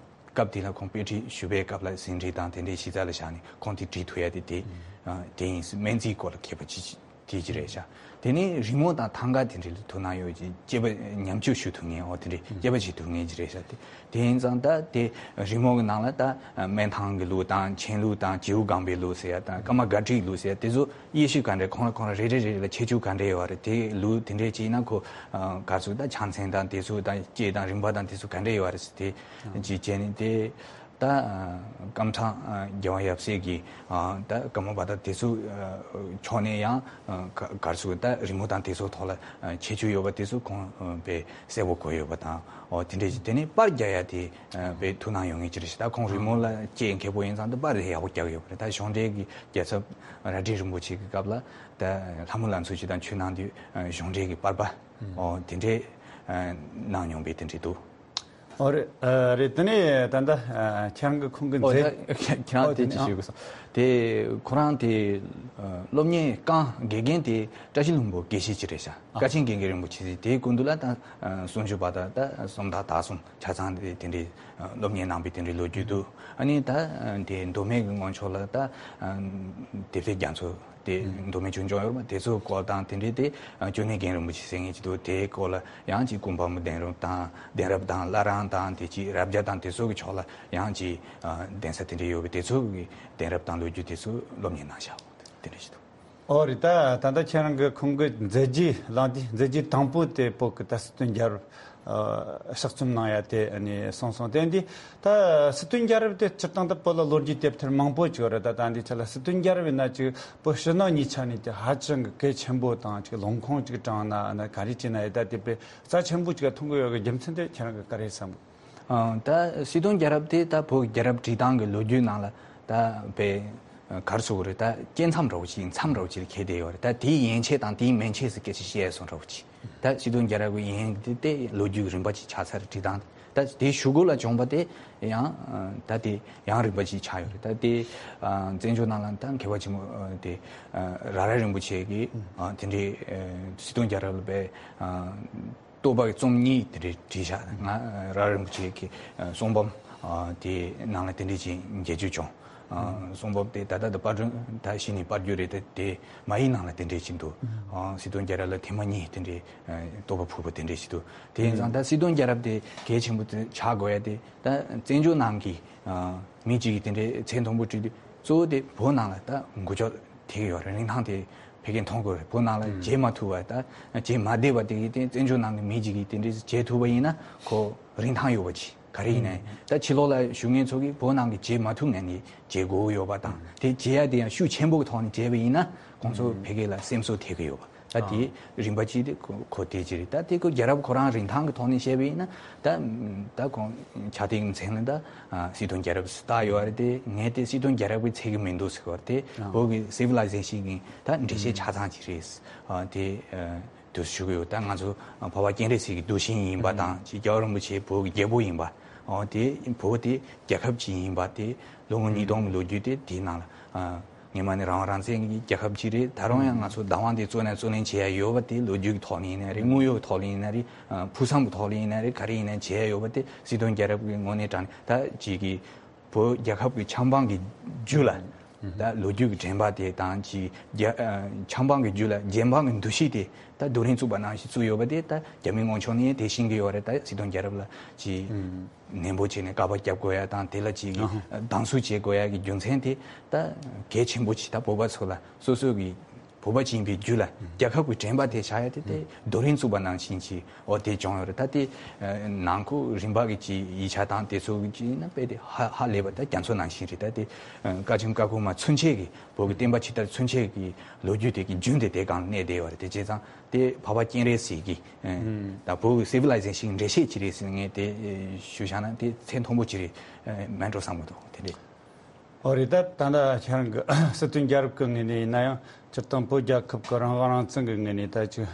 སྐབས་དེ་ལ་ཁོང་དཔེ་ཁྲིད་ཞུ་བའི་སྐབས་ལ་ཟིན་བྲིས་དང་དེ་འདྲའི་གཞི་རྩ་ལ་བཞག་ནས་ཁོང་དེ་བྲིས་ཐུབ་ཡ་དེ་དེ་ཨ་དེ་ཡིན། སྨན་རྩིས་སྐོར་ལ་མཁས་པ་ཅིག་དེ་ཅི་རེད་ཤག། དེ་ནས་རི་མོ་དང་ཐང་ག་དེ་འདྲའི་ཐུགས་སྣང་ཡོད་ཅིག་དཔྱད་པ་ཉམས་བཅོས་ཞུ་ཐུབ་མཁན། འོ་དེ་འདྲའི་དཔྱད་པ་བྱེད་ཐུབ་མཁན་ཅིག་རེད་ཤག། དེ་དེ་ཡིན་ཙང་ད་དེ་རི་མོ་གི་ནང་ལ་ད་སྨན་ཐང་གི་ལུགས་དང་མཆན་ལུགས་དང་བྱིའུ་སྒང་པའི་ལུགས་ཟེར་ཡ་དང་ཀརྨ་སྒར་བྲིས་ལུགས་ཟེར་ཡ་དེ་ཚོ་དབྱེ་ཞིབ་ག་འདྲ། ཁོང་ལ་ཁོང་ལ་རེ་རེ་རེ་རེ་ལ་ཁྱད་ཆོས་ག་འདྲ་ཡོད་རེད། དེ་ལུགས་དེ་འདྲའི་ཅིག་ཡིན་ན་ཁོ་ག་ཚོད་ད་ཕྱག་མཚན་དང་དེ་ཚོ་དང་དཔྱད་དང་རིམ་པ་དང་དེ་ཚོ་ག་འདྲ་ཡོད་རེད་ཟེར། དེ་ཅིག་བྱས་ནས་དེ། ད་ཀམ་ཚང་རྒྱལ་དབང་ཡབ་སྲས་ཀྱི་ད་ཀརྨ་པ་དང་དེ་ཚོ་ཕྱོགས་ནས་ཡང་ག་ག་རེ་ཟེར་ད་རི་མོ་དང་དེ་ཚོ་ཐོག་ལ་ཁྱད་ཆོས་ཡོད་པ་དེ་ཚོ་ཁོང་དཔེ་གསལ་པོ་གོ་ཡོད་པ་དང་། འོ་དེ་འདྲ་ཞིག། དེ་ནས་པར་རྒྱག་ཡ་དེ་དཔེ་ཐུགས་སྣང་ཡོད་མཁན་ཅིག་རེད་ཤག། ད་ཁོང་རི་མོ་ལ་དཔྱད་མཁས་པོ་ཡིན་ཙང་ད་པར་དེ་ཡག་པོ་རྒྱག་ཡོད་པ་རེད། ད་གཞུང་འབྲེལ་གྱི་རྒྱལ་ཚབ་རྭ་སྒྲེང་རིན་པོ་ཆེ་གི་སྐབས་ལ་ད་ལྷ་མོ་ལ་མཚོ་ཆུ་དང་ཆུ་ནང་དུ་གཞུང་འབྲེལ་གྱི་པར་པ་འོ་དེ་འདྲས་གནང་མྱོང་པའི་དེ་འདྲས་འདུག། ཨོ་རེད། ཨ་རེད། དེ་ནས་ད་ལྟ་ཨ་ཁྱེད་རང་གི་ཁུངས་ཀྱི་ཨོ་མཛད། ད་ཁྱེད་རང་ཨོ་དེ་དེ་ཅི་ནས་ཞུ་དགོས་སོང་། དེ་ཁོ་རང་དེ་ཨ་སློབ་གཉེར་རྐང་དགེ་རྒན་དེ་བཀྲ་ཤིས་ལྷུན་པོ་དགེ་བཤེས་ཅིག་རེད་ཤག། ཨ་ཀ་ཆེན་དགེ་རྒན་རིན་པོ་ཆེ་དེའི་སྐུ་མདུན་ལ་ད་ཨ་སུམ་ཅུ་པ་དང་ད་སུམ་རྟགས་དག་གསུམ་ཆ་ཚང་དེ་དེ་འདྲའི་ཨ་སློབ་གཉེར་གནང་པའི་དེ་འདྲའི་ལོ་རྒྱུས་འདུག། ཨ་ནི་ད་ཨ་དེ་མདོ་སྨད་ཀྱི་ངོས་ཕྱོགས་ལ་ད་ཨ་དེབ་སྐྱེལ་རྒྱ་མཚོ། དེ་མདོ་སྨད་ཆོས་འབྱུང་ཡོད་རེད་པ། དེ་ཚོ་སྐོར་དང་དེ་འདྲའི་དེ་ཨ་ཅོ་ནེ་རྒན་རིན་པོ་ཆེ་ཟེར་མཁན་ཅིག་འདུག། དེའི་སྐོར་ལ་ཡང་ཅིག་སྐུ་འབངས་མོ་གདན་རབས་དང་གདན་རབས་དང་བླ་བྲང་དང་དེ་ཅིག་རབ་རྒྱ་དང་དེ་ཚོ་གི་ཕྱོགས་ལ་ཡང་ཅིག་ཨ་གདན་ས་དེ་འདྲ་ཡོད་པས། དེ་ཚོ་གི་གདན་རབས་དང་ལོ་རྒྱུས་དེ་ཚོ་སློབ་གཉེར་གནང་བཞག། དེ་འདྲ་ཞིག་འདུག། ཨོ་རེད། ད་ད་ལྟ་ཁྱེད་རང་གི་ཁུངས་གི་མཛད་རྗེས་ལངས་དུས་མཛད་རྗེས་དང་པོ་དེ་བོད་ཀྱི་ད་སྲིད་དོན་རྒྱལ་རབས། ཕྱག་བཙུམ་གནང་ཡ་དེ་ནས་སོང་སོང་། དེ་འདི་ད་སྲིད་དོན་རྒྱལ་རབས་དེ་སྤྱིར་བཏང་དུ་བོད་ལ་ལོ་རྒྱུས་དེབ་ཐེར་མང་པོ་ཅིག་ཡོད་རེད། ད་ད་འདི་ཆ་ལ་སྲིད་དོན་རྒྱལ་རབས་ཡིན་ན་ཅིག་བོད་ཕྱི་ནང་གཉིས་ཆ་ནས་ཀྱི་ཧ་ཅང་གི་གལ་ཆེན་པོ་དང་ཅིག་ལུང་ཁུངས་ཅིག་དྲངས་ན་ཨ་ན་ག་རེ་བྱས་ན་ཡི་ད་དེ་དཔེ་རྩ་ཆེན་པོ་ཅིག་མཐོང་གི་ཡོད་གི་རྒྱུ་མཚན་དེ་ཁྱེད་རང་གི་ག་རེ་བསམ་གི། ཨང་། ད་སྲིད་དོན་རྒྱལ་རབས་དེ་ད་བོད་ཀྱི་རྒྱལ་རབས་བྲིས་སྟངས་ཀྱི་ལོ་རྒྱུས་ནང་ལ་ད་དཔེ་ག་རེ་ཟེར་དགོས་རེད། ད་སྐྱེ་མཚམས་འདྲ་བོ་ཅིག་མཚམས་འདྲ་བོ་ཅིག་ལ་འཁེལ་བསྡད་ཡོད་རེད། ད་དེའི་ཡན་ཆད་དང་དེའི་མན་ཆད་ཟེར་སྐད་ཆ་བཤད་སོང་འདྲ་བོ་ཅིག་ད་སྲིད་དོན་རྒྱལ་རབས་ཀྱི་ཡན་དེ་དེ་ལོ་རྒྱུས་ཀྱི་རིམ་པ་ཅིག་ཆགས་ཚར་རེད། བྲིས་སྟངས་དེ་ད་དེའི་གཞུག་གུ་ལ་བྱུང་བ་དེ་ཡང་ད་དེ་ཡང་རིམ་པ་ཅིག་ཆགས་ཡོད་རེད། ད་དེ་བཙན་བྱོལ་ནང་ལ་ད་མཁས་པ་ཆེན་པོ་དེ་ར་ར་རིན་པོ་ཆེ་གིས་དེ་འདྲའི་སྲིད་དོན་རྒྱལ་རབས་ལ་དཔེ་བསྟོད་པ་གི་རྩོམ་གཉིས་དེ་འདྲའི་བྲིས་བཞག་ང་ར་རིན་པོ་ཆེ་གི་གསུང་འབུམ་དེ་ནང་ལ་དེ་འདྲའི་ཅིག་མཇལ་རྒྱུ་བྱུང་། གསུང་འབུམ་དེ་ད་ལྟ་དུ་པར་སྐྲུན་ད་གཞི་ནས་པར་བརྒྱུད་རེད། དེ་དེ་མ་ཡིག་ནང་ལ་དེ་འདྲའི་ཅིག་འདུག་སྲིད་དོན་རྒྱལ་རབས་ལ་ཐེངས་མ་གཉིས་དེ་འདྲའི་བསྟོད་པ་ཕུལ་བ་དེ་འདྲའི་ཅིག་འདུག་དེ་ཡིན་ཙང་ད་སྲིད་དོན་རྒྱལ་རབས་དེ་གལ་ཆེན་པོ་དེ་ཆགས་དགོས་ཡ་དེ་ད་བཙན་བྱོལ་ནང་གི་མི་གཅིག་གིས་དེ་འདྲའི་ཚད་མཐོན་པོ་བྲིས་དུས་གཙོ་བོ་དེ་བོད་ནང་ལ་ད་འགུལ་སྐྱོད་ཐེབས་ཀྱི་ཡོད་རེད། རིན་ཐང་དེ་ཕ་གིར་མཐོང་དགོས་རེད། བོད་ནང་ལ་མཇལ་མ་ཐུབ་པ་ད་མཇལ་མ་བསྡད་པ་དེ་གིས་དེ་བཙན་བྱོལ་ནང་གི་མི་གཅིག་གིས་དེ་འདྲའི་མཇལ་ཐུབ་པ་ཡིན་ན་ཁོ་རིན་ཐང་ཡོད་པ་ཅིག་ག་རེ་ཡིན་ནའི་ད་ཕྱི་ལོགས་ལ་བཞུགས་མཁན་ཚོ་གིས་བོད་ནང་གི་མཇལ་མ་ཐུབ་མཁན་ནི་མཇལ་དགོས་ཀྱི་ཡོད་པ་དང་དེ་མཇལ་ཡ་དེ་ཡང་ཤུགས་ཆེན་པོ་གི་ཐོག་ནས་མཇལ་བ་ཡིན་ན་ཁོང་ཚོ་ཕ་གི་ལ་སེམས་གསོ་ཐེབས་ཀྱི་ཡོད་པ། ད་དེ་རིམ་པ་གཅིག་དེ་ཁོ་ཁོ་དེ་གཅིག་རེད། ད་དེ་ཁོ་རྒྱལ་རབས་ཁོ་རང་རིན་ཐང་གི་ཐོག་ནས་བཤད་པ་ཡིན་ན་ད་ད་ཁོང་ཆ་ཏིག་མཚན་ལ་ད་སྲིད་དོན་རྒྱལ་རབས་སུ་བཏགས་ཡོད་རེད། དེ་ངས་དེ་སྲིད་དོན་རྒྱལ་རབས་ཀྱི་ཚད་ཀྱི་མི་འདུག་ཟེར་བ་དེ་བོད་ཀྱི་སི་ཝི་ལའི་ཟེ་ཤིན་གྱི་ད་འགྲེལ་བཤད་ཆ་ཚང་གཅིག་རེད། དེ་དུ་ཞུ་གི་ཡོད། ད་ང་ཚོ་འཕགས་པ་སྤྱན་རས་གཟིགས་ཀྱི་གདུལ་ཞིང་ཡིན་པ་དང་ཅིག་རྒྱལ་བ་རིན་པོ་ཆེ་བོད་ཀྱི་རྒྱལ་པོ་ཡིན་པ། འོ་དེ་བོད་དེ་རྒྱལ་ཁབ་ཅིག་ཡིན་པ་དེ་ལོ་ངོ་ཉིས་སྟོང་གི་ལོ་རྒྱུས་དེ་དེའི་ནང་ལ་སྔོན་མ་ནས་རང་དབང་རང་བཙན་གྱི་རྒྱལ་ཁབ་ཅིག་རེད། ད་རུང་ཡང་ང་ཚོ་བདག་དབང་དེ་གཙོ་ནས་གཙོ་ལེན་བྱེད་ཡ་ཡོད་པ་དེ་ལོ་རྒྱུས་ཀྱི་ཐོག་ནས་ཡིན་ན་རེད། དངོས་ཡོད་ཀྱི་ཐོག་ནས་ཡིན་ན་རེད། ཕུགས་བསམ་གྱི་ཐོག་ནས་ཡིན་ན་རེད། ག་རེ་ཡིན་ན་བྱེད་ཡ་ཡོད་པ་དེ་སྲིད་དོན་རྒྱལ་རབས་ཀྱི་ངོས་ནས་དྲངས་ནས་ད་ཅིག་གི་བོད་རྒྱལ་ཁབ་ཀྱི་ཆབ་འབངས་ཀྱི་རྒྱུད་ལ་ད་ལོ་རྒྱུས་ཀྱི་དྲན་པ་དེ་དང་ཅིག་རྒྱ་ཨ་ཆབ་འབངས་ཀྱི་རྒྱུད་ལ་རྒྱལ་འབངས་ཀྱི་འདུ་ཤེས་དེ་ད་རྡོ་རིང་བཙུགས་པ་ནང་བཞིན་བཙུགས་ཡོད་པ་དེ་ད་རྒྱ་མི་དངོས་ཕྱོགས་ནས་དེ་ཤེས་ཀྱི་ཡོད་རེད། ད་སྲིད་དོན་རྒྱལ་རབས་ལ་ཅིག་ནན་པོ་བྱས་ནས་བཀའ་པ་བརྒྱབ་དགོས་ཡ་དང་དེ་ལ་ཅིག་སྡང་ཟུག་བྱེད་དགོས་ཡ་གི་རྒྱུ་མཚན་དེ་ད་གལ་ཆེན་པོ་ཅིག་ད་བོད་པ་ཚོ་ལ་སོ་སོ་གི་བོད་པ་ཅིག་ཡིན་པའི་རྒྱུད་ལ་རྒྱལ་ཁབ་ཀྱི་དྲན་པ་དེ་བཞག་ཡ་དེ་དེ་རྡོ་རིང་བཙུགས་པ་ནང་བཞིན་གྱི་འོ་དེ་བྱུང་ཡོད་རེད། ད་དེ་ནང་ཁུལ་རིམ་པ་གི་ཅིག་ཡིག་ཆ་དང་དེ་ཚོ་གི་ཅིག་ཡིན་ན་དཔེ་དེ་ཧ་ཧ་ལས་པ་ད་རྒྱ་མཚོ་ནང་བཞིན་རེད། ད་དེ་བཀའ་ཆེམས་ཀ་ཁོལ་མ་ཚུན་ཆད་ཀྱི་བོད་ཀྱི་བསྟན་པ་ཇི་ལྟར་མཚོན་བྱེད་ཀྱི་ལོ་རྒྱུས་དེ་གི་རྒྱུན་དེ་དེ་སྒང་གནས་བསྡད་ཡོད་རེད། དེ་བྱས་ཙང་དེ་འཕགས་པ་སྤྱན་རས་གཟིགས་ཀྱི་ད་བོད་ཀྱི་སི་ཝི་ལའི་ཟེ་ཤིན་འགྲེལ་བཤད་ཅིག་རེད་ཟེར་ངས་དེ་ཞུ་བཞག་ན་དེ་ཚད་མཐོན་པོ་ཅིག་རེད་མེད་འགྲོ་བསམ་གྱི་འདུག་དེ་འདྲས། ཨོ་རེད། ད་ད་ལྟ་ཁྱེད་རང་གི་སྲིད་དོན་རྒྱལ་རབས་ཀྱི་ངོས་ནས་ཡིན་ན་ཡང་སྤྱིར་བཏང་བོད་རྒྱལ་ཁབ་ཀྱི་རང་དབང་རང་བཙན་གྱི་ངོས་ནས་ད་ཅིག་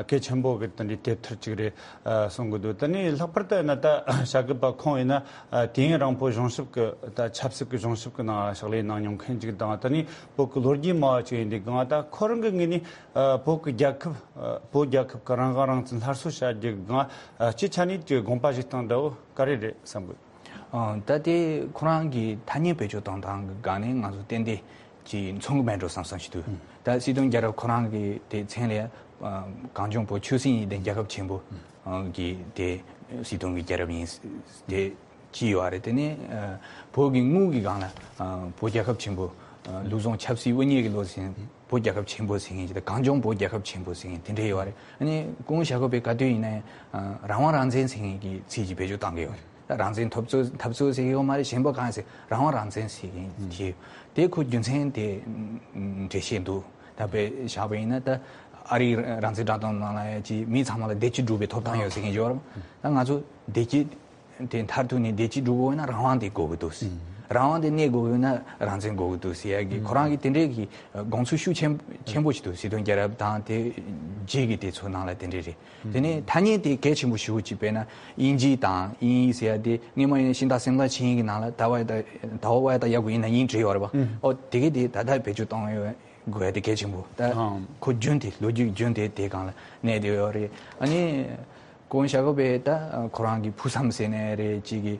གལ་ཆེན་པོ་གི་དེ་འདྲའི་དེབ་ཐེར་ཅིག་རེད་གསུང་གི་འདུག་དེ་ནས་ལྷག་པར་དུ་ཡིན་ན་ད་བྱ་དགའ་པ་ཁོང་ཡིན་ན་དུས་ཡུན་རིང་པོ་གཞུང་ཞབས་ཀྱི་ད་ཆབ་སྲིད་ཀྱི་གཞུང་ཞབས་ཀྱི་ནང་ཕྱག་ལས་གནང་མྱོང་མཁན་ཅིག་དང་དེ་ནས་བོད་ཀྱི་ལོ་རྒྱུས་སྨྲ་བ་ཅིག་ཡིན་དུས་གང་ད་ཁོ་རང་གི་ངོས་ནས་བོད་ཀྱི་རྒྱལ་ཁབ་བོད་རྒྱལ་ཁབ་ཀྱི་རང་དབང་རང་བཙན་སླར་གསོ་བྱ་རྒྱུ་གི་སྒང་སྤྱི་ཆ་ནས་ཀྱི་དགོངས་པ་བཞེས་སྟངས་འདྲ་བོ་ག་རེ་རེད་བསམ་གི། ཨ་ད་དེ་ཁོ་རང་གི་ཐ་སྙད་བེད་སྤྱོད་གཏོང་སྟངས་ཀྱི་སྒང་ནས་ང་ཚོ་ཏན་ཏན་གྱི་མཚུངས་ཀྱི་མེད་འགྲོ་བསམ་བསམ་ཞིག་འདུག་ད་སྲིད་དོན་རྒྱལ་རབས་ཁོ་རང་གི་དེ་མཚན་ལ་ཡ་གངས་ལྗོངས་བོད་ཆོས་སྲིད་གཉིས་ལྡན་རྒྱལ་ཁབ་ཆེན་པོ་གི་དེ་སྲིད་དོན་གྱི་རྒྱལ་རབས་ཡིན་དེ་ཅི་ཡོད་རེད། དེ་ནས་བོད་ཀྱི་དངུལ་གྱི་སྒང་ལ་བོད་རྒྱལ་ཁབ་ཆེན་པོ་ལུགས་བཟང་ཆབ་སྲིད་དབུ་བརྙེས་ཀྱི་ལོ་ཟིན་བོད་རྒྱལ་ཁབ་ཆེན་པོ་ཟེར་མཁན་ཅིག་དང་གངས་ལྗོངས་བོད་རྒྱལ་ཁབ་ཆེན་པོ་ཟེར་མཁན་དེ་འདྲ་ཡོད་རེད། ཨ་ནི་སྐུ་ངོ་ཞྭ་སྒབ་པས་ག་དུས་ཡིན་ན་ཡང་རང་དབང་རང་བཙན་ཟེར་མཁན་གྱི་ཚིག་ཅིག་བེད་སྤྱོད་བཏང་གི་ཡོད་རེད། ད་རང་བཙན་འཐབ་རྩོད་འཐབ་རྩོད་ཟེར་གྱི་ཡོད་མ་རེད། གཞན་པ་གང་ཟེར་རང་དབང་རང་བཙན་ཟེར་མཁན་དེ་དེ་ཁོ་རྒྱུ་མཚན་དེ་འགྲེལ་བཤད་འདུག་ད་དཔེ་བཞག་པ་ཡིན་ན་ད་ཨ་རིའི་རང་བཙན་བསྒྲགས་གཏམ་ནང་ལ་ཡང་ཅིག་མི་ཚང་མ་ལ་བདེ་སྐྱིད་སྒྲུབ་པའི་ཐོབ་ཐང་ཡོད་ཟེར་མཁན་ཡོད་རེད། ད་ང་ཚོ་བདེ་སྐྱིད་དེ་མཐར་ཐུག་ནས་བདེ་སྐྱིད་སྒྲུབ་དགོས་ན་རང་དབང་དེ་དགོས་ཀྱི་འདུག་ཟེར། རང་དབང་དེ་གནས་དགོས་ཀྱི་ན་རང་བཙན་དགོས་ཀྱི་འདུག་ཟེར་ཡ་གི་ཁོ་རང་གི་དེ་འདྲའི་གི་དགོངས་ཚུལ་ཤུགས་ཆེན་ཆེན་པོ་ཞིག་འདུག་སྲིད་དོན་རྒྱལ་རབས་དང་དེ་རྗེས་ཀྱི་དེ་ཚོ་ནང་ལ་དེ་འདྲ་རེད། དེ་ནས་ཐ་སྙད་དེ་གལ་ཆེན་པོ་ཞེ་པོ་ཅིག་དཔེར་ན་དབྱིན་ཇི་དང་དབྱིན་ཡིག་ཟེར་ཡ་དེ་སྔོན་མ་ཡིན་ན་ཤིང་རྟ་སེམས་རྟ་ཆིངས་ཡིག་གི་ནང་ལ་ད་བ་ཡ་ད་ད་བ་བ་ཡ་ད་ཡ་གུ་ཡིན་ན་དབྱིན་བྲིས་ཡོད་རེད་པ། ཨོ་དེ་གི་དེ་ད་ལྟ་བེད་སྤྱོད་གཏོང་ཡོད། དགོས་ཡ་དེ་གལ་ཆེན་པོ་ད་ཨང་། ཁོ་རྒྱུན་དེ་ལོ་རྒྱུས་རྒྱུན་དེ་དེ་སྒང་ལ་གནས་བསྡད་ཡོད་རེད། ཨ་ནི་སྐུ་ངོ་ཞྭ་སྒབ་པས་ད་ཁོ་རང་གི་ཕུགས་བསམ་ཟེར་ནའི་རེད་ཅིག་གི་ག་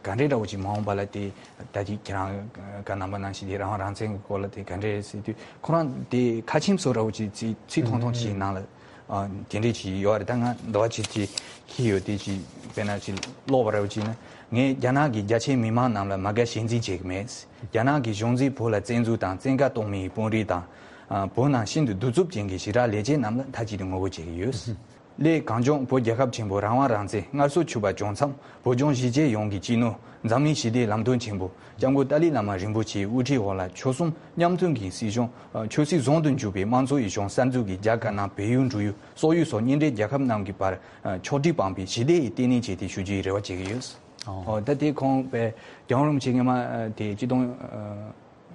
འདྲའི་འདྲ་བོ་ཅིག་མ་འོངས་པ་ལ་དེ་ད་ཅིག་ཁྱེད་རང་ག་རྣམ་པ་ནང་བཞིན་དེ་རང་དབང་རང་བཙན་གྱི་སྐོར་ལ་དེ་ག་འདྲའི་ཟེར་དུས་ཁོ་རང་དེ་ཁ་ཆེམས་བཟོ་འདྲ་བོ་ཅིག་ཚིག་ཚིག་ཐུང་ཐུང་ཅིག་ནང་ལ་དེ་འདྲའི་ཅིག་ཡོད་རེད། ད་ང་འདི་བ་ཅིག་ཅིག་ཁྱི་ཡོད་དེ་ཅིག་དཔེར་ན་ཅིག་ཀློག་པ་འདྲ་བོ་ཅིག་ན་ངས་རྒྱ་ནག་གི་རྒྱ་ཆེའི་མི་མང་རྣམས་ལ་མ་དགའ་ཞེན་འཛིན་བྱེད་ཀྱི་མེད། རྒྱ་ནག་གི་གཞུང་འཛིན་བོད་ལ་བཙན་འཛུལ་དང་བཙན་བཀའ་གཏོང་མིའི་དཔོན་རིགས་དང་། ཨ། བོད་ནང་ཤིན་ཏུ་གདུག་རྩུབ་ཅན་གྱི་ཞི་དྲག་ལས་བྱེད་རྣམས་ལ་མཐའ་གཅིག་ཏུ་ངོ་རྒོལ་བྱེད་ཀྱི་ཡོད། སླད་གངས་ལྗོངས་བོད་རྒྱལ་ཁབ་ཆེན་པོ་རང་དབང་རང་བཙན་སྔར་སྲོལ་ཕྱུག་པ་བྱུང་མཚམས། བོད་ལྗོངས་གཞིས་བྱེས་ཡོངས་ཀྱི་སྤྱི་ནོར་འཛམ་གླིང་ཞི་བདེའི་ལམ་སྟོན་ཆེན་པོ་སྐྱབས་མགོན་ཏཱ་ལའི་བླ་མ་རིན་པོ་ཆེའི་དབུ་ཁྲིད་འོག་ལ་ཆོལ་གསུམ་མཉམ་མཐུན་གྱི་སྲིད་གཞུང་ཆོས་སྲིད་ཟུང་དུ་འཇུག་པའི་དམངས་གཙོ་ཡི་གཞུང་གསར་འཛུགས་ཀྱི་རྒྱ་དཀར་ནག་བལ་ཡུལ་འབྲུག་ཡུལ་སོག་ཡུལ་སོགས་གཉེན་འབྲེལ་རྒྱལ་ཁབ་རྣམས་ཀྱི་བར་ཕྱོགས་སྒྲིག་སྤངས་པའི་ཞི་བདེ་ཡི་ལྟེ་གནས་བྱས་ཏེ་ཞུ་རྒྱུའི་རེ་བ་བྱེད་ཀྱི་ཡོད། ཨོ། ད་དེ་ཁོང་པའི་རྒྱལ་བ་རིན་པོ་ཆེ་སྔོན་མ་དེ་སྤྱི་སྟོང་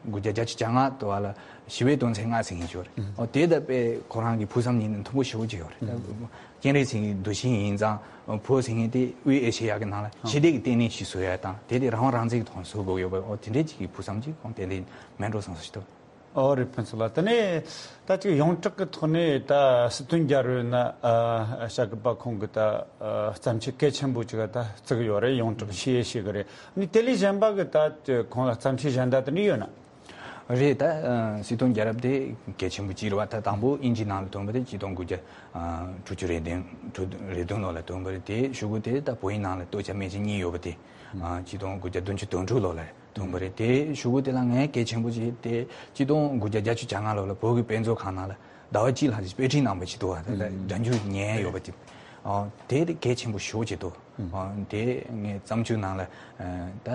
དགུ་བརྒྱ་བརྒྱད་ཅུ་གྱ་ལྔ་དུ་བ་ལ་ཞི་བའི་དོན་ཚན་ལྔ་ཟེར་མཁན་ཅིག་ཡོད་རེད། ཨོ། དེ་ལྟ་བུའི་ཁོ་རང་གི་ཕུགས་བསམ་ཉིད་ནས་མཐོན་པོ་ཞེ་པོ་ཅིག་ཡོད་རེད། ད་སྤྱན་རས་གཟིགས་ཀྱི་གདུལ་ཞིང་ཡིན་ཙང་བོད་ཟེར་མཁན་དེ་དབུས་ཨེ་ཤེ་ཡ་གི་ནང་ལ་ཞི་བདེ་གི་ལྟེ་གནས་ཤིག་བཟོ་ཡ་དང་དེ་དེ་རང་དབང་རང་བཙན་གྱི་ཐོག་ནས་བཟོ་དགོས་ཡོད་པ། ཨོ། དེ་འདྲའི་ཅིག་གི་ཕུགས་བསམ་ཅིག་ཁོང་ཏན་ཏན་མེད་འགྲོ་བསམ་སོ་ཞིག་འདུག། ཨོ་རེད། ཕུན་ཚོགས་ལགས། དེ་ནས་ད་ཅིག་ཡོངས་གྲགས་ཀྱི་ཐོག་ནས་ད་སྲིད་དོན་རྒྱལ་རབས་ན་ཨ་བྱ་དགའ་པ་ཁོང་གི་ད་ཨ་བརྩམས་ཆོས་གལ་ཆེན་པོ་ཅིག་ད་བརྩི་གི་ཡོད་རེད། ཡོངས་གྲགས་ཤེས་ཡས་ཤིག་གི་རེད། ནི་དེ་ལས་གཞན་པ་གི་ད་ཁོང་ལ་བརྩམས་ཆོས་གཞན་དག་དེ་འདྲ་ཡོད་ན། རེད། ད་ཨ་སྲིད་དོན་རྒྱལ་རབས་དེ་གལ་ཆེན་པོ་ཅིག་རེད་བ། ད་དང་པོ་དབྱིན་ཇིའི་ནང་ལ་ཐོན་པ་དེ་ཆིག་སྟོང་དགུ་བརྒྱ་ཨ་དྲུག་ཅུ་རེ་བདུན་དྲུག་རེ་བདུན་ལོ་ལ་ཐོན་པ་རེད། དེ་གཞུག་གུ་དེ་ད་བོད་ཡིག་ནང་ལ་སྟོད་ཆ་སྨད་ཆ་གཉིས་ཡོད་པ་དེ་ཨ་ཆིག་སྟོང་དགུ་བརྒྱ་བདུན་ཅུ་དོན་དྲུག་ལོ་ལ་ཐོན་པ་རེད། དེ་གཞུག་གུ་དེ་ལ་ངས་གལ་ཆེན་པོ་ཅིག་དེ་ཆིག་སྟོང་དགུ་བརྒྱ་བརྒྱད་ཅུ་གྱ་ལྔ་ལོ་ལ་བོད་ཀྱི་དཔེ་མཛོད་ཁང་ནང་ལ་ཟླ་བ་གཅིག་ལྷག་ཅིག་དཔེ་ཁྲིད་གནང་བ་ཅིག་འདུག་བ། ད་ལྟ་སྒྲ་འཇུག་ཉན་ཡོད་པ་དེ། ཨ་དེ་དེ་གལ་ཆེན་པོ་ཞེ་པོ་ཅིག་འདུག། ཨ་དེ་ངས་བརྩམས་ཆོས་ནང་ལ་ཨ་ད་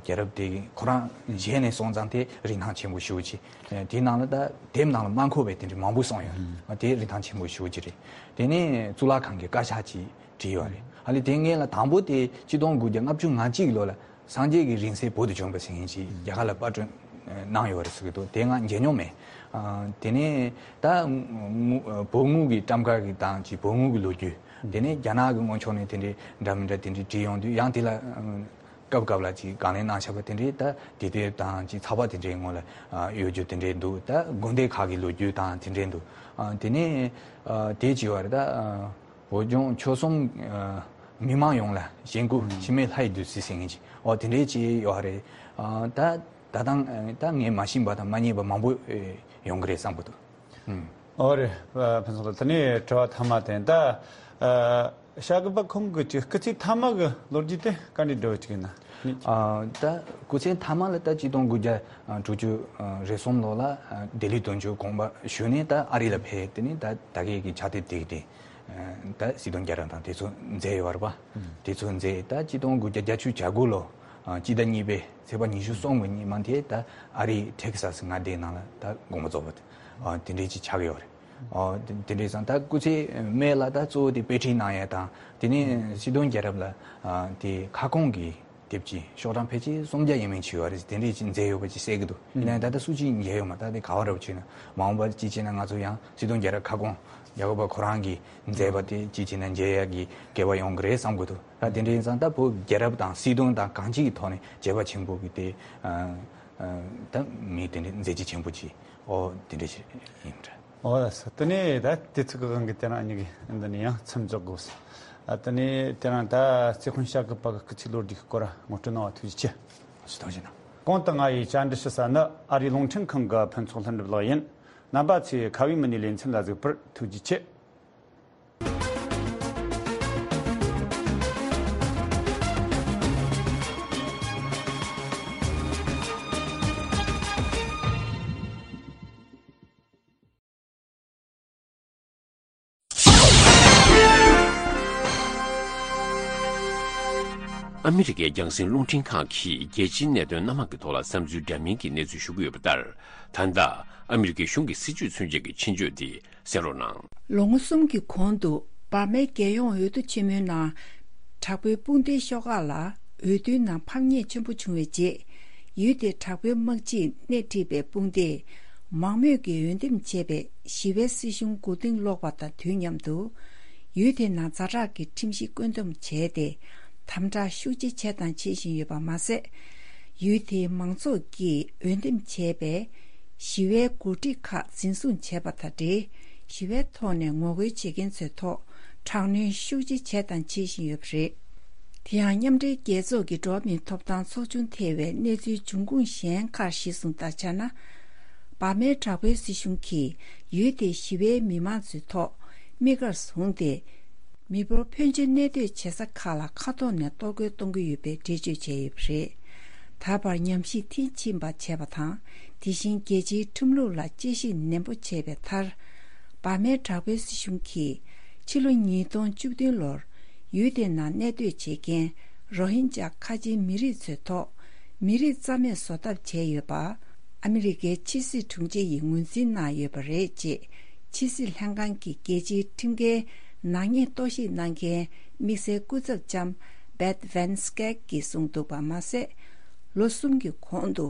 རྒྱལ་རབས་དེ་ཁོ་རང་གཞན་ནས་སོང་ཙང་དེ་རིན་ཐང་ཆེན་པོ་ཞེ་པོ་ཅིག། ཨ་དེ་ནང་ལ་ད་དེབ་ནང་ལ་མ་འཁོད་པའི་དེ་འདྲ་མང་པོ་གསུངས་ཡོད། ཨ་དེ་རིན་ཐང་ཆེན་པོ་ཞེ་པོ་ཅིག་རེད། དེ་ནས་གཙུག་ལག་ཁང་གི་བཀའ་ཤག་ཅིག་བྲིས་ཡོད་རེད། ཨ་ལས་དེ་སྔོན་ལ་དང་པོ་དེ་ཆིག་སྟོང་དགུ་བརྒྱ་ལྔ་བཅུ་ང་གཅིག་ལོ་ལ་སངས་རྒྱས་ཀྱི་རིང་བསྲེལ་བོད་དུ་བྱོན་པ་ཟེར་མཁན་ཅིག་རྒྱ་གར་ལ་པར་སྐྲུན་གནང་ཡོད་རེད་ཟེར་གྱི་འདུག། དེ་ང་མཇལ་མྱོང་མེད། ཨ་དེ་ནས་ད་དངུལ་བོད་དངུལ་གྱི་ཊམ་ཀ་གི་དང་ཅིག་བོད་དངུལ་གྱི་ལོ་རྒྱུས། དེ་ནས་རྒྱ་ནག་གི་སྔོན་ཕྱོགས་ནས་དེ་འདྲའི་འདྲ་མི་འདྲ་དེ་འདྲའི་བྲིས་ཡོང་དུས་ཡང་དེ་ལ་སྐབས་སྐབས་ལ་ཅིག་དགག་ལན་གནང་བཞག་པ་དེ་འདྲའི་ད་དེབ་དེབ་དང་ཅིག་ཚགས་པར་དེ་འདྲའི་ངོ་ལ་ཡོད་རྒྱུ་དེ་འདྲའི་འདུག། ད་དགོན་སྡེ་ཁག་གི་ལོ་རྒྱུས་དང་དེ་འདྲའི་འདུག། ཨ་དེ་ནས་ཨ་དེ་ཅིག་ཡོད་རེད། ད་ཨ་བོད་ལྗོངས་ཆོལ་གསུམ་ཨ་མི་མང་ཡོངས་ལ་གཞེན་སྐུལ་འཆི་མེད་ལྷ་ཡི་བདུད་རྩི་ཟེར་མཁན་ཅིག། ཨོ་དེ་འདྲའི་ཅིག་ཡོད་རེད། ཨ་ད་ད་ཐེངས་ད་ངས་མ་ཤེས་པ་དང་མ་རྙེད་པ་མང་པོ་ཡོང་གི་རེད་བསམ་གྱི་འདུག། ཨོ་རེད། ཕུན་ཚོགས་ལགས། དེ་ནས་དྲི་བ་མཐའ་མ་དེ་ད་ཨ་བྱ་དགའ་པ་ཁོང་གི་ཅིག་སྐུ་ཚེ་མཐའ་མ་གི་ལོ་རྒྱུས་དེ་ག་འདྲའི་འདྲ་བོ་ཅིག་ཡིན་ན། ཨ་ད་སྐུ་ཚེ་མཐའ་མ་ལ་ད་ཆིག་སྟོང་དགུ་བརྒྱ་དྲུག་ཅུ་རེ་གསུམ་ལོ་ལ་ལྡི་ལི་དོན་གཅོད་དགོངས་པ་ཞུས་ནས་ད་ཨ་རི་ལ་ཕེབས། དེ་ནས་ད་ད་གའི་གི་ཕྱག་དེབ་དེ་གི་དེ་ད་སྲིད་དོན་རྒྱལ་རབས་དང་དེ་ཚོ་མཛད་ཡོད་རེད་པ། དེ་ཚོ་མཛད། ད་ཆིག་སྟོང་དགུ་བརྒྱ་བརྒྱད་ཅུ་གྱ་དགུ་ལོ་ཨ་སྤྱི་ཟླ་གཉིས་པའི་ཚེས་པ་ཉི་ཤུ་གསུམ་གྱི་ཉི་མ་དེ་ད་ཨ་རིའི་ཊེག་སཱ་སི་མངའ་སྡེའི་ནང་ལ་ད་དགོངས་པ་རྫོགས་པ་དེ་ཨ་དེ་འདྲའི་ཅིག་ཆགས་ཀྱི་ཡོད་རེད། ཨ་དེ་དེ་འདྲའི་ཙང་ད་སྐུ་ཚེ་སྨད་ལ་ད་གཙོ་བོ་དེ་དཔེ་ཁྲིད་གནང་ཡས་དང་དེ་ནས་སྲིད་དོན་རྒྱལ་རབས་ལ་ཨ་དེ་ཁ་སྐོང་གི་དེབ་ཅིག་ཤོག་གྲངས་ཕལ་ཆེར་སུམ་བརྒྱ་ཡས་མས་ཅིག་ཡོད་རེད། དེ་འདྲས་ཅིག་མཛད་ཡོད་པ་ཅིག་གསལ་གྱི་འདུག། ཡིན་ནའང་ད་ལྟ་སུ་གཅིག་མཇལ་ཡོད་མ་རེད། ད་དེ་ག་བ་རེད་བྱས་ན་མང་པོ་ཅིག་བྱས་ན་ང་ཚོ་ཡང་སྲིད་དོན་རྒྱལ་རབས་ཁ་སྐོང་རྒྱལ་བ་ཁོ་རང་གིས་མཛད་པ་དེ་ཅིག་བྱས་ན་མཇལ་ཡག་གི་སྐལ་བ་ཡོང་གི་རེད་བསམ་གྱི་འདུག། ད་དེ་འདྲ་ཡིན་ཙང་ད་བོད་རྒྱལ་རབས་དང་སྲིད་དོན་དང་གང་ཅིའི་ཐོག་ནས་བྱས་པ་ཆེན་པོ་གི་དེ་ཨ་ཨ་ད་མི་དེ་འདྲའི་མཛད་རྗེས་ཆེན་པོ་ཅིག་ཨོ་དེ་འདྲ་ཞིག་ཡིན་འདྲ། ཨོ་ལགས་སོ། དེ་ནས་ད་དུས་ཚོད་ཀྱི་དབང་གིས་དེ་རིང་ཨ་ནི་གི་འདི་ནས་ཡང་མཚམས་འཇོག་དགོས་སོ། ཨ་དེ་ནས་དེ་རིང་ད་རྩེ་དཔོན་ཤཱཀྱ་པ་གི་སྐུ་ཚེ་ལོ་རྒྱུས་ཀྱི་སྐོར་ངོ་སྤྲོད་གནང་བ་ཐུགས་རྗེ་ཆེ། ཐུགས་རྗེ་གནང་། གོང་དུ་ང་ཡིས་བཅར་འདྲི་ཞུ་ས་ནི་ཨ་རིའི་རླུང་འཕྲིན་ཁང་གི་ཕུན་ཚོགས་ལྷུན་གྲུབ་ལགས་ཡིན། རྣམ་པ་ཚོས་ཁ་བའི་མི་སྣའི་ལེ་ཚན་ལ་གཟིགས་པར་ཐུགས་རྗེ་ཆེ། ཨ་མི་རི་ཀའི་རྒྱང་སྲིང་རླུང་འཕྲིན་ཁང་གིས་རྒྱལ་སྤྱིའི་གནད་དོན་སྣ་མང་གི་ཐོག་ལ་བསམ་ཚུལ་འདྲ་མིན་གྱི་གནས་ཚུལ་ཞུ་གི་ཡོད་པ་ལྟར། ད་ལྟ་ཨ་མི་རི་ཀའི་གཞུང་གི་སྲིད་བྱུས་མཚོན་བྱེད་ཀྱི་ཆེད་བརྗོད་དེ་གསན་རོགས་གནང་། ལོ་ངོ་གསུམ་གྱི་གོང་དུ་འབར་མའི་རྒྱལ་ཡོངས་འོས་བསྡུ་ཆེན་མོའི་ནང་། དྲག་པོའི་དཔུང་སྡེའི་ཤོག་ཁག་ལ་འོས་བསྡུའི་ནང་ཕམ་ཉེས་ཆེན་པོ་བྱུང་བའི་རྗེས། ཡུལ་དེའི་དྲག་པོའི་དམག་སྤྱིས་སྣེ་ཁྲིད་པའི་དཔུང་སྡེས་མང་མོས་ཀྱིས་འོས་འདེམས་བྱས་པའི་ཞི་བའི་སྲིད་གཞུང་མགོ་རྟིང་སློག་པ་དང་དུས་མཉམ་དུ། ཡུལ་དེའི་ནང་ཛ་དྲག་གི་ཁྲིམས་གཞི་བཀོད་འདོམས་བྱས་ཏེ། དམ་དྲག་ཤུགས་ཆེ་བྱས་དང་བྱེད་བཞིན་ཡོད་པ་མ་ཟད། ཡུལ་དེའི་མང་ཚོགས་ཀྱིས་འོས་འདེམས་བྱས་པའི་ཞི་བའི་འགོ་ཁྲིད་ཁག་འཛིན་བཟུང་བྱས་པ་དང་འབྲེལ། ཞི་བའི་ཐོག་ནས་ངོ་རྒོལ་བྱེད་མཁན་ཚོའི་ཐོག་དྲག་གནོན་ཤུགས་ཆེ་བྱས་དང་བྱེད་བཞིན་ཡོད་པ་རེད། དེ་ཡང་མཉམ་འབྲེལ་རྒྱལ་ཚོགས་ཀྱི་འགྲོ་བ་མིའི་ཐོབ་ཐང་ཚོགས་ཆུང་ཐེ་བའི་གནས་ཚུལ་འབྱུང་ཁུངས་གཞན་ཁག་གཞིར་བཟུང་ལྟར་ཆགས་ན། འབར་མའི་དྲག་པོའི་སྲིད་གཞུང་གིས་ཡུལ་དེའི་ཞི་བའི་མི་མང་ཚོའི་ཐོག་དམིགས་གར་བཟུང་སྟེ། མི་འབོར་ཕོན་ཆེ་གནས་སྡོད་བྱེད་ས་ཁག་ལ་མཁའ་ཐོག་ནས་གཏོར་རྒོལ་གཏོང་གི་ཡོད་པའི་འགྲེལ་བརྗོད་བྱས་ཡོད་པ་རེད། ད་བར་ཉམས་ཞིབ་མཐིལ་ཕྱིན་པ་བྱས་པ་དང་། དེ་བཞིན་རྒྱལ་སྤྱིའི་ཁྲིམས་ལུགས་ལ་དཔྱད་ཞིབ་ནན་པོ་བྱས་པའི་མཐར། འབར་མའི་དྲག་པོའི་སྲིད་གཞུང་གིས། ཕྱི་ལོ་ཉིས་སྟོང་བཅུ་བདུན་ལོར་ཡུལ་དེ་ནང་གནས་སྡོད་བྱེད་མཁན་རོ་ཧིན་ཇཱ་ཁ་ཆེའི་མི་རིགས་ཚོའི་ཐོག་མི་རིགས་རྩ་མེད་བཟོ་ཐབས་བྱས་ཡོད་པ། ཨ་མི་རི་ཀའི་ཕྱི་སྲིད་དྲུང་ཆེ་ཡིས་ངོས་འཛིན་གནང་ཡོད་པ་རེད་ཅེས་ཕྱི་སྲིད་ལྷན་ཁང་གི་རྒྱལ་སྤྱིའི་ཁྲིམས་འགལ་ནག་ཉེས་རྟོག་ཞིབ་གནང་མཁན་དམིགས་བསལ་སྐུ་ཚབ་ལྕམ་Beth Van Schaack གིས་གསུངས་འདུག་པ་མ་ཟད། ལོ་གསུམ་གྱི་གོང་དུ་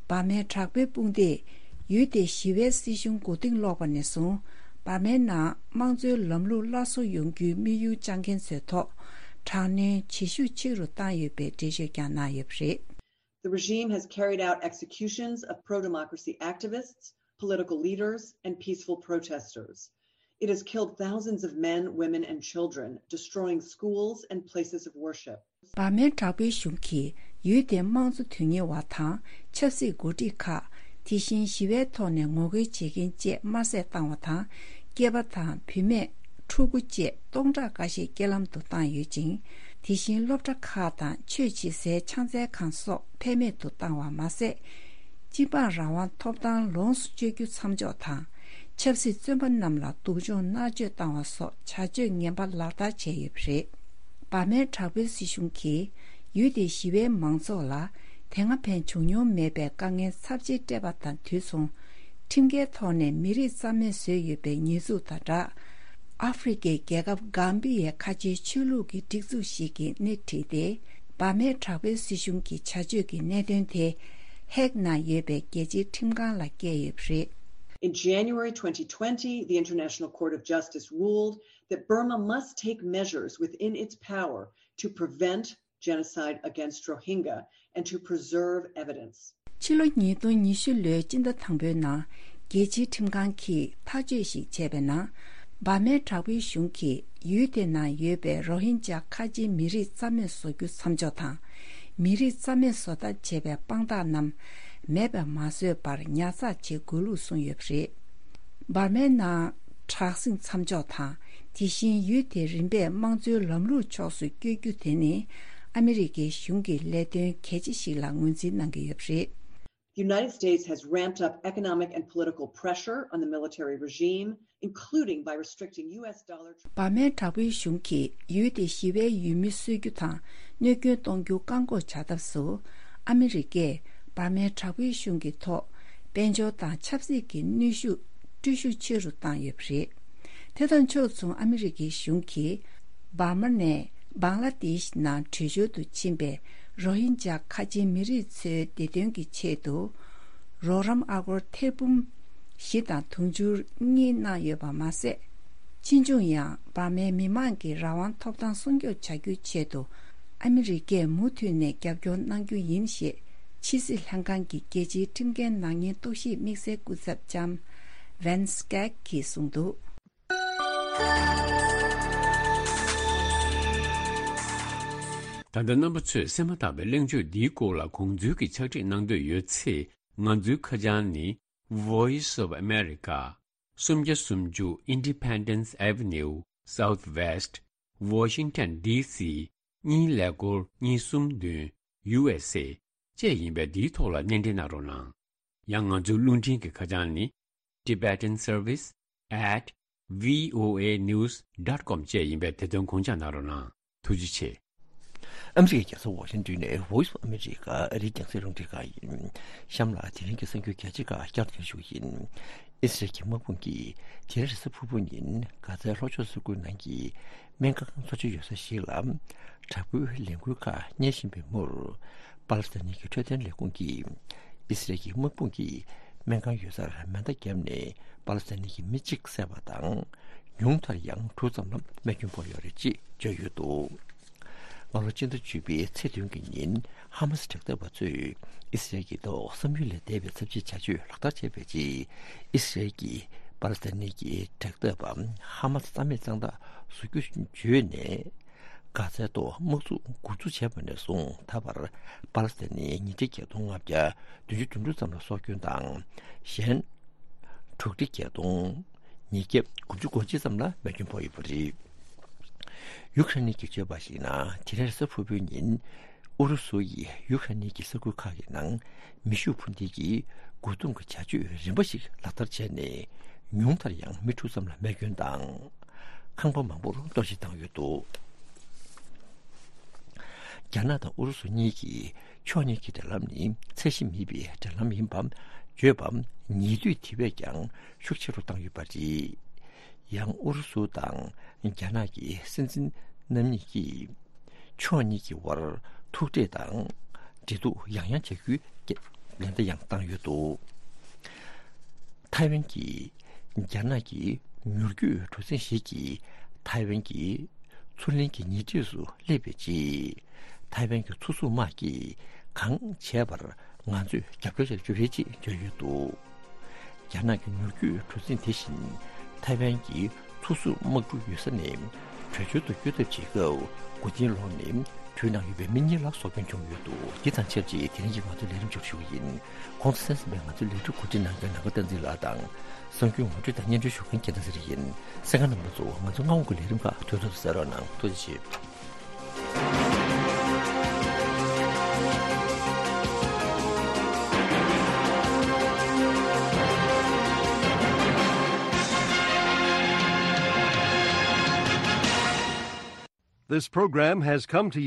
འབར་མའི་དྲག་པོའི་དཔུང་སྡེས་ཡུལ་དེའི་ཞི་བའི་སྲིད་གཞུང་མགོ་རྟིང་སློག་པ་ནས་བཟུང་འབར་མའི་ནང་དམངས་གཙོའི་ལམ་ལུགས་སླར་གསོ་ཡོང་རྒྱུའི་དམིགས་ཡུལ་བཅངས་མཁན་ཚོའི་ཐོག་དྲག་གནོན་ཇེ་ཤུགས་ཆེ་རུ་བཏང་ཡོད་པའི་འགྲེལ་བརྗོད་ཀྱང་གནང་ཡོད་པ་རེད། The regime has carried out executions of pro-democracy activists, political leaders, and peaceful protesters. It has killed thousands of men, women, and children, destroying schools and places of worship. འབར་མའི་དྲག་པོའི་གཞུང་གིས་ཡུལ་དེའི་དམངས་གཙོ་དོན་གཉེར་བ་དང་ཆབ་སྲིད་འགོ་ཁྲིད་ཁག་དེ་བཞིན་ཞི་བའི་ཐོག་ནས་ངོ་རྒོལ་བྱེད་མཁན་བཅས་དམར་བསད་བཏང་བ་དང་། སྐྱེས་པ་དང་བུད་མེད། ཕྲུ་གུ་བཅས་སྟོང་ཕྲག་འགའ་ཤས་རྐྱེན་ལམ་དུ་བཏང་ཡོད་ཅིང་། དེ་བཞིན་སློབ་གྲྭ་ཁག་དང་ཆོས་བྱེད་སའི་ཕྱག་འཚལ་ཁང་སོགས་ཕན་མེད་དུ་བཏང་བ་མ་ཟད། སྤྱི་འབངས་རང་དབང་ཐོབ་ཐང་ལོངས་སུ་སྤྱོད་རྒྱུ་མཚམས་འཇོག་དང་། ཆབ་སྲིད་བཙོན་པ་རྣམས་ལ་སྡུག་སྦྱོང་མནར་གཅོད་བཏང་བ་སོགས་བྱ་སྤྱོད་ངན་པ་ལག་བསྟར་བྱས་ཡོད་པ་རེད། འབར་མའི་དྲག་པོའི་སྲིད་གཞུང་གིས་ཡུལ་དེའི་ཞི་བའི་མང་ཚོགས་ལ་དེ་སྔ་ཕན་བྱུང་མྱོང་མེད་པའི་དཀའ་ངལ་ཚབས་ཆེ་སྤྲད་པ་དང་དུས་མཚུངས། ཁྲིམས་འགལ་ཐོག་ནས་མི་རིགས་རྩ་མེད་བཟོས་ཡོད་པའི་ཉེས་འཛུགས་དང་སྦྲགས། ཨ་ཧྥེ་རི་ཁའི་རྒྱལ་ཁབ་གྷམ་བི་ཡའི་ཁ་ཆེའི་ཆོས་ལུགས་ཀྱི་སྒྲིག་འཛུགས་ཤིག་གིས་སྣེ་ཁྲིད་དེ། འབར་མའི་དྲག་པོའི་སྲིད་གཞུང་གི་བྱ་སྤྱོད་ཀྱི་གནད་དོན་དེ་ཧེག་ནང་ཡོད་པའི་རྒྱལ་སྤྱིའི་ཁྲིམས་ཁང་ལ་བསྐྱལ་ཡོད་པ་རེད། In January twenty twenty, the International Court of Justice ruled that Burma must take measures within its power to prevent genocide against Rohingya and to preserve evidence. ཕྱི་ལོ་ཉིས་སྟོང་ཉི་ཤུ་ལོའི་སྤྱི་ཟླ་དང་པོའི་ནང་རྒྱལ་སྤྱིའི་ཁྲིམས་ཁང་གིས་ཐག་གཅོད་ཞིག་བྱས་པའི་ནང་། འབར་མའི་དྲག་པོའི་གཞུང་གིས་ཡུལ་དེ་ནང་ཡོད་པའི་རོ་ཧིན་ཇཱ་ཁ་ཆེའི་མི་རིགས་རྩ་མེད་བཟོ་རྒྱུ་མཚམས་འཇོག་དང་། མི་རིགས་རྩ་མེད་བཟོ་ཐབས་བྱས་པའི་དཔང་རྟགས་རྣམས་མེད་པར་མ་བཟོས་པར་ཉར་ཚགས་བྱེད་དགོས་ལུགས་གསུངས་ཡོད་པ་རེད། འབར་མའི་ནང་དྲག་ཟིང་མཚམས་འཇོག་དང་། དེ་བཞིན་ཡུལ་དེ་རིམ་པས་དམངས་གཙོའི་ལམ་ལུགས་ཕྱོགས་སུ་བསྐྱོད་རྒྱུ་དེ་ནི། ཨ་མི་རི་ཀའི་གཞུང་གི་ལས་དོན་གལ་ཆེ་ཞིག་ལ་ངོས་འཛིན་གནང་གི་ཡོད་པ་རེད། The United States has ramped up economic and political pressure on the military regime, including by restricting U S dollar. འབར་མའི་དྲག་པོའི་གཞུང་གིས་ཡུལ་དེའི་ཞི་བའི་ཡུལ་མི་གསོད་རྒྱུ་དང་གནོད་སྐྱོན་གཏོང་རྒྱུ་བཀག་འགོག་བྱ་ཐབས་སུ། ཨ་མི་རི་ཀས་འབར་མའི་དྲག་པོའི་གཞུང་གི་ཐོག་དཔལ་འབྱོར་དང་ཆབ་སྲིད་ཀྱི་གནོན་ཤུགས་སྤྲོད་ཤུགས་ཆེ་རུ་བཏང་ཡོད་པ་རེད། དེ་དང་ཕྱོགས་མཚུངས་ཨ་མི་རི་ཀའི་གཞུང་གིས་འབར་མ་ནས་བང་ལ་དེཤ་ནང་བྲོས་བྱོལ་དུ་ཕྱིན་པའི་རོ་ཧིན་ཇཱ་ཁ་ཆེའི་མི་རིགས་ཚོའི་བདེ་དོན་གྱི་ཆེད་དུ། རོགས་རམ་ཨ་སྒོར་ཐེར་འབུམ་བཞི་དང་དུང་ཕྱུར་གཉིས་གནང་ཡོད་པ་མ་ཟད། ཕྱིས་འབྱུང་ཡང་འབར་མའི་མི་མང་གི་རང་དབང་ཐོབ་ཐང་སྲུང་སྐྱོབ་བྱ་རྒྱུའི་ཆེད་དུ། ཨ་མི་རི་ཀས་མུ་མཐུད་ནས་རྒྱབ་སྐྱོར་གནང་རྒྱུ་ཡིན་ཞེས། ཕྱི་སྲིད་ལྷན་ཁང་གི་རྒྱལ་སྤྱིའི་ཁྲིམས་འགལ་ནག་ཉེས་རྟོག་ཞིབ་དམིགས་བསལ་སྐུ་ཚབ་ལྕམ་Van Schaack གིས་གསུངས་འདུག། ད་ལྟ་རྣམ་པ་ཚོས་གསན་མ་ཐག་པའི་གླེང་བརྗོད་འདིའི་སྐོར་ལ་གོང་ཚུལ་གྱི་ཕྱག་བྲིས་གནང་འདོད་ཡོད་ཚེ། ང་ཚོའི་ཁ་བྱང་ནི། Voice of America། སུམ་བརྒྱ་སུམ་ཅུ་Independence Avenue Southwest། Washington D C གཉིས་ཀླད་ཀོར་གཉིས་གསུམ་བདུན། U S A བཅས་ཡིན་པས། འདིའི་ཐོག་ལ་སྣེ་འདྲེན་གནང་རོགས་གནང་། ཡང་ང་ཚོའི་རླུང་འཕྲིན་གྱི་ཁ་བྱང་ནི། Tibetan Service at V O A news dot com བཅས་ཡིན་པས། དེ་དོན་དགོངས་འཇགས་གནང་རོགས་གནང་། ཐུགས་རྗེ་ཆེ། ཨ་མི་རི་ཀའི་རྒྱལ་ས་ཝ་ཤིང་ཏོན་ནས་Voice of America ཨ་རིའི་རྒྱང་སྲིང་རླུང་འཕྲིན་ཁང་ཡིན། གཤམ་ལ་དེ་རིང་གི་གསར་འགྱུར་རྒྱས་ཆེ་ཁག་བསྐྱར་དུ་ཞུ་གི་ཡིན། ཨི་སི་རལ་གྱི་དམག་དཔུང་གིས་དེ་རིང་རེས་གཟའ་ཕུར་བུ་ཉིན་གྷ་ཛའི་ལྷོ་ཕྱོགས་ས་ཁུལ་ནང་གི་སྨན་ཁང་གཙོ་ཆེ་ཡོད་ས་ཞིག་ལ་དྲག་པོའི་ལས་འགུལ་ཁག་གཉེར་བཞིན་པའི་མུར། པ་ལི་སི་ཐན་གྱི་འཕྲོད་བསྟེན་ལས་ཁུངས་ཀྱིས་ཨི་སི་རལ་གྱི་དམག་དཔུང་གིས་སྨན་ཁང་ཡོད་སར་མེ་མདའ་བརྒྱབ་ནས་པ་ལི་སི་ཐན་གྱི་མི་གཅིག་བསད་པ་དང་། ཉུང་མཐར་ཡང་དྲུག་ཙམ་ལ་རྨས་སྐྱོན་ཕོག་ཡོད་རེད་ཅེས་བརྗོད་ཡོད་འདུག། སྔ་ལོ་སྤྱི་ཟླ་བཅུ་པའི་ཚེས་བདུན་གྱི་ཉིན་ཧ་མ་སི་དྲག་འཐབ་པ་ཚོས་ཨི་སི་རལ་གྱི་ཐོག་བསམ་ཡུལ་ལས་འདས་པའི་ཚབས་ཆེའི་བྱ་སྤྱོད་ལག་བསྟར་བྱས་པའི་རྗེས། ཨི་སི་རལ་གྱིས་པ་ལི་སི་ཐན་གྱི་དྲག་འཐབ་པ་ཧ་མ་སི་རྩ་མེད་གཙང་དག་བཟོ་རྒྱུ་བརྗོད་ནས། གྷ་ཛའི་ཐོག་དམག་འཛུགས་འགོ་འཛུགས་བྱས་པ་ནས་བཟུང་ད་བར་པ་ལི་སི་ཐན་ནི་ཉིས་ཁྲི་བརྒྱད་སྟོང་ལྔ་བརྒྱ་བདུན་ཅུ་དོན་དྲུག་ཙམ་ལ་སྲོག་སྐྱོན་དང་། གཞན་དྲུག་ཁྲི་བརྒྱད་སྟོང་ཉིས་བརྒྱ་དགུ་བཅུ་གོ་གཅིག་ཙམ་ལ་རྨས་སྐྱོན་ཕོག་ཡོད་པ་རེད། ཡུཀ་རེན་གྱིས་བརྗོད་པར་གཞིགས་ན། དེ་རིང་རེས་གཟའ་ཕུར་བུའི་ཉིན་ཨུ་རུ་སུ་ཡིས་ཡུཀ་རེན་གྱི་ས་ཁུལ་ཁག་གི་ནང་མེ་ཤུགས་འཕུར་མདེལ་གྱི་རྒོལ་རྡུང་གི་བྱ་སྤྱོད་རིམ་པ་ཞིག་ལག་བསྟར་བྱས་ནས། ཉུང་མཐར་ཡང་མི་དྲུག་ཙམ་ལ་རྨས་སྐྱོན་དང་། ཁང་པ་མང་པོར་གཏོར་བཤིག་བཏང་ཡོད་འདུག། རྒྱ་ནག་དང་ཨུ་རུ་སུ་གཉིས་ཀྱིས་ཕྱོགས་གཉིས་ཀྱི་འབྲེལ་ལམ་ནི་ཚད་གཞི་མེད་པའི་འབྲེལ་ལམ་ཡིན་པ་བརྗོད་པ་ཉེ་དུས་དེ་བས་ཀྱང་ཤུགས་ཆེ་རུ་བཏང་ཡོད་པ་རེད། ཡང་ཨུ་རུ་སུ་དང་རྒྱ་ནག་གི་སྲིད་འཛིན་རྣམ་གཉིས་ཀྱིས་ཕྱོགས་གཉིས་ཀྱི་དབར་ཐུག་འཕྲད་དང་འབྲེལ་གཏུག་ཡང་ཡང་བྱ་རྒྱུའི་ལན་བརྡ་ཡང་བཏང་ཡོད་འདུག། ཐའེ་ཝན་གྱིས་རྒྱ་ནག་གི་མྱུར་སྐྱོད་གྲུ་གཟིངས་ཤིག་གིས་ཐའེ་ཝན་གྱི་མཚོ་གླིང་གི་ཉེ་འཁྲིས་སུ་སླེབས་པའི་རྗེས། ཐའེ་ཝན་གྱི་མཚོ་སྲུང་དམག་གིས་གང་བྱས་པར་ང་ཚོས་རྒྱབ་སྐྱོར་བྱ་རྒྱུ་རེད་ཅེས་བརྗོད་ཡོད་འདུག། རྒྱ་ནག་གི་མྱུར་སྐྱོད་གྲུ་གཟིངས་དེ་བཞིན་ཐའེ་ཝན་གྱི་མཚོ་སྲུང་དམག་གྲུ་ཡོད་ས་ནས་བྲོས་བྱོལ་དུ་བསྐྱོད་ཐབས་བྱེད་སྐབས་མགོ་རྟིང་སློག་ནས་བྲོས་གནང་ཡོད་པའི་མི་གཉིས་ལ་སྲོག་སྐྱོན་བྱུང་ཡོད་འདུག། འདི་དང་ཆབས་ཅིག་དེ་རིང་གི་ང་ཚོའི་ལས་རིམ་མཇུག་ཞུ་གི་ཡིན། གོང་དུ་གསན་ཟིན་པའི་ང་ཚོའི་ལས་འགུལ་གོ་སྒྲིག་གནང་མཁན་ནང་པ་བསྟན་འཛིན་ལགས་དང་། གསར་འགྱུར་ངོ་སྤྲོད་དང་སྙན་སྒྲོན་ཞུ་མཁན་རྒྱལ་མཚན་ཚེ་རིང་ཡིན། གསན་མཁན་རྣམ་པ་ཚོ་ང་ཚོའི་མངའ་དབང་གི་ལས་རིམ་ཁག་དུས་ཐོག་ཏུ་གསན་རོགས་གནང་། ཐུགས་རྗེ་ཆེ། This program has come to you